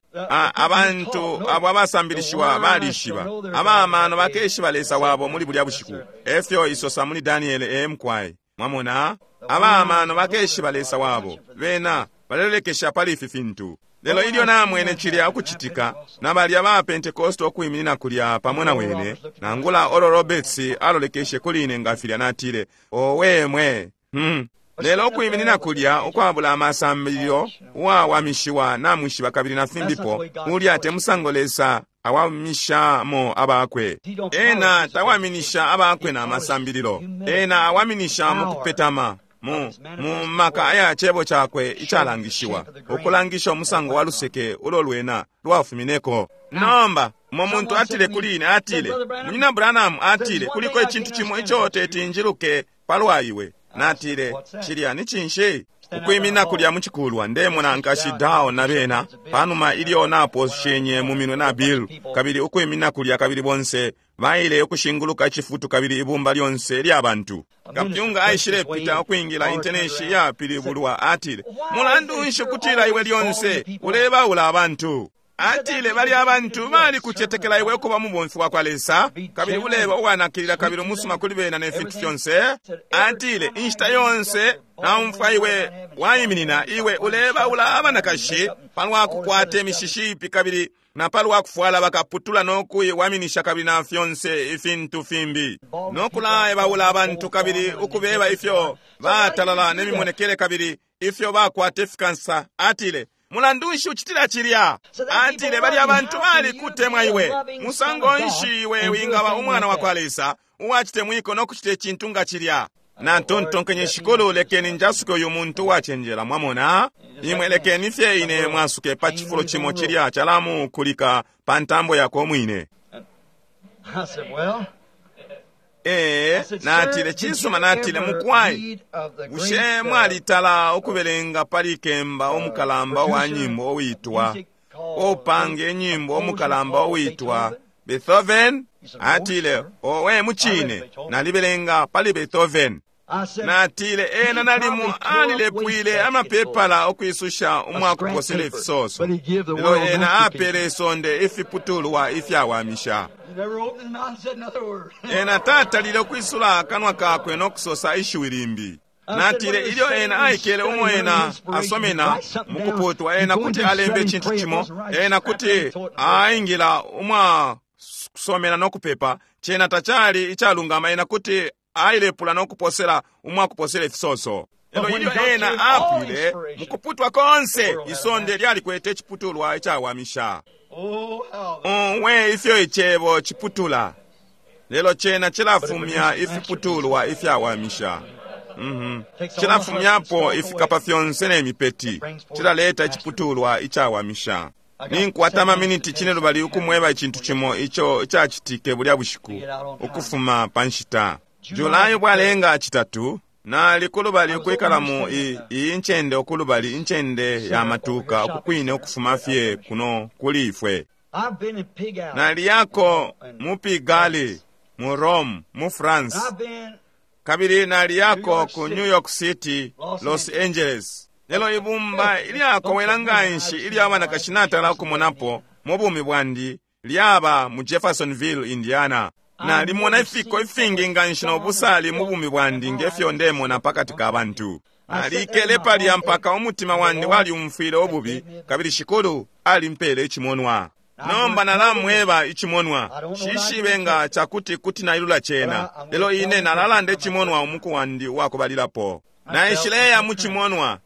abantu abo abasambilishiwa balishiba, abamano bakeshiba Lesa wabo muli bulya bushiku. Efyo isosa muli Daniele emkwai. Mwamona, abamano bakeshiba Lesa wabo, bena balelekesha pali ifi fintu. Lelo ilyo namwene cilya ukucitika, na balya ba Pentekosto okwiminina kulya pamo na wene, nangula Oral Roberts alolekeshe kuli ine nga filya natile, owe mwe, hmm. Lelo okwiminina kulya ukwabula amasambililo, uwawamishiwa namwishiba kabili na fimbipo, ulya te musango Lesa awamishamo abakwe. Ena tawaminisha abakwe na masambililo, ena awaminisha mu kupetama, mu mu maka aya cebo cakwe icalangishiwa, ukulangisha umusango wa luseke ulo lwena lwafumineko. Nomba umo muntu atile kuli ine, atile, Munyina Branham, atile, kuliko icintu cimo ico teti njiluke palwa iwe. Natile, cilya ni cinshi? Ukwimina kulya mu cikulwa, ndemona nkashi Dao na bena, panuma ilyo naposhenye mu minwe na Bill, kabili ukwimina kulya kabili bonse baile ukushinguluka icifutu kabili ibumba lyonse lya bantu. Kapyunga aishile pita ukwingila inteneshi yapilibulwa, atile, mulandu nshi kutila iwe lyonse ulebaula abantu? Atile, bali abantu bali kucetekela iwe ukuba mubomfi wa kwa Lesa, kabili uleba uwanakilila kabili umusuma kuli bena ne fintu fyonse. Atile, inshita yonse naumfwa iwe waiminina, iwe ulebaula abanakashi palwa kukwata imishishi ipi kabili na palwa kufwala bakaputula no kuiwaminisha kabili na fyonse ifintu fimbi, no kulaebaula abantu kabili ukubeba ifyo batalala ne mimonekele kabili ifyo bakwata ifikansa. Atile, mulandu nshi ucitila cilya? Atile, bali abantu bali kutemwa iwe. Musango nshi iwe wingaba umwana wa kwa Lesa uwacitemwiko no kucita icintu nga cilya? Natontonkenye, Shikulu, lekeni njasuke uyu muntu wacenjela. Mwamona, imwe lekeni fye ine mwasuke pa cifulo cimo cilya calamukulika pa ntambo yako mwine. Ee, natile, cisuma, natile, mukwai, bushe mwalitala ukubelenga pali kemba omukalamba wa nyimbo owitwa, opange nyimbo omukalamba owitwa Beethoven? Atile, owe mucine, nalibelenga pali Beethoven. Natile, ena nalimu alilepwile amapepala okwisusha umwakuposela ifisoso, lelo ena apele isonde ifiputulwa ifyawamisha. Ena tatalile ukwisula akanwa kakwe no kusosa ishiwi limbi. Natile, ilyo ena aikele umo ena asomena mukuputwa, ena kuti alembe icintu cimo, ena kuti aingila umwa kusomena no kupepa, cena tacali icalungama, ena kuti ailepula no kuposela umwa kuposela ifisoso. Lelo ilyo ena apwile mukuputwa konse, isonde lyalikwete iciputulwa icawamisha. Owe, ifyo icebo ciputula, lelo cena cilafumya ifiputulwa ifyawamisha. Mm-hmm. Cilafumyapo ifikapa fyonse ne mipeti, cilaleta iciputulwa icawamisha. Ninkwata amaminiti cine lubali ukumweba icintu cimo ico icacitike bulya bushiku ukufuma pa nshita Julai bwalenga citatu. Nali kulubali ukwikala mu iyi ncende okulubali incende ya matuka okukwine ukufuma fye kuno kuli ifwe. Naliyako mu Pigalle, mu Rome, mu France, kabili naliyako ku New York City, Los Angeles. Lelo ibumba ilyakowela nganshi ilya banakashi natala ukumonapo mu bumi bwandi lyaba mu Jeffersonville, Indiana. Nalimona ifiko ifingi nganshi no busali mu bumi bwandi ngefyo ndemona pakati ka bantu. Nalikele palya mpaka umutima wandi waliumfwile ububi, kabili Shikulu alimpele icimonwa. Nomba nalamweba icimonwa, shishibe nga cakuti kuti nailula cena, lelo ine nalalanda icimonwa umuku wandi uwakubalilapo. Naishileya mu cimonwa,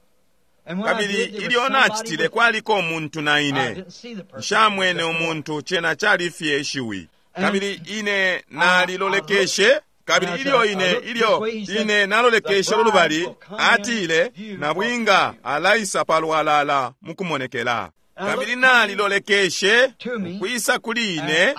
kabili ilyo nacitile kwaliko umuntu na ine. Nshamwene umuntu, cena cali fye ishiwi. Kabili ine nalilolekeshe, kabili ilyo ine ilyo ine nalolekeshe ulubali, atile, nabwinga alaisa palwalala mukumonekela. Kabili nalilolekeshe ukwisa kuli ine,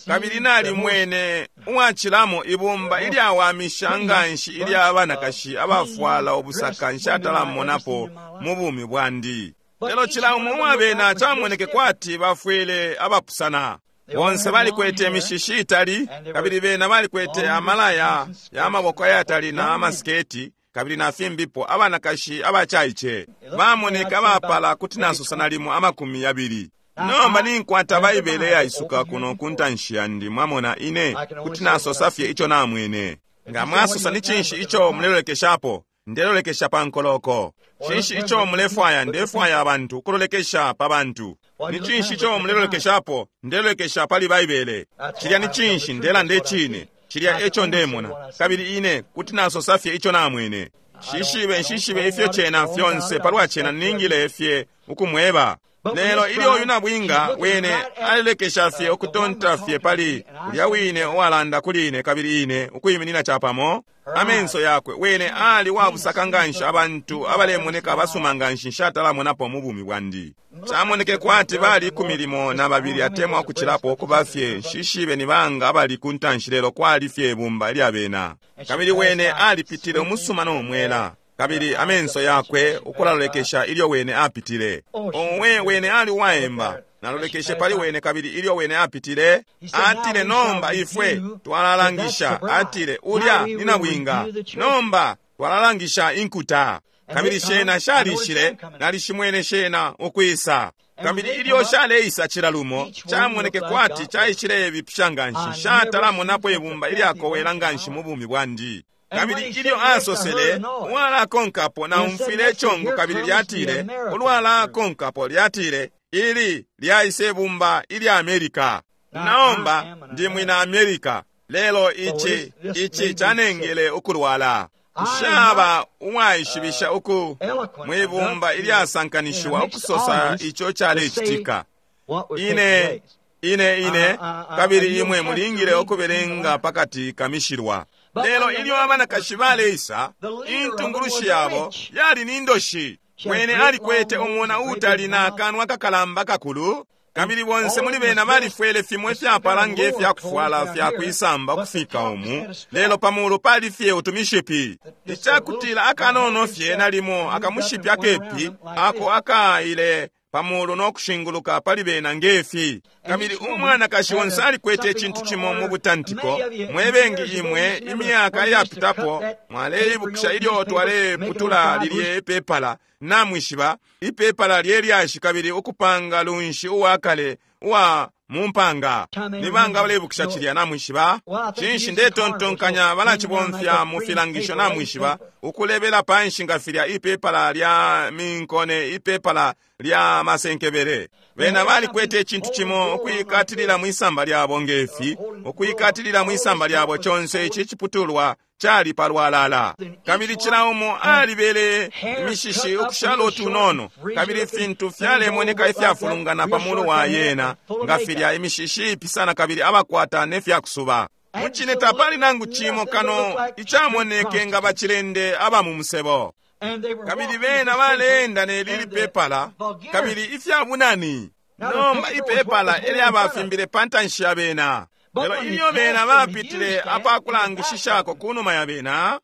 kabili nalimwene uwacilamo ibumba ilyawamisha nganshi ilya banakashi abafwala ubusaka nshatalamonapo mu bumi bwandi. Lelo cila umo uwabena camoneke kwati bafwile abapusana. Bonse balikwete imishishi itali, kabili bena balikwete amalaya ya maboko ayatali na amasiketi, kabili na fimbipo abanakashi abacaice bamoneka bapala kuti nasosa nalimo amakumi yabili. Nomba ninkwata Baibele yaisuka kuno ku ntanshi yandi, mwamona ine kuti nasosa fye ico namwene. Nga mwasosa ni cinshi ico mulelolekeshapo? Ndelolekesha pa nkoloko. Cinshi ico mulefwaya? Ndefwaya abantu kulolekesha pa bantu. Ni cinshi ico mulelolekeshapo? Ndelolekesha pali Baibele. Cilya ni cinshi? Ndelanda icine. Cilya eco ndemona, kabili ine kuti nasosa fye ico namwene. Shishibe nshishibe ifyo cena fyonse palwa cena ningile fye ukumweba. Lelo ilyo uyu nabwinga wene alelekesha fye ukutonta fye pali ulya wine uwalanda kuli ine, kabili ine ukwiminina capamo amenso yakwe wene ali wabusaka nganshi, abantu abalemoneka abasuma nganshi nshatalamonapo mu bumi bwandi. Camoneke kwati bali ikumi limo na babili atemwa ukucilapo ukuba fye nshishibe ni banga abali ku ntanshi, lelo kwali fye ibumba ilya bena. Kabili wene alipitile umusuma no mwela, kabili amenso yakwe ukulalolekesha ilyo wene apitile. Owe, wene ali uwaemba. Nalolekeshe pali wene, kabili ilyo wene apitile atile, nomba ifwe twalalangisha. Atile, ulya ni nabwinga, nomba twalalangisha inkuta. Kabili shena shalishile, nalishimwene shena ukwisa. Kabili ilyo shaleisa cila lumo camoneke kwati caishile bipisha nganshi, shatalamonapo ibumba ilyakowela nganshi mu bumi bwandi. Kabili ilyo asosele uwalakonkapo, naumfwile icongo, kabili lyatile ulwalakonkapo lyatile, ili lyaise ibumba ilya Amerika. Naomba ndi mwina Amerika, lelo ici ici canengele ukulwala. Nshaba uwaishibisha uku mwibumba ilyasankanishiwa ukusosa ico calecitika. Ine ine ine kabili imwe mulingile ukubelenga pakati kamishilwa. Lelo ilyo abanakashi baleisa, intungulushi yabo yali ni ndoshi. Wene alikwete umona uutali na akanwa kakalamba kakulu, kabili bonse muli bena balifwele fimo ifyapala nge fyakufwala fyakwisamba ukufika umu, lelo pamulu pali fye utumishipi. Icakutila akanono fye nalimo akamushipi akepi ako akaile pamulu no kushinguluka pali bena ngefi. Kabili umwanakashi onse alikwete icintu cimo mu butantiko. Mwebengi imwe imyaka iyapitapo mwaleibukisha ilyo twaleputula lilye ipepala, namwishiba ipepala lyelyashi, kabili ukupanga lunshi uwakale uwa mumpanga. Nibanga baleibukisha cilya? Namwishiba cinshi ndetontonkanya balacibomfya mu filangisho, namwishiba, ukulebela panshi nga filya ipepala lya minkone, ipepala lya masenkebele. Bena balikwete icintu cimo ukuikatilila mwisamba lyabo ngefi, ukuikatilila mwisamba lyabo conse ici ciputulwa cali palwalala. Kabili cila umo alibele imishishi ukushala utunono, kabili ifintu fyalemoneka ifyafulungana pamulu wa yena nga filya imishishi ipisana, kabili abakwata ne fyakusuba. Mucine tapali nangu cimo kano icamoneke nga bacilende aba mu musebo. Kabili bena baleenda ne lili pepala, kabili ifyabunani. Nomba ipepala elyabafimbile pa ntanshi ya bena. Lelo ilyo bena bapitile apakulangishishako kunuma ya bena,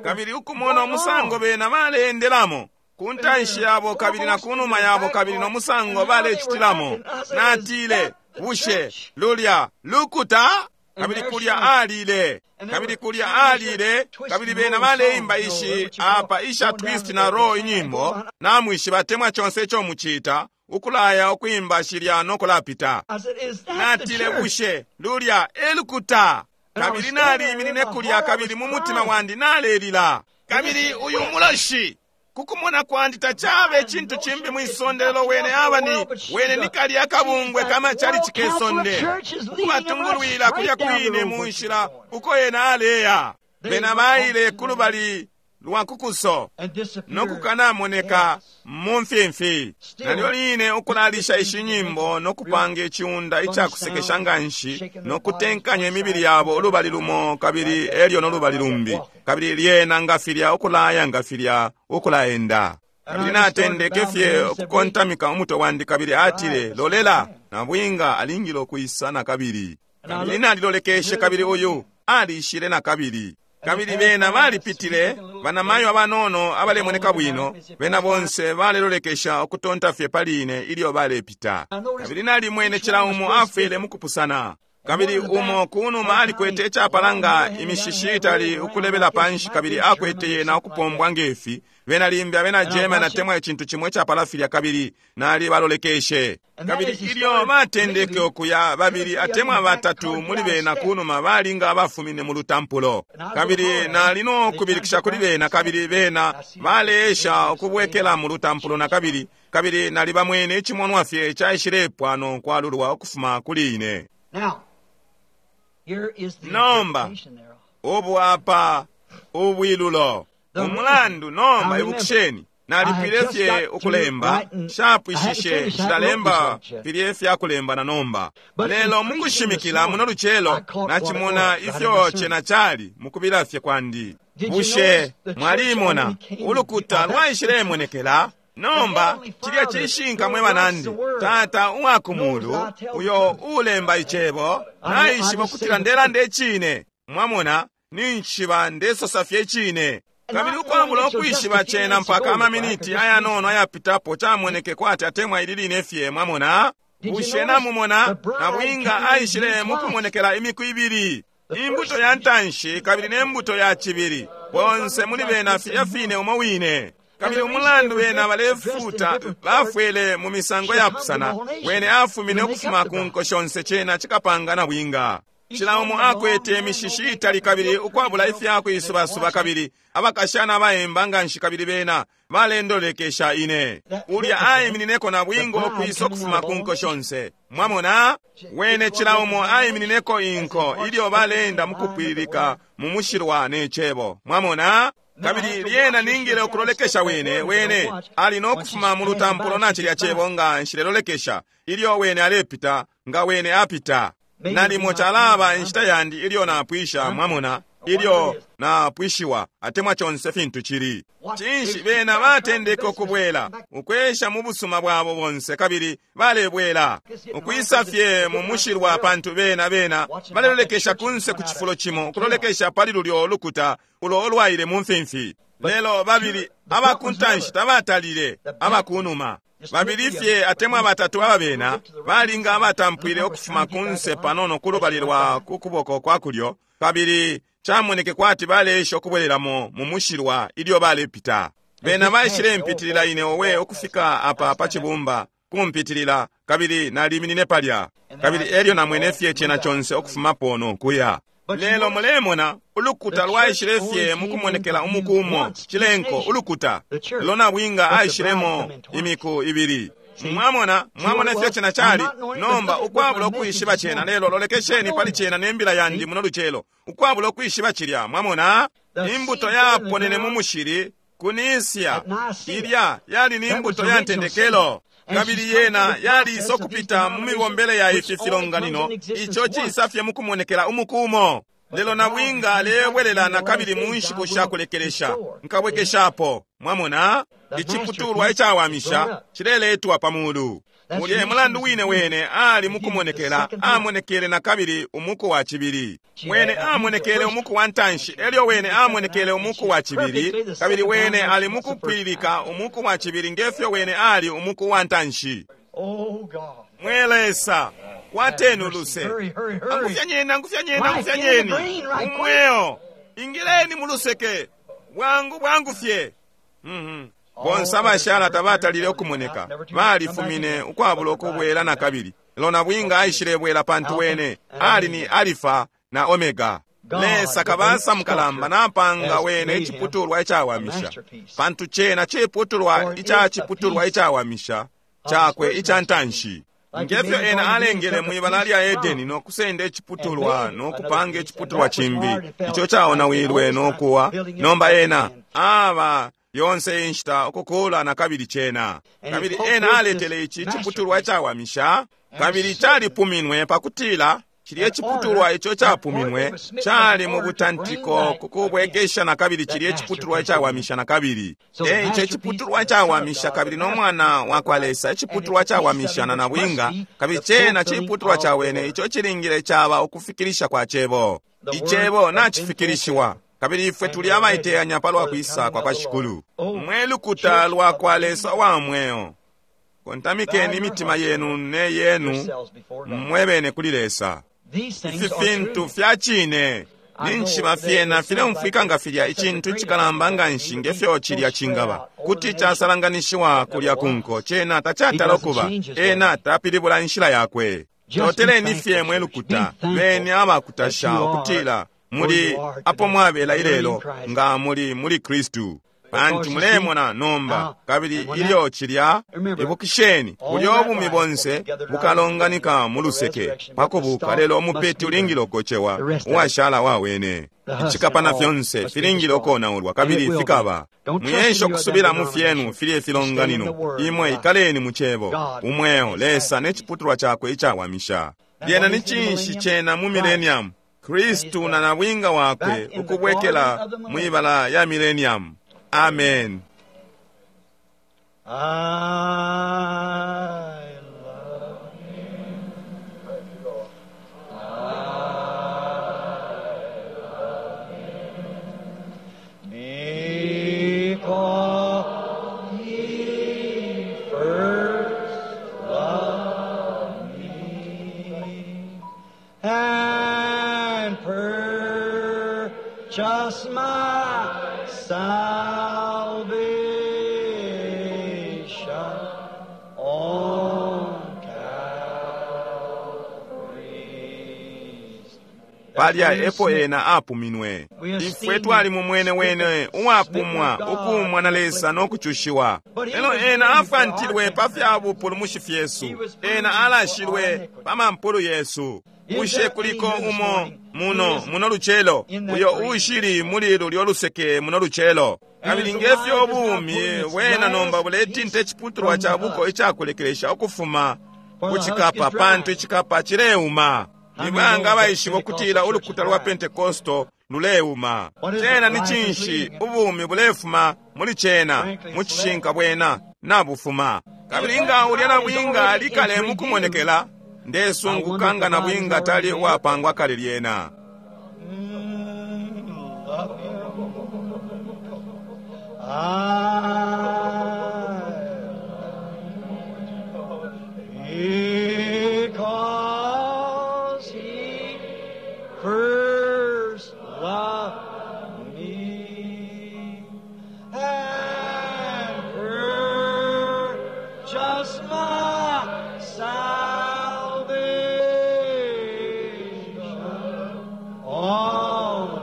kabili ukumona umusango bena baleendelamo ku ntanshi yabo kabili na kunuma yabo, kabili no musango balecitilamo, natile, bushe lulya lukuta? Kabili kulya alile, kabili kulya alile, kabili bena baleimba ishi apa isha twist na roll inyimbo, namwishiba temwa chonse ico muchita ukulaya ukuimba shilya no kulapita. Natile, bushe lulya elukuta? Kabili naliiminine kulya, kabili mu mutima wandi nalelila. Kabili uyu muloshi kukumona kwandi tachabe chintu chimbi mwisonde, lelo wene aba ni wene nikali akabungwe kama chali chikesonde ukubatungulwila kulya kwine munshila uko yena aleya. Bena baile kulubali lwa kukuso nokukanamoneka mumfimfi. Nalyo line ukulalisha ishi nyimbo nokupanga ichiunda ichakusekesha nganshi nokutenkanya imibili yabo ulubali lumo kabili elyo nolubali lumbi, kabili lyena ngafilya ukulaya ngafilya ukulaenda. Kabili natendeke fye ukukontamika umutwe wandi, kabili atile, lolela, nabwinga alingile ukwisa nakabili. Kabili nalilolekeshe, kabili uyu alishile nakabili. Kabili bena balipitile, banamayo abanono abalemoneka bwino, bena bonse balelolekesha ukutonta fye pali ine ilyo balepita. Kabili nalimwene cila umo afwile mukupusana. Kabili umo kunuma alikwete icapalanga imishishi itali ukulebela panshi, kabili akwete yena ukupombwa ngefi. Bena limbi abena German atemwa icintu cimo icapala filya, kabili nali balolekeshe. Kabili ilyo batendeke ukuya, babili atemwa batatu muli bena kunuma balinga abafumine mu lutampulo. Kabili nali no kubilikisha kuli bena, kabili bena baleesha ukubwekela mu lutampulo na kabili, kabili nali bamwene icimonwa fye caishilepwa no kwalulwa ukufuma kuli ine. Nomba ubu apa ubwilulo umulandu. Nomba ibukisheni, nalipwile fye ukulemba, nshapwishishe, nshilalemba filye fyakulemba na nomba. Lelo mukushimikila muno lucelo nacimona ifyo cena cali mukubila fye kwandi. Bushe mwalimona ulukuta lwaishilemonekela? Nomba cilya cishinka mwe banandi. Tata uwa kumulu uyo ulemba icebo naishiba ukutila ndelanda icine. Mwamona, ninshi ndesosa fye icine. Kabili ukwabula ukwishiba cena mpaka amaminiti ayanono ayapitapo camoneke kwati atemwa ili line fye. Mwamona, bushe namumona nabwinga aishile mukumonekela imiku ibili, imbuto ya ntanshi kabili ne mbuto ya cibili, bonse muli bena filya fine umo wine. Kabili umulandu bena balefuta bafwele mu misango yapusana, wene afumine ukufuma ku nko shonse, cena cikapanga nabwinga. Cila umo akwete imishishi itali kabili ukwabula ifyakuisubasuba, kabili abakashana abaemba nganshi, kabili bena balendolekesha ine. Ulya aiminineko nabwinga ukwisa ukufuma ku nko shonse. Mwamona, wene cila umo aiminineko inko ilyo baleenda mukupwililika mu mushilwa ne cebo. Mwamona, kabili lyena ningile ukulolekesha wene, wene ali no kufuma mu lutampulo na cilya cebo nga nshilelolekesha ilyo wene alepita, nga wene apita. Nalimo calaba inshita yandi ilyo napwisha, mwamona, ilyo napwishiwa atemwa conse fintu cili. Cinshi bena batendeke ukubwela ukwesha mu busuma bwabo bonse, kabili balebwela ukwisa fye mu mushilwa, pantu bena bena balelolekesha kunse ku cifulo cimo, ukulolekesha pali lulyo lukuta ulo olwaile mu mfimfi. Lelo babili abakuntanshi tabatalile abakunuma, babili fye atemwa batatu ababena balinga abatampwile ukufuma kunse panono kulubali lwa kukuboko kwa kulyo, kabili camoneke kwati baleesha ukubwelelamo mu mushilwa ilyo balepita. Bena baishile mpitilila ine owe ukufika apa pa cibumba kumpitilila, kabili naliminine palya, kabili elyo namwene fye cena conse ukufumapo no kuya. Lelo mulemona ulukuta lwaishile fye mukumonekela umuku umo, cilenko ulukuta lelo nabwinga aishilemo imiku ibili. Mwamona, mwamona ifyo cena cali. Nomba ukwabula ukwishiba cena, lelo lolekesheni pali cena ne mbila yandi muno lucelo, ukwabula ukwishiba cilya. Mwamona, imbuto yaponene mu mushili kunisia, ilya yali ni imbuto ya ntendekelo, kabili yena yaliisa ukupita mu mibombele ya ifi filonganino, ico cisa fye mukumonekela umuku umo. Lelo nabwinga alebwelela na kabili mu nshiku sha kulekelesha, nkabwekeshapo. Mwamona, iciputulwa icawamisha cileletwa pa mulu. Ulye mulandu wine wene ali mukumonekela, amonekele na kabili umuku wa cibili. Wene amonekele umuku wa ntanshi, elyo wene amonekele umuku wa cibili, kabili wene ali mukupwilika umuku wa cibili ngefyo wene ali umuku wa ntanshi. Mwe Lesa, kwateni uluse. Angufyanyeni, angufyanyeni, angufyanyeni umweo, ingileni muluseke bwangu bwangu fye. Mm-hmm. Bonse abashala tabatalile ukumoneka, balifumine ukwabula ukubwela na kabili. Lelo nabwinga aishilebwela, pantu wene ali ni Alifa na Omega. Lesa kabasa mukalamba napanga wene iciputulwa icawamisha, pantu cena ciputulwa ica ciputulwa icawamisha cakwe ica ntanshi. Ngefyo ena alengele mwibala lya Edeni no kusenda iciputulwa no kupanga iciputulwa cimbi ico caonawilwe no kuwa. Nomba ena aba yonse inshita ukukula na kabili cena. Kabili ena aletele ici iciputulwa icawamisha, kabili calipuminwe pakutila Cilye ciputulwa ico capuminwe cali mu butantiko kukubwekesha na kabili cilye ciputulwa icawamisha na kabili. E ico iciputulwa cawamisha kabili no mwana wa kwa Lesa, iciputulwa cawamisha na nabwinga, kabili cena ciputulwa ca wene ico cilingile caba ukufikilisha kwa cebo. Icebo nacifikilishiwa, kabili ifwe tuli abaiteyanya palwa kwisa kwa kwa Shikulu. Mwe lukuta lwa kwa Lesa wa mweo, kontamikeni imitima yenu ne yenu mwebene kuli Lesa. Ifi fintu fya cine ninshima fyena fileumfwika nga filya icintu icikalamba nga nshi ngefyo cilya cingaba kuti casalanganishiwa kulya kunko. Cena tacatala ukuba, ena tapilibula inshila yakwe. Toteleni fye mwe lukuta, beni abakutasha ukutila muli apo mwabela ilelo nga muli muli Kristu. Pantu mulemona nomba, kabili ilyo cilya, ibukisheni bulyo bumi bonse bukalonganika mu luseke pakubuka, lelo umupeti ulingile ukocewa, uwashala wawene. Icikapa na fyonse filingile ukonaulwa, kabili fikaba. Muyensha ukusubila mu fyenu filye filonganino. Imwe ikaleni mu cebo, umweo, Lesa ne ciputulwa cakwe icawamisha. Lyena ni cinshi cena mu millennium? Kristu na nabwinga wakwe ukubwekela mwibala ya millennium. Amen. I love him. I love him. Because he first loved me and purchased my salvation on Calvary's. Palya epo ena apuminwe. Ifwe twali mu mwene wene uwapumwa, ukuumwa na Lesa no kucushiwa. Lelo ena afwantilwe pa fya bupulumushi fyesu, ena alashilwe pa mampulu yesu. Bushe kuliko umo muno muno lucelo uyo ushili muli lulyo luseke muno lucelo? Kabili ngefyo ubumi bwena nomba buletinta iciputulwa ca buko icakulekelesha ukufuma ku cikapa, pantu icikapa cileuma. Nibanga abaishiba ukutila ulukuta lwa Pentekosto luleuma? Cena ni cinshi? Ubumi bulefuma muli cena, mu cishinka bwena nabufuma. Kabili nga ulya nabwinga alikale mukumonekela, ndesunguka nga nabwinga tali uwapangwa kale lyena. Mm, love him. I because he first loved me and purchased my salvation on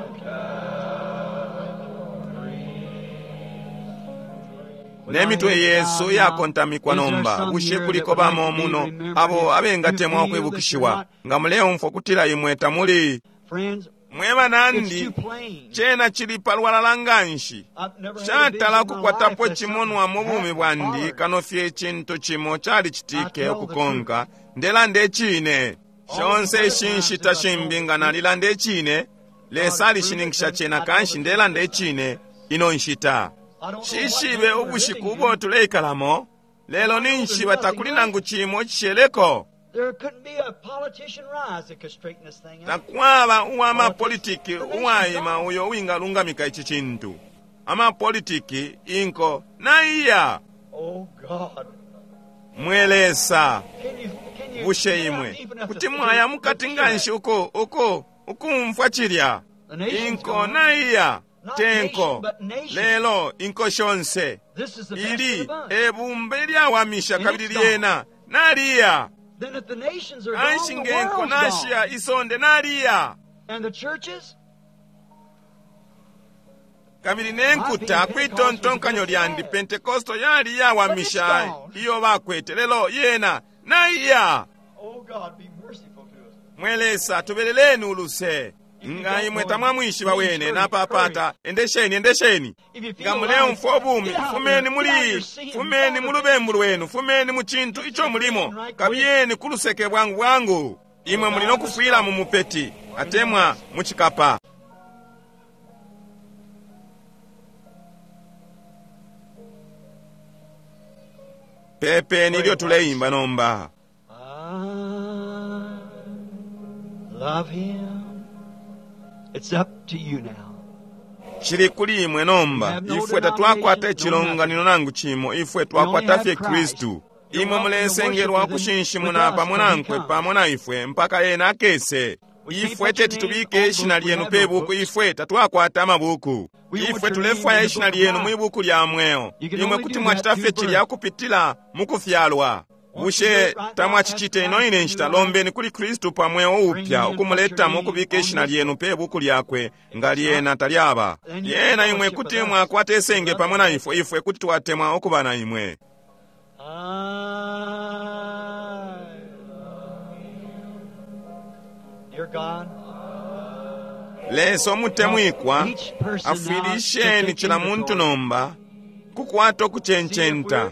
Nemitwe yesu yakontamikwa nomba. Bushe kuliko bamo muno abo abengatemwa ukwibukishiwa nga muleumfwa kutila imwe tamuli? Friends, Mwe it's banandi, too plain. cena cili palwalala nga nshi. I've never had a Shatala vision in my kukwatapo life that cimonwa mu something bumi bwandi happened. kano fye icintu cimo calicitike ukukonka. Ndelanda icine. Shonse ishi nshita shimbi nga nalilanda icine, Lesa alishininkisha cena, kanshi ndelanda icine ino nshita. I don't know what Shishibe day we're ubushiku living ubo in. tuleikalamo, lelo ninshiba takuli nangu cimo cisheleko. There couldn't be a politician rise that could straighten this thing out. Takwaba uwa mapolitiki uwaima uyo uwingalungamika ici cintu. Amapolitiki inko naiya. Oh God. Mwe Lesa, Can you can you bushe get out imwe deep enough to kuti mwaya mukati nga nshi uko uko ukumfwa cilya? The nation's Inko gone. naiya Not tenko, nation, but nation. lelo inko shonse This is the best of the ili bunch. ebumba ilyawamisha And kabili it's gone. lyena naliya. Then if the nations are gone, Kanshi the ngenko world's gone. nashiya isonde naliya. And the churches? Kabili nenkuta kwitontonkanyo lyandi Pentekosto yali yawamisha iyo bakwete, lelo yena naiya. Oh God, be merciful to us. Mwe Lesa, tubeleleni uluse. Nga imwe tamwamwishiba wene napapata, endesheni endesheni. If you feel Nga muleumfwa ubumi, get out fumeni there, muli get out of your sin, fumeni mu lubembu lwenu, fumeni mu cintu ico mulimo, kabiyeni ku luseke bwangu bwangu. Imwe muli nokufwila mu mupeti atemwa mu cikapa. Pepeni ilyo tuleimba nomba. I love him. It's up to you now. Chili kuli imwe nomba. Ifwe tatwakwata icilonganino nangu chimo, ifwe twakwata fye Kristu. Imwe mulesengelwa kushinshimuna pamo nankwe pamo na ifwe mpaka ena akese. Ifwe teti tubike ishina lyenu pe buku, ifwe tatwakwata amabuku. Ifwe tulefwaya ishina lyenu mwi buku lya mweo. Imwe kuti mwachita fye chilya kupitila mu kufyalwa. Bushe tamwachichite ino ine nshita? Lombeni kuli Kristu pa mweo upya ukumuletamo ukubika ishina lyenu pe buku lyakwe nga lyena talyaba. Lyena imwe kuti mwakwata esenge pamwe na ifwe, ifwe kuti twatemwa ukuba na imwe. I love him. Dear God, Lesa omutemwikwa, afwilisheni chila muntu nomba kukwata okuchencenta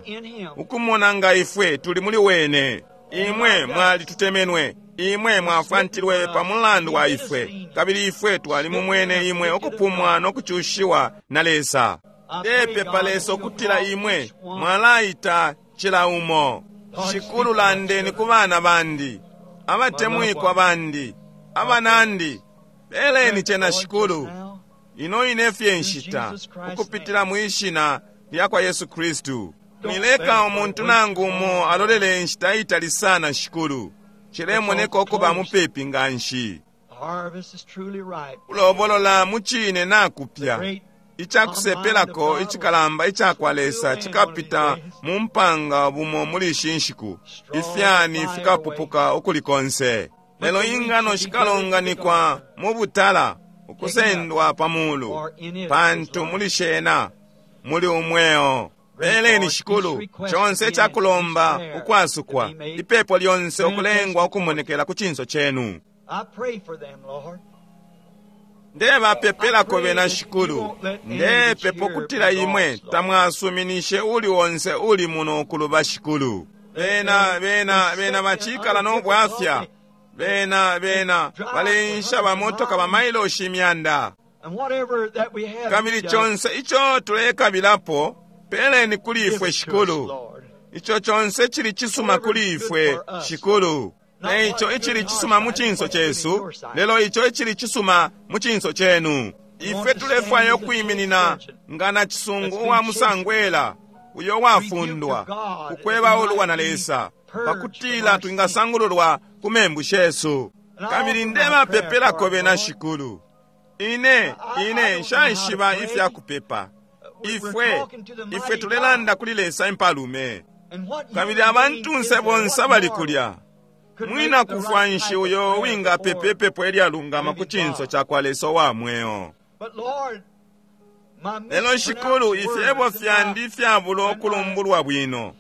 ukumona nga ifwe tuli muli wene. Imwe mwali tutemenwe, imwe mwafantilwe pa mulandu wa ifwe, kabili ifwe twali mumwene imwe okupumwa n'okuchushiwa na Lesa. Ndepepa Lesa okutila imwe mwalaita chila umo. Shikulu, landeni ku bana bandi, abatemwikwa bandi, abanandi, peleni chena Shikulu. Ino ine fye nshita ukupitila mwishina lya kwa Yesu Kristu. Mwileka umuntu nangu umo alolele nshita itali sana Shikulu. Chilemoneka okuba mupepi nga nshi. the harvest is truly ripe. Kulobolola mu chine nakupya. Great Ichakusepelako ichikalamba ichakwa Lesa chikapita mu mpanga bumo muli ishi nshiku. Ifyani fikapupuka ukuli konse. Lelo ingano shikalonganikwa mu butala ukusendwa pa mulu, pantu muli shena muli umweo. Peleni Shikulu chonse ichakulomba ukwasukwa, ipepo lyonse ukulengwa ukumonekela ku chinso chenu. I pray for them, Lord. Ndebapepelako bena Shikulu, ndepepa ukutila imwe tamwasuminishe uli onse uli muno ukuluba Shikulu. Bena bena bena bachikala n'obwafya, bena bena balensha bamotoka bamailoshi imyanda. And whatever that we have, Kabili done, chonse icho tulekabilapo peleni kuli give ifwe it to us, Shikulu. Lord. Icho chonse chili chisuma kuli ifwe Shikulu. Ne icho ichili chisuma mu chinso chesu, lelo icho ichili chisuma mu chinso chenu. Ifwe tulefwaya okwiminina nga na chisungu uwa musangwela uyo wafundwa kukweba uluwa na Lesa pakutila twingasangululwa ku membu shesu. Kabili ndebapepelako bena Shikulu. Ine ine nshaishiba ifya kupepa. Ifwe ifwe tulelanda kuli Lesa impalume. And what Kabili human being abantunse is there, bonse what abali mortal kulya could mwina make the kufwa right nshi type of uyo prayer wingapepa before ipepo elyalungama ku chinso cha kwa Lesa wa mweo. But Lord, my Lelo Shikulu, mispronounced ifyebo words and fyandi my fyabula okulumbulwa bwino.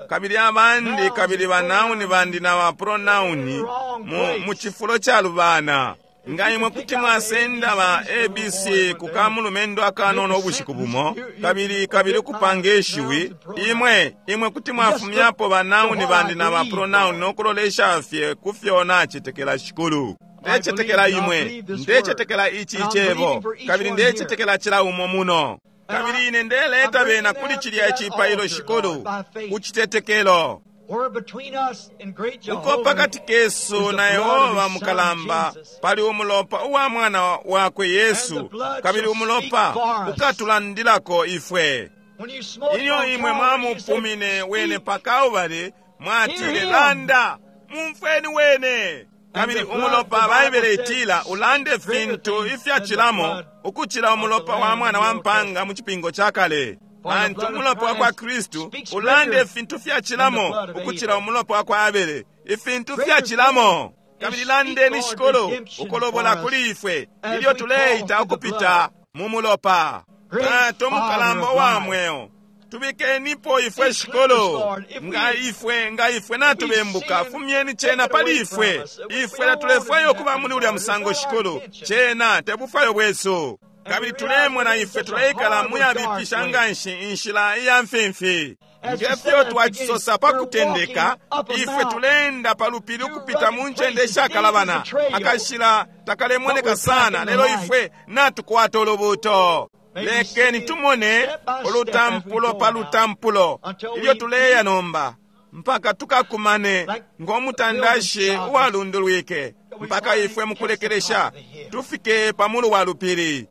Kabili abandi kabili banauni bandi na bapronauni mu, mu chifulo cha lubana. Nga imwe kuti mwasenda ba A B C ku kamulumendo akanono ubushiku bumo, kabili kabili kupanga ishiwi, imwe imwe kuti mwafumyapo banauni bandi na bapronauni n'okulolesha fye ku fyo nachetekela Shikulu. Ndechetekela imwe, ndechetekela ichi ichebo, kabili ndechetekela chila umo muno. Kabili ine ndeleta bena kuli chilya ichipailo Shikulu, ku chitetekelo. Where between us and great Uko Jehovah pakati kesu na Yehova mukalamba pali umulopa uwa mwana wakwe Yesu, kabili umulopa ukatulandilako ifwe. when you smote Ilyo on imwe Calvary, you said, mwamupumine wene "Speak." pa Kalvari, mwatile landa, mumfweni wene. Kabili umulopa Baibele itila ulande fintu ifyachilamo ukuchila umulopa wa mwana wa mpanga mu chipingo cha kale. Pantu umulopa wa kwa Kristu ulande fintu fyachilamo ukuchila umulopa wa kwa Abele, ifintu fyachilamo. Kabili landeni Shikulu ukolobola kuli ifwe ilyo tuleita ukupita mu mulopa. Tato mukalamba wa mweo, tubikenipo ifwe Shikulu, nga ifwe nga ifwe natubembuka, fumyeni chena pali ifwe. Ifwe tatulefwayo okuba muli ulya musango Shikulu, chena tebufwayo bwesu. Kabili tulemona ifwe tuleikala muyabipisha nga nshi inshila iya mfimfi. Ngefyo twacisosa pa kutendeka, ifwe tuleenda pa lupili ukupita mu ncende ishakalabana, akashila takalemoneka sana, lelo ifwe natukwata ulubuto. Lekeni tumone ulutampulo pa lutampulo ilyo tuleya nomba, mpaka tukakumane ngomutandashi uwalundulwike, mpaka ifwe mukulekelesha tufike pamulu wa lupili.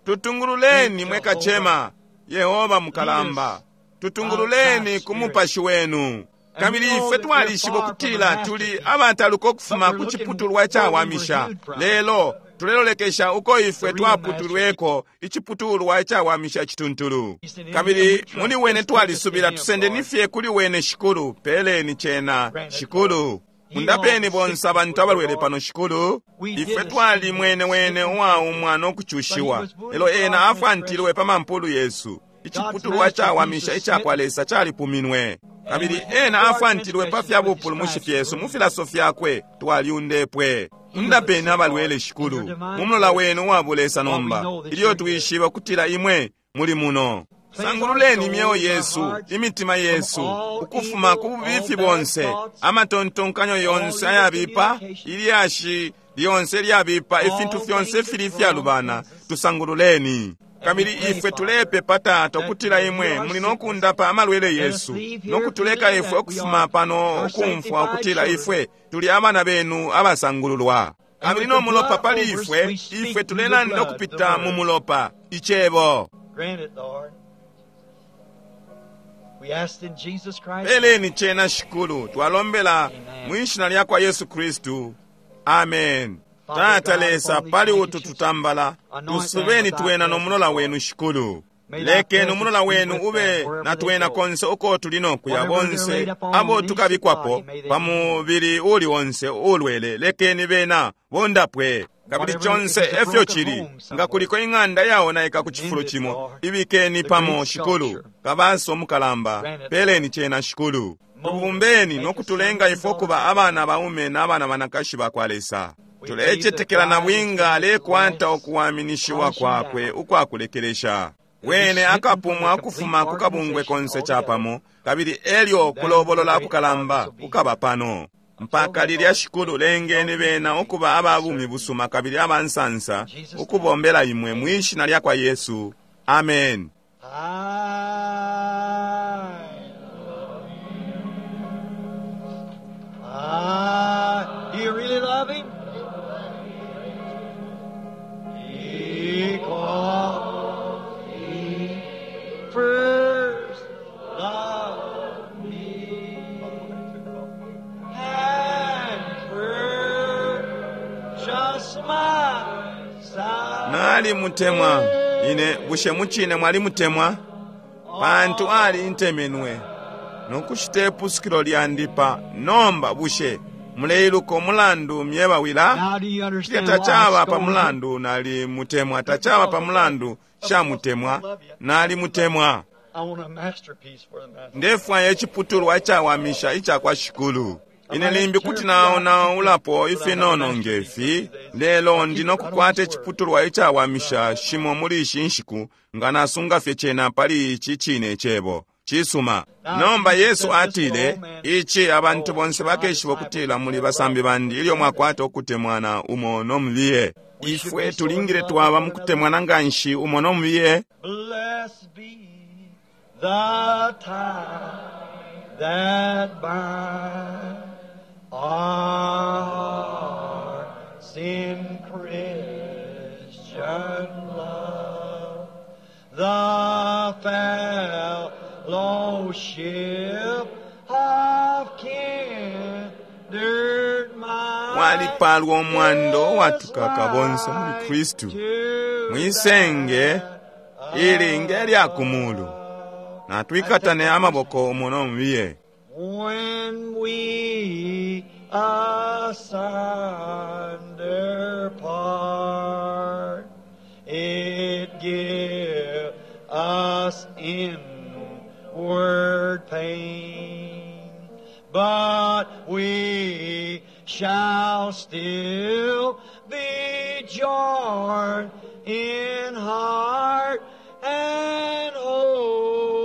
Tutungululeni mwe kacema Yehova mukalamba, tutungululeni ku mupashi wenu. Kabili ifwe twalishiba ukutila tuli abataluka ukufuma ku ciputulwa icawamisha, lelo tulelolekesha uko ifwe twaputulweko iciputulwa icawamisha cituntulu. Kabili muli wene twalisubila, tusendeni fye kuli wene Shikulu. Peleni cena Shikulu. Mundapeni bonse abantu abalwele pano Shikulu. Ifwe twali mwene wene uwaumwa nokucushiwa, lelo ena afwantilwe pa mampulu yesu. Iciputulwa cawamisha icakwa Lesa calipuminwe, kabili ena afwantilwe pa fya bupulumushi fyesu. Mu filaso fyakwe twalyundepwe. Mundapeni abalwele Shikulu, mu mulola wenu uwa bulesa nomba, ilyo twishiba kutila imwe muli muno. Sangululeni imyeo yesu, imitima yesu, ukufuma ku bubifi bonse, amatontonkanyo yonse ayabipa, ilyashi lyonse lyabipa, ifintu fyonse fili ifyalubana, tusangululeni. Kabili ifwe tulepepa Tata ukutila imwe muli nokundapa amalwele yesu, nokutuleka ifwe ukufuma pano ukumfwa ukutila ifwe tuli abana benu abasangululwa. Kabili no mulopa pali ifwe, ifwe tulelanda ukupita mu mulopa, icebo. Peleni cena Shikulu, twalombela mwishina lyakwa Yesu Kristu. Amen. Tata Lesa, pali utu tutambala tusubeni twena no mulola wenu Shikulu. Lekeni umulola wenu ube na twena konse uko tuli nokuya, bonse abo tukabikwapo pa mubili uli onse ulwele, lekeni bena bondapwe. Kabili conse efyo chili, nga kuliko ing'anda yaonaika ku cifulo cimo, ibikeni pamo Shikulu, kabaso mukalamba, peleni cena Shikulu. Tubumbeni nokutulenga ifwe ukuba abana baume n'abana banakashi bakwa Lesa. Tulecetekela na bwinga alekwata okuwaminishiwa kwakwe ukwakulekelesha. Wene akapumwa ukufuma ku kabungwe konse capamo, kabili elyo kulobolola kukalamba kukaba pano. Mpaka lilya Shikulu, lengeni bena ukuba ababumi busuma kabili abansansa ukubombela imwe mwishina lyakwa Yesu. Amen. Ah, do you really love him? Because he first loved me and purchased my salvation. Nali mutemwa ine, bushe muchine mwali mutemwa? Pantu ali ntemenwe nokushita ipusukilo lyandi pa nomba. Bushe muleiluka umulandu myebawila? Now do you Cilya understand why I tacaba pa scold you? mulandu nali mutemwa, tacaba pa mulandu shamutemwa, nali mutemwa. I want a masterpiece for the master. Ndefwaya iciputulwa icawamisha icakwa Shikulu. Ine limbi kuti naonaulapo ifinono ngefi, lelo ndi nokukwata iciputulwa icawamisha shimo muli ishi nshiku, nga nasunga fye cena pali ici cine cebo cisuma. Nomba Yesu atile, ici abantu bonse bakeshiba ukutila muli basambi bandi ilyo mwakwata ukutemwana umo nomubiye. Ifwe tulingile twaba mukutemwana nganshi umo nomubiye. Blessed be the tie that binds our hearts in Christian love, the fellowship of kindred minds. Mwalipalwa omwando watukaka bonse muli Kristu, mwisenge ili nge lya kumulu. Natwikatane amaboko umo nomubiye. When we asunder part, it give us inward pain, but we shall still be joined in heart and hope.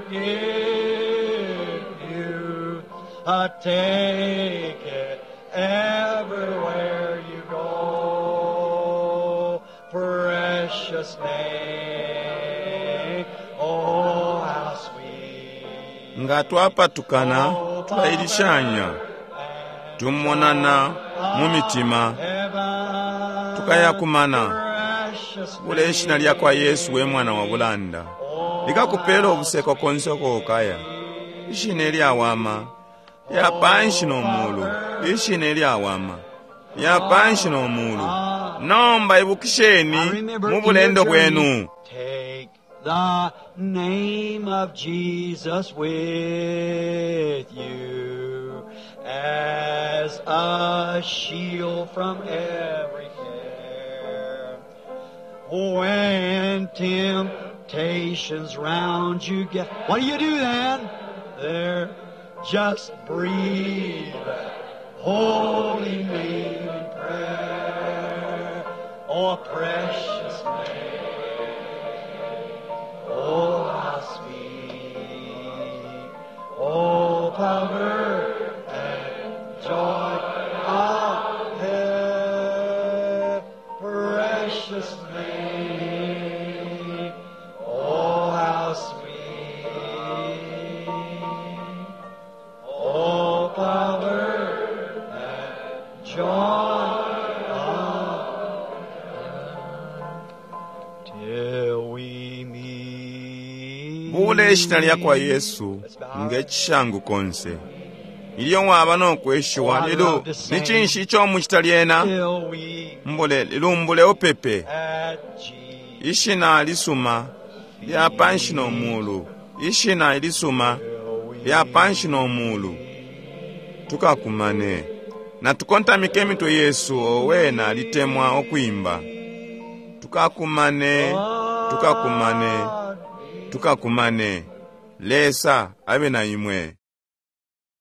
give you. Uh, take it everywhere you go. Precious name, oh how sweet. Nga twapatukana twailishanya, tumonana mu mitima, tukayakumana. Bule ishina lya kwa Yesu we mwana wa bulanda likakupela ubuseko konse uko ukaya. Ishina ilyawama lya panshi no mulu, ishina ilyawama lya panshi no mulu. Nomba ibukisheni mu bulendo bwenu. Take the name of Jesus with you as a shield from every care. When temptations round you get, what do you do then? There, just breathe that holy name in prayer. Oh, precious name. Oh, how sweet. Oh, power and joy of heaven. Precious name. Oh, how sweet. Oh, power and joy of heaven. Till we meet. Bule ishina lya kwa Yesu nge cishangu konse ilyo waba nokweshiwa lelo ni cinshi ico mucita lyena? Till we Mbule lilumbule upepe at Jesus. ishina lisuma lya panshi no mulu, ishina ilisuma lya panshi no mulu. Tukakumane na tukontamike emitwe yesu. Owe nalitemwa okwimba tukakumane, tukakumane, tukakumane. Lesa abe na imwe.